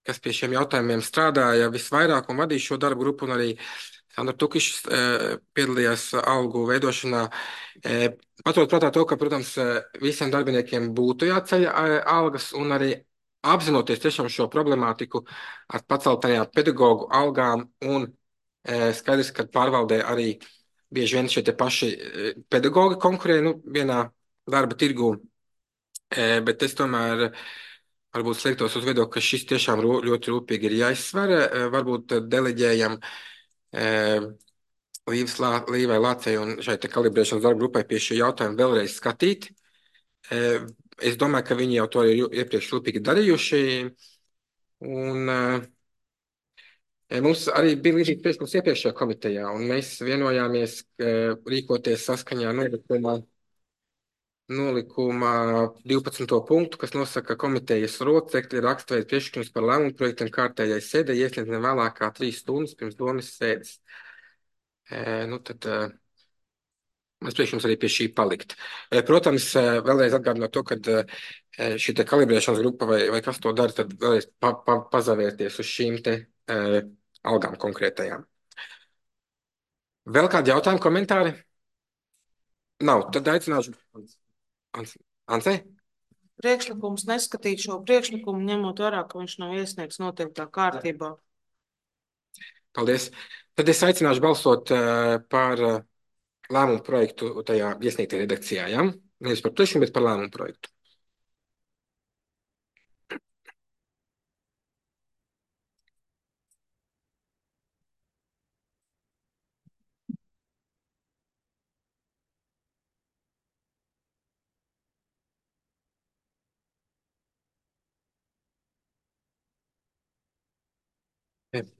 kas pie šiem jautājumiem strādāja visvairāk un vadīja šo darbu grupu, un arī Sandra Tukišs piedalījās algu veidošanā. Paturot prātā to, ka, protams, visiem darbiniekiem būtu jāceļ algas, un arī apzinoties tiešām šo problemātiku ar paceltajām pedagoģu algām, un skaidrs, ka pārvaldē arī bieži vien šie te paši pedagoģi konkurē, nu, vienā darba tirgū, bet es tomēr varbūt sliektos uz viedokli, ka šis tiešām ļoti rūpīgi ir jāizsver. Varbūt deleģējam Līvai Lācei un šai te kalibrēšanas darba grupai pie šī jautājuma vēlreiz skatīt. Es domāju, ka viņi jau to ir iepriekš rūpīgi darījuši. Un mums arī bija līdzīgi priekšlikums iepriekšējā komitejā, un mēs vienojāmies rīkoties saskaņā nolikumā Nolikuma divpadsmito punktu, kas nosaka, ka komitejas locekļi rakstveida priekšlikums par lēmumu projektiem kārtējai sēdē iesniedz ne vēlāk kā trīs stundas pirms domas sēdes. E, nu tad e, mēs priekšlikums arī pie šī palikt. E, protams, e, vēlreiz atgādinot to, ka e, šī te kalibrēšanas grupa vai, vai kas to dara, tad vēlreiz pa, pa, pazavērties uz šīm te e, algām konkrētajām. Vēl kādi jautājumi, komentāri? Nav, tad aicināšu. Ansē? priekšlikums neskatīt šo priekšlikumu, ņemot vērā, ka viņš nav iesniegts noteiktā kārtībā. Paldies. Tad es aicināšu balsot uh, par uh, lēmumu projektu tajā iesniegtajā redakcijā. Ja? Nevis par priekšlikumu, bet par lēmumu projektu.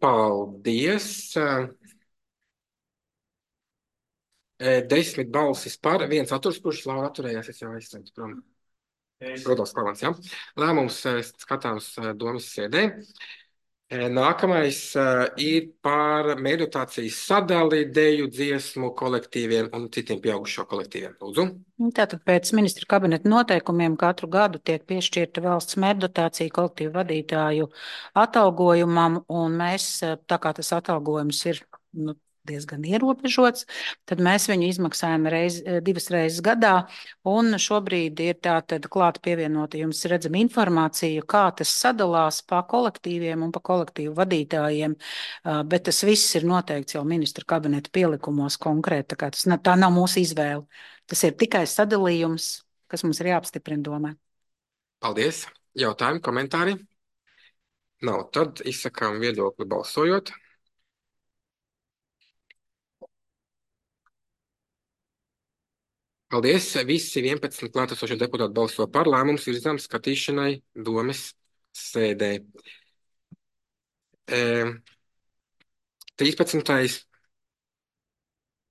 Paldies. Desmit balsis par, viens atturs, kurš Laura atturējās, es jau aizsēju prom. Rudolfs Klavans, jā. Lēmums skatāms domas sēdē. Nākamais ir par meditācijas sadali, deju, dziesmu kolektīviem un citiem pieaugušo kolektīviem. Lūdzu. Tātad pēc ministra kabineta noteikumiem katru gadu tiek piešķirta valsts meditācija kolektīvu vadītāju atalgojumam, un mēs, tā kā tas atalgojums ir nu, diezgan ierobežots, tad mēs viņu izmaksājam reiz, divas reizes gadā, un šobrīd ir tātad klāt pievienota jums redzama informācija, kā tas sadalās pa kolektīviem un pa kolektīvu vadītājiem, bet tas viss ir noteikts jau ministra kabineta pielikumos konkrēti, tā kā tas, tā nav mūsu izvēle. Tas ir tikai sadalījums, kas mums ir jāapstiprina domē. Paldies. Jautājumi, komentāri? Nav. Tad izsakām viedokli balsojot. Paldies. Visi vienpadsmit klātesošie deputāti balso par, lēmums virzām skatīšanai domes sēdē. E, trīspadsmitais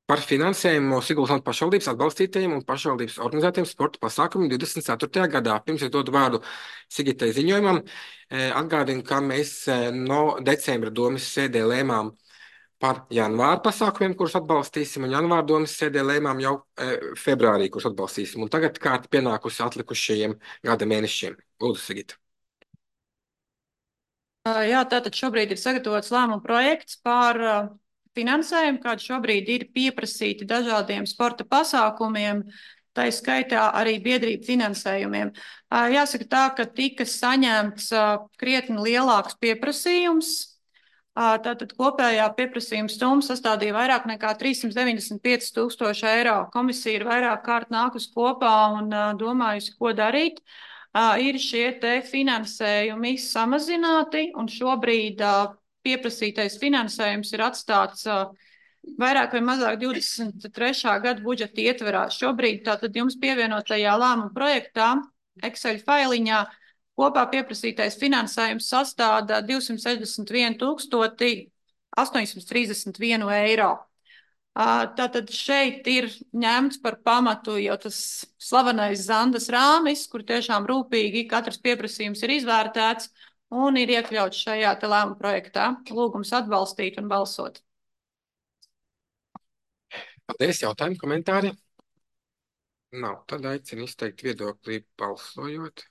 par finansējumu Siguldas pašvaldības atbalstītajiem un pašvaldības organizētajiem sporta pasākumiem divdesmit ceturtajā gadā. Pirms es dodu vārdu Sigitai ziņojumam, e, atgādinu, ka mēs no decembra domes sēdē lēmām par janvāra pasākumiem, kurus atbalstīsim, un janvāra domas sēdē lēmām jau e, februārī, kurus atbalstīsim. Un tagad kārta pienākusi atlikušajiem gada mēnešiem. Lūdzu, Sigita. Jā, tātad šobrīd ir sagatavots lēmuma projekts par uh, finansējumu, kāds šobrīd ir pieprasīti dažādiem sporta pasākumiem, tā skaitā arī biedrību finansējumiem. Uh, jāsaka tā, ka tika saņemts uh, krietni lielāks pieprasījums. Tātad kopējā pieprasījuma summa sastādīja vairāk nekā trīssimt deviņdesmit pieci tūkstoši eiro. Komisija ir vairāk kārt nākus kopā un domājusi, ko darīt. Ir šie te finansējumi samazināti, un šobrīd pieprasītais finansējums ir atstāts vairāk vai mazāk divdesmit trešā gada budžeta ietverā. Šobrīd tātad jums pievienotajā lēmuma projektā, Excel failiņā, kopā pieprasītais finansējums sastāda divsimt sešdesmit vienu tūkstoti astoņsimt trīsdesmit vienu eiro. Tātad šeit ir ņemts par pamatu jau tas slavenais Zandas rāmis, kur tiešām rūpīgi katrs pieprasījums ir izvērtēts un ir iekļauts šajā te lēmuma projektā. Lūgums atbalstīt un balsot. Paldies, jautājumi, komentāri? Nav. Tad aicinu izteikt viedokli balsojot.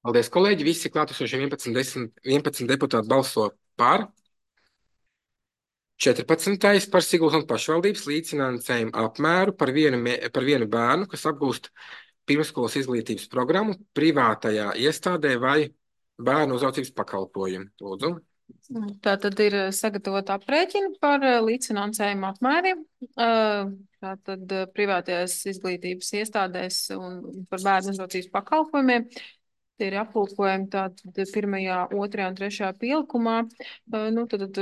Paldies, kolēģi. Visi klātesošie vienpadsmit, vienpadsmit deputāti balso par. četrpadsmitais par Siguldas pašvaldības līdzfinansējumu apmēru par vienu, par vienu bērnu, kas apgūst pirmsskolas izglītības programmu privātajā iestādē vai bērnu uzraudzības pakalpojumu. Lūdzu. Tā tad ir sagatavota aprēķina par līdzfinansējumu apmēriem. Tā tad privātajās izglītības iestādēs un par bērnu uzraudzības pakalpojumiem. Tie ir aplūkojumi tātad pirmajā, otrajā un trešajā pielikumā. Nu, tad,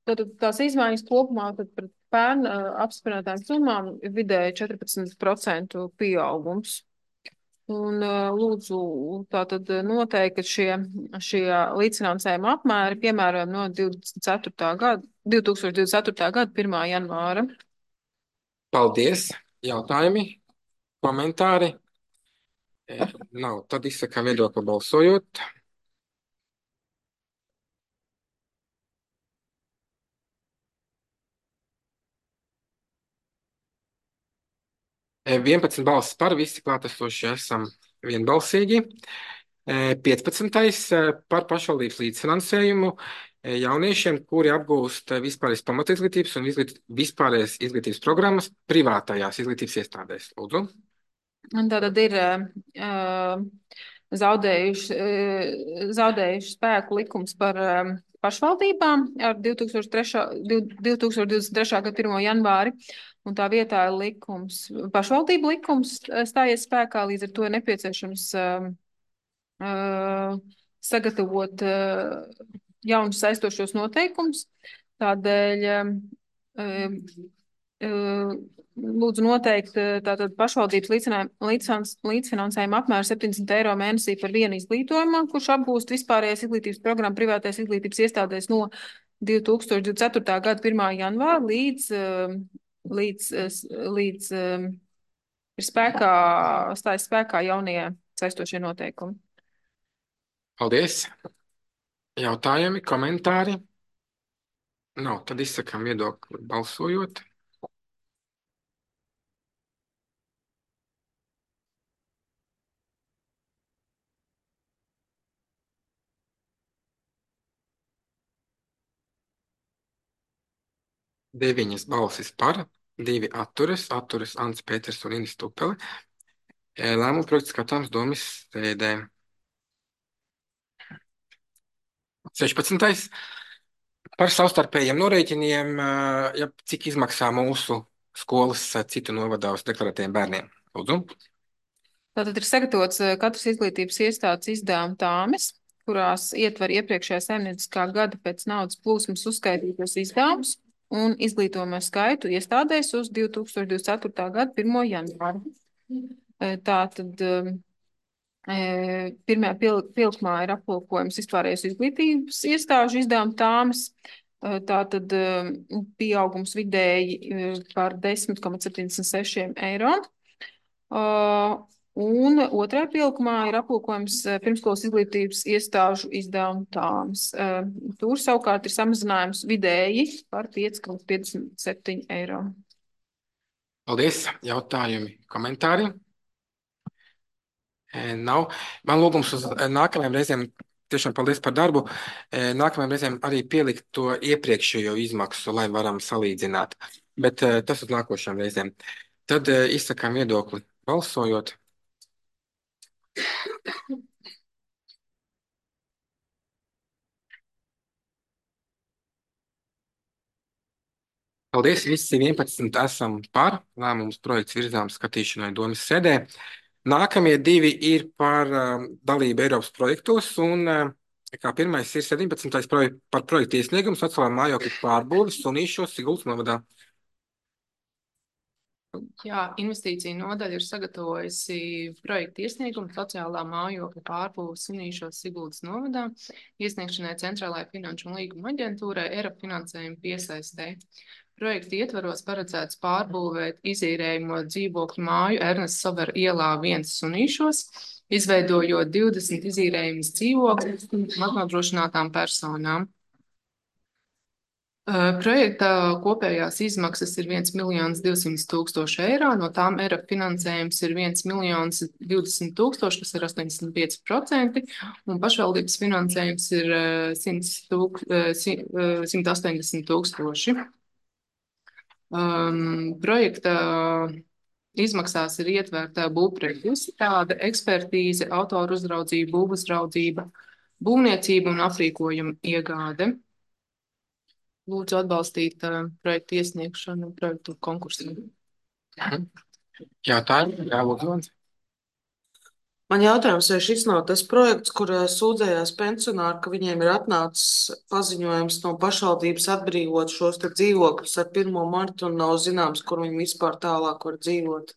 tad tās izmaiņas kopumā tad par pērn apstiprinātām summām vidēji četrpadsmit procentu pieaugums. Un lūdzu tātad noteikti, ka šie, šie līdzfinansējuma apmēri piemērojami no divdesmit ceturtā gada, divtūkstoš divdesmit ceturtā gada pirmā janvāra. Paldies. Jautājumi, komentāri? Nav. Tad izsakām viedokli balsojot. vienpadsmit balsis par, visi klātesošie esam vienbalsīgi. piecpadsmitais par pašvaldības līdzfinansējumu jauniešiem, kuri apgūst vispārējās pamatizglītības un izglīt, vispārējās izglītības programmas privātajās izglītības iestādēs. Lūdzu. Un tātad ir uh, zaudējuši, uh, zaudējuši spēku likums par um, pašvaldībām ar divtūkstoš divdesmit trešā gada pirmo janvāri, un tā vietā ir likums, pašvaldību likums stājies spēkā, līdz ar to ir nepieciešams uh, uh, sagatavot uh, jaunus saistošos noteikumus. Tādēļ uh, uh, lūdzu noteikt tātad pašvaldības līdzfinansējuma apmēru septiņdesmit eiro mēnesī par vienu izglītojumu, kurš apgūst vispārējais izglītības programmu privātais izglītības iestādēs no divtūkstoš divdesmit ceturtā gada pirmā janvāra līdz, līdz, līdz ir spēkā, stājas spēkā jaunie saistošie noteikumi. Paldies. Jautājumi, komentāri? Nav, tad izsakām viedokli balsojot. Deviņas balsis par, divi atturas, atturas Ants Pēters un Inis Tupele. Lēmuma projekts skatāms domas sēdē. sešpadsmitais Par savstarpējiem norēķiniem, ja cik izmaksā mūsu skolas citu novadā uz deklarētiem bērniem. Lūdzu. Tātad ir sagatavots katras izglītības iestādes izdevuma tāmes, kurās ietver iepriekšējā saimnieciskā gada pēc naudas plūsmas uzskaitītos izdevumus un izglītojumu skaitu iestādēs uz divtūkstoš divdesmit ceturtā gada pirmo janvāru. Tātad pirmajā pilkmā ir aplūkojums vispārējais izglītības iestāžu izdevuma tāmes. Tātad pieaugums vidēji par desmit komats septiņdesmit seši eiro. Un otrajā pilkumā ir aplūkojums pirmskolas izglītības iestāžu izdevuma tāmes. Tur savukārt ir samazinājums vidēji par pieci komats piecdesmit septiņi eiro. Paldies. Jautājumi, komentāri? Nav. Man lūgums uz nākamajām reizēm, tiešām paldies par darbu, nākamajām reizēm arī pielikt to iepriekšējo izmaksu, lai varam salīdzināt. Bet tas uz nākošām reizēm. Tad izsakām viedokli balsojot. Paldies, visi vienpadsmit esam par. Lēmums projekts virzām skatīšanai domas sēdē. Nākamie divi ir par um, dalību Eiropas projektos, un uh, kā pirmais ir sedempadsmitais projek par projektu iesniegumu sociālā mājokļu pārbūves Sunīšos Siguldas novadā. Jā, investīcija nodaļa ir sagatavojusi projektu iesniegumu sociālā mājokļa pārbūves Sunīšos Siguldas novadā, iesniegšanai Centrālajai finanšu un līguma aģentūrai Eiropas finansējuma piesaistē. Projekta ietvaros paredzēts pārbūvēt izīrējamo dzīvokļu māju Ernesta Savera ielā viens Sunīšos, izveidojot divdesmit izīrējumus dzīvokļus maznodrošinātām personām. Projekta kopējās izmaksas ir viens miljons divsimt tūkstoši eiro, no tām Eiropas finansējums ir viens miljons divdesmit tūkstoši, kas ir astoņdesmit pieci procenti, un pašvaldības finansējums ir simt astoņdesmit tūkstoši. Um, projekta izmaksās ir ietverta būvprojekta izstrāde, ekspertīze, autoru uzraudzība, būvuzraudzība, būvniecība un aprīkojuma iegāde. Lūdzu atbalstīt uh, projektu iesniegšanu, projektu konkursu. Jautājumi? Jā, lūdzu. Man jautājums, vai šis nav tas projekts, kur sūdzējās pensionāri, ka viņiem ir atnācis paziņojums no pašvaldības atbrīvot šos te dzīvokļus ar pirmo martu un nav zināms, kur viņi vispār tālāk var dzīvot?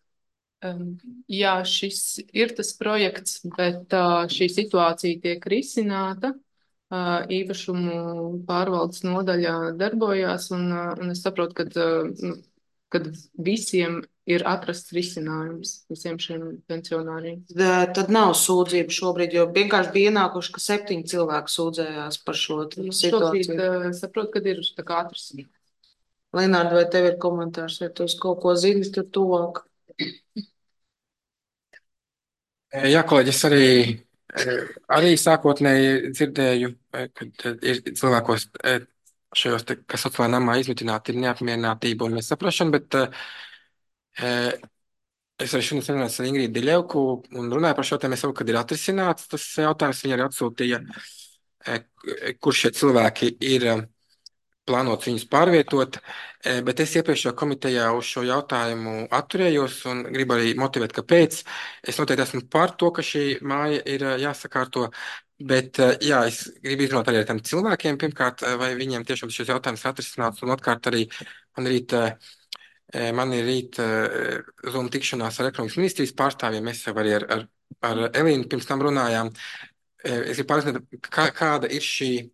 Um, jā, šis ir tas projekts, bet uh, šī situācija tiek risināta. Uh, īpašumu pārvaldes nodaļā darbojās, un, uh, un es saprotu, ka uh, kad visiem ir atrasts risinājums, visiem šiem pensionāriem. Tad nav sūdzību šobrīd, jo vienkārši bija ienākuši, ka septiņi cilvēki sūdzējās par šo situāciju. Šobrīd uh, saprotu, kad ir tā kā atrasts. Lenārda, vai tev ir komentārs, vai tu uz kaut ko zini tur tuvāk? Jā, kolēģi, es arī Arī sākotnēji dzirdēju, ka ir cilvēkos šajos, te, kas sociālajā namā izmitināti, ir neapmierinātība un nesaprašana, bet es arī šodien sarunājos ar Ingrīdu Diļevku un runāju par šo tēmu. Es saprotu, kad ir atrisināts tas jautājums. Viņa arī atsūtīja, kur šie cilvēki ir plānots viņus pārvietot, bet es iepriekšējā komitejā uz šo jautājumu atturējos un gribu arī motivēt, kāpēc. Es noteikti esmu par to, ka šī māja ir jāsakārto, bet jā, es gribu izrunāt arī ar tiem cilvēkiem, pirmkārt, vai viņiem tiešām šis jautājums ir atrisināts, un otrkārt arī man rīt, man ir rīt Zoom tikšanās ar ekonomikas ministrijas pārstāvjiem, mēs jau arī ar, ar, ar Elīnu pirms tam runājām. Es gribu pārzināt, kā, kāda ir šī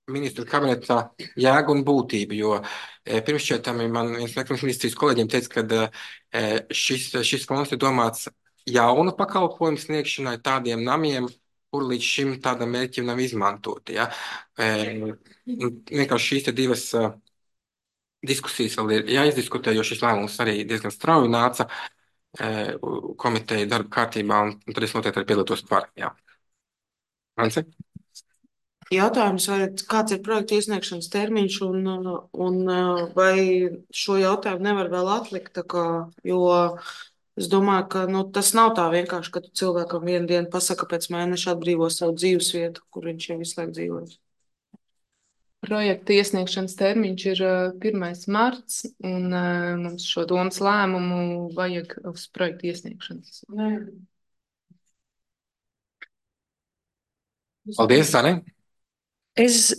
ministru kabinetā jēga un būtība, jo e, pirms šķietami man viens no ekonomikas ministrijas kolēģiem teica, ka e, šis, šis fonds ir domāts jaunu pakalpojumu sniegšanai tādiem namiem, kur līdz šim tādam mērķim nav izmantoti. Ja? E, vienkārši šīs te divas uh, diskusijas vēl ir jāizdiskutē, jo šis lēmums arī diezgan strauji nāca e, komiteja darba kārtībā, un, un tad es noteikti arī piedalītos par. Jā. Ance? Jautājums, vai kāds ir projekta iesniegšanas termiņš un, un vai šo jautājumu nevar vēl atlikt, tā kā, jo es domāju, ka nu, tas nav tā vienkārši, ka tu cilvēkam vienu dienu pasaka pēc mēneša atbrīvo savu dzīves vietu, kur viņš jau visu laiku dzīvojas. Projekta iesniegšanas termiņš ir pirmais marts, un mums šo domas lēmumu vajag uz projekta iesniegšanas. Nē. Paldies, Sane! Es,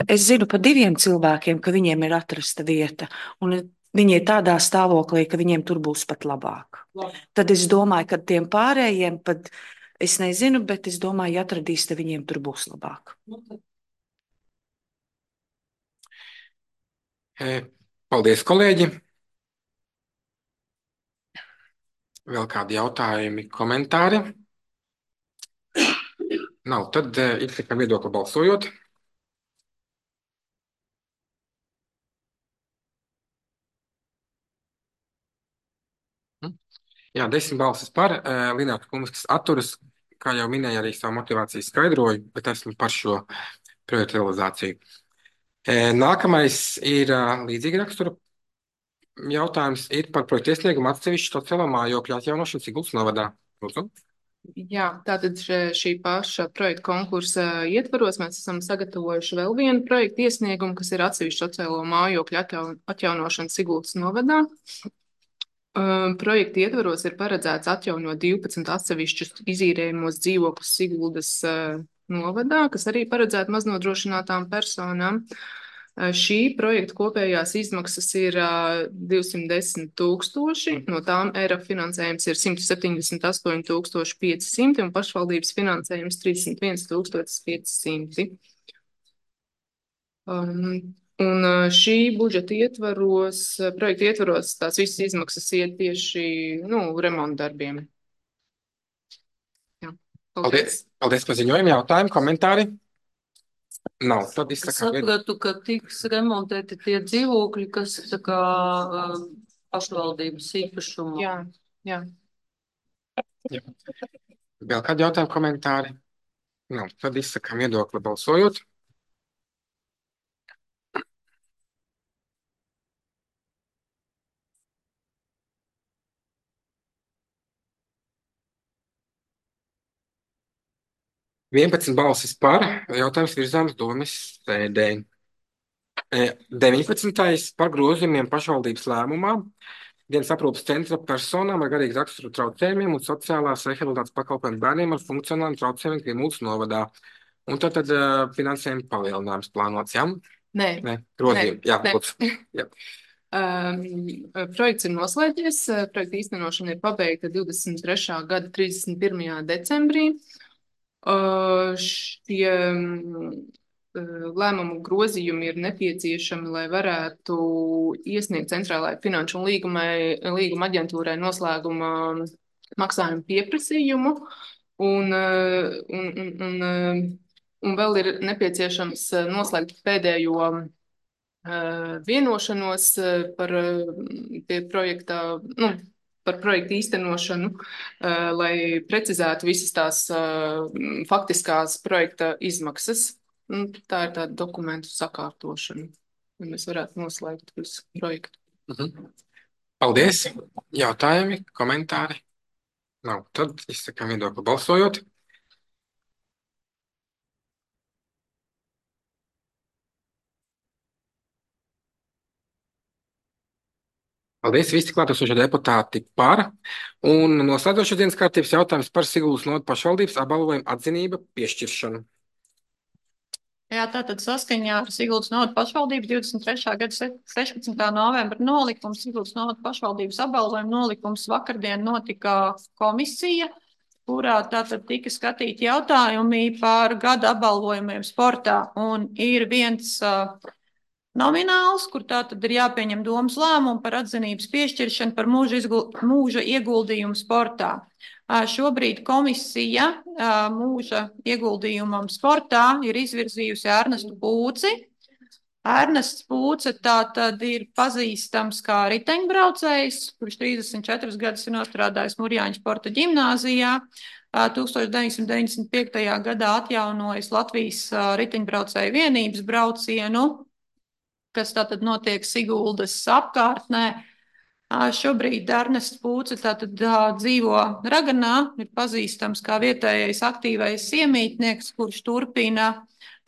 es zinu par diviem cilvēkiem, ka viņiem ir atrasta vieta, un viņi ir tādā stāvoklī, ka viņiem tur būs pat labāk. Labi. Tad es domāju, ka tiem pārējiem pat, es nezinu, bet es domāju, ja atradīs, tad viņiem tur būs labāk. Paldies, kolēģi! Vēl kādi jautājumi, komentāri? Nav, tad ir tikai viedokli balsojot. Jā, desmit balsis par, Lināta Kumiskas atturas, kā jau minēja, arī savu motivāciju skaidroju, bet esmu par šo projektu realizāciju. Nākamais ir līdzīga rakstura jautājums, ir par projektu iesniegumu atsevišķu sociālo mājokļu atjaunošanu Siguldas novadā. Lūdzu. Jā, tātad šī paša projekta konkursa ietvaros mēs esam sagatavojuši vēl vienu projektu iesniegumu, kas ir atsevišķu sociālo mājokļu atjaunošana Siguldas novadā. Projekta ietvaros ir paredzēts atjaunot divpadsmit atsevišķus izīrējumos dzīvokļus Siguldas novadā, kas arī paredzētu maznodrošinātām personām. Šī projekta kopējās izmaksas ir divsimt desmit tūkstoši, no tām E R A finansējums ir simt septiņdesmit astoņi tūkstoši pieci simti un pašvaldības finansējums trīsdesmit viens tūkstotis pieci simti. Um, un šī budžeta ietvaros, projekta ietvaros, tās visas izmaksas iet tieši nu, remonta darbiem. Jā, paldies. Paldies, paldies par ziņojumu, jautājumu, komentāri. Nav, tad es sapratu, ka tiks remontēti tie dzīvokļi, kas tā kā pašvaldības īpašumā. Jā, jā. jā. Vēl kādi jautājumi, komentāri? Nav, tad izsakām viedokli balsojot. vienpadsmit balsis par, jautājums virzāms domes sēdē. deviņpadsmitais par grozījumiem pašvaldības lēmumā dienas aprūpes centra personām ar garīgu raksturu traucējumiem un sociālās rehabilitācijas pakalpojumu bērniem ar funkcionāliem traucējumiem Grimuldas novadā. Un tad, tad uh, finansējuma palielinājums plānots, jā? Nē. Nē, grozījumi, Nē. jā, Nē. lūdzu. Jā. Um, projekts ir noslēdzies, projekta īstenošana ir pabeigta divdesmit trešā gada trīsdesmit pirmajā decembrī. Uh, šie uh, lēmumu grozījumi ir nepieciešami, lai varētu iesniegt centrālajai finanšu un līguma, līguma aģentūrai noslēguma maksājumu pieprasījumu. Un, uh, un, un, un, un vēl ir nepieciešams noslēgt pēdējo uh, vienošanos par uh, pie projekta, nu, par projektu īstenošanu, uh, lai precizētu visas tās uh, faktiskās projekta izmaksas. Un tā ir tāda dokumentu sakārtošana, lai mēs varētu noslēgt visu projektu. Mhm. Paldies! Jautājumi, komentāri? Nav. Tad izsakām viedokli balsojot. Paldies, visi klātesošie deputāti par. Un noslēdzošais dienas kārtības jautājums par Siguldas novada pašvaldības apbalvojumu atzinība piešķiršanu. Jā, tātad saskaņā ar Siguldas novada pašvaldības divdesmit trešā gada sešpadsmitā novembra nolikumu Siguldas novada pašvaldības apbalvojumu nolikums vakardien notika komisija, kurā tātad tika skatīti jautājumi par gada apbalvojumiem sportā. Un ir viens uh, nomināls, kur tātad ir jāpieņem domas lēmumu par atzinības piešķiršanu par mūža, izgul, mūža ieguldījumu sportā. Uh, šobrīd komisija uh, mūža ieguldījumam sportā ir izvirzījusi Ernestu Pūci. Ernests Pūce tātad ir pazīstams kā riteņbraucējs, kurš trīsdesmit četrus gadus ir nostrādājis Murjāņu sporta ģimnāzijā. tusenstoš deviņsimt deviņdesmit piektajā gadā atjaunojis Latvijas riteņbraucēju vienības braucienu, kas tātad notiek Siguldas apkārtnē. Šobrīd Ernests Pūce tātad dzīvo Raganā, ir pazīstams kā vietējais aktīvais iemītnieks, kurš turpina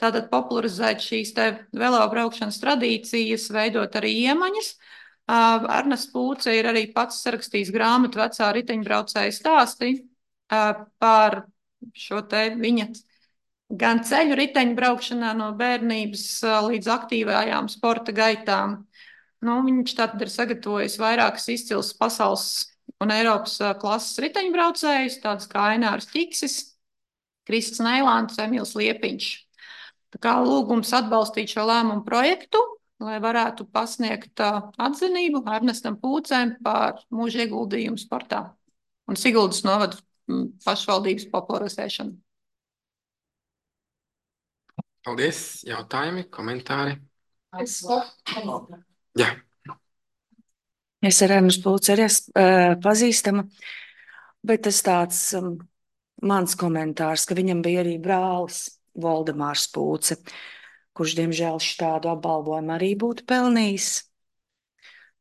tātad popularizēt šīs te velobraukšanas tradīcijas, veidot arī iemaņas. Ernests Pūce ir arī pats sarakstījis grāmatu Vecā riteņbraucēja stāsti par šo te viņa gan ceļu riteņbraukšanā no bērnības līdz aktīvajām sporta gaitām. Nu, viņš tātad ir sagatavojis vairākas izcils pasaules un Eiropas klases riteņbraucējus, tādas kā Ainārs Ķiksis, Krists Neilants, Emīls Liepiņš. Tā kā lūgums atbalstīt šo lēmumu projektu, lai varētu pasniegt atzinību Ernestam Pūcēm par mūža ieguldījumu sportā un Siguldas novada pašvaldības popularizēšanu. Paldies! Jautājumi, komentāri? Es, Jā. es ar Ernestu Pūci arī esmu pazīstama, bet tas tāds um, mans komentārs, ka viņam bija arī brālis Voldemārs Pūce, kurš, diemžēl, šādu apbalvojumu arī būtu pelnījis.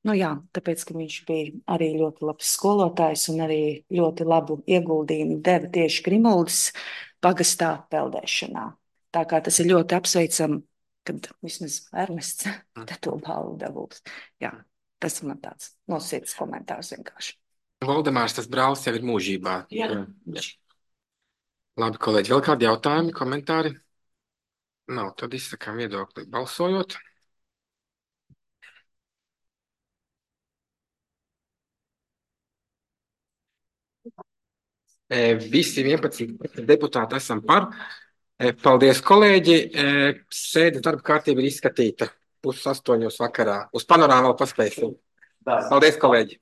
Nu jā, tāpēc, ka viņš bija arī ļoti labs skolotājs un arī ļoti labu ieguldījumu deva tieši Grimuldas pagastā peldēšanā. Tā kā tas ir ļoti apsveicami, kad vismaz Ernests to balvu dabūs. Jā, tas ir man tāds no sirds komentārs vienkārši. Voldemārs, tas brālis jau ir mūžībā. Jā. Jā. Labi, kolēģi, vēl kādi jautājumi, komentāri? Nav, tad izsakām viedokli balsojot. E, visi vienpadsmit deputāti esam par. E, paldies, kolēģi. E, sēdes darba kārtība ir izskatīta pusastoņos vakarā. Uz panorāmu vēl paspēsim. Paldies, kolēģi.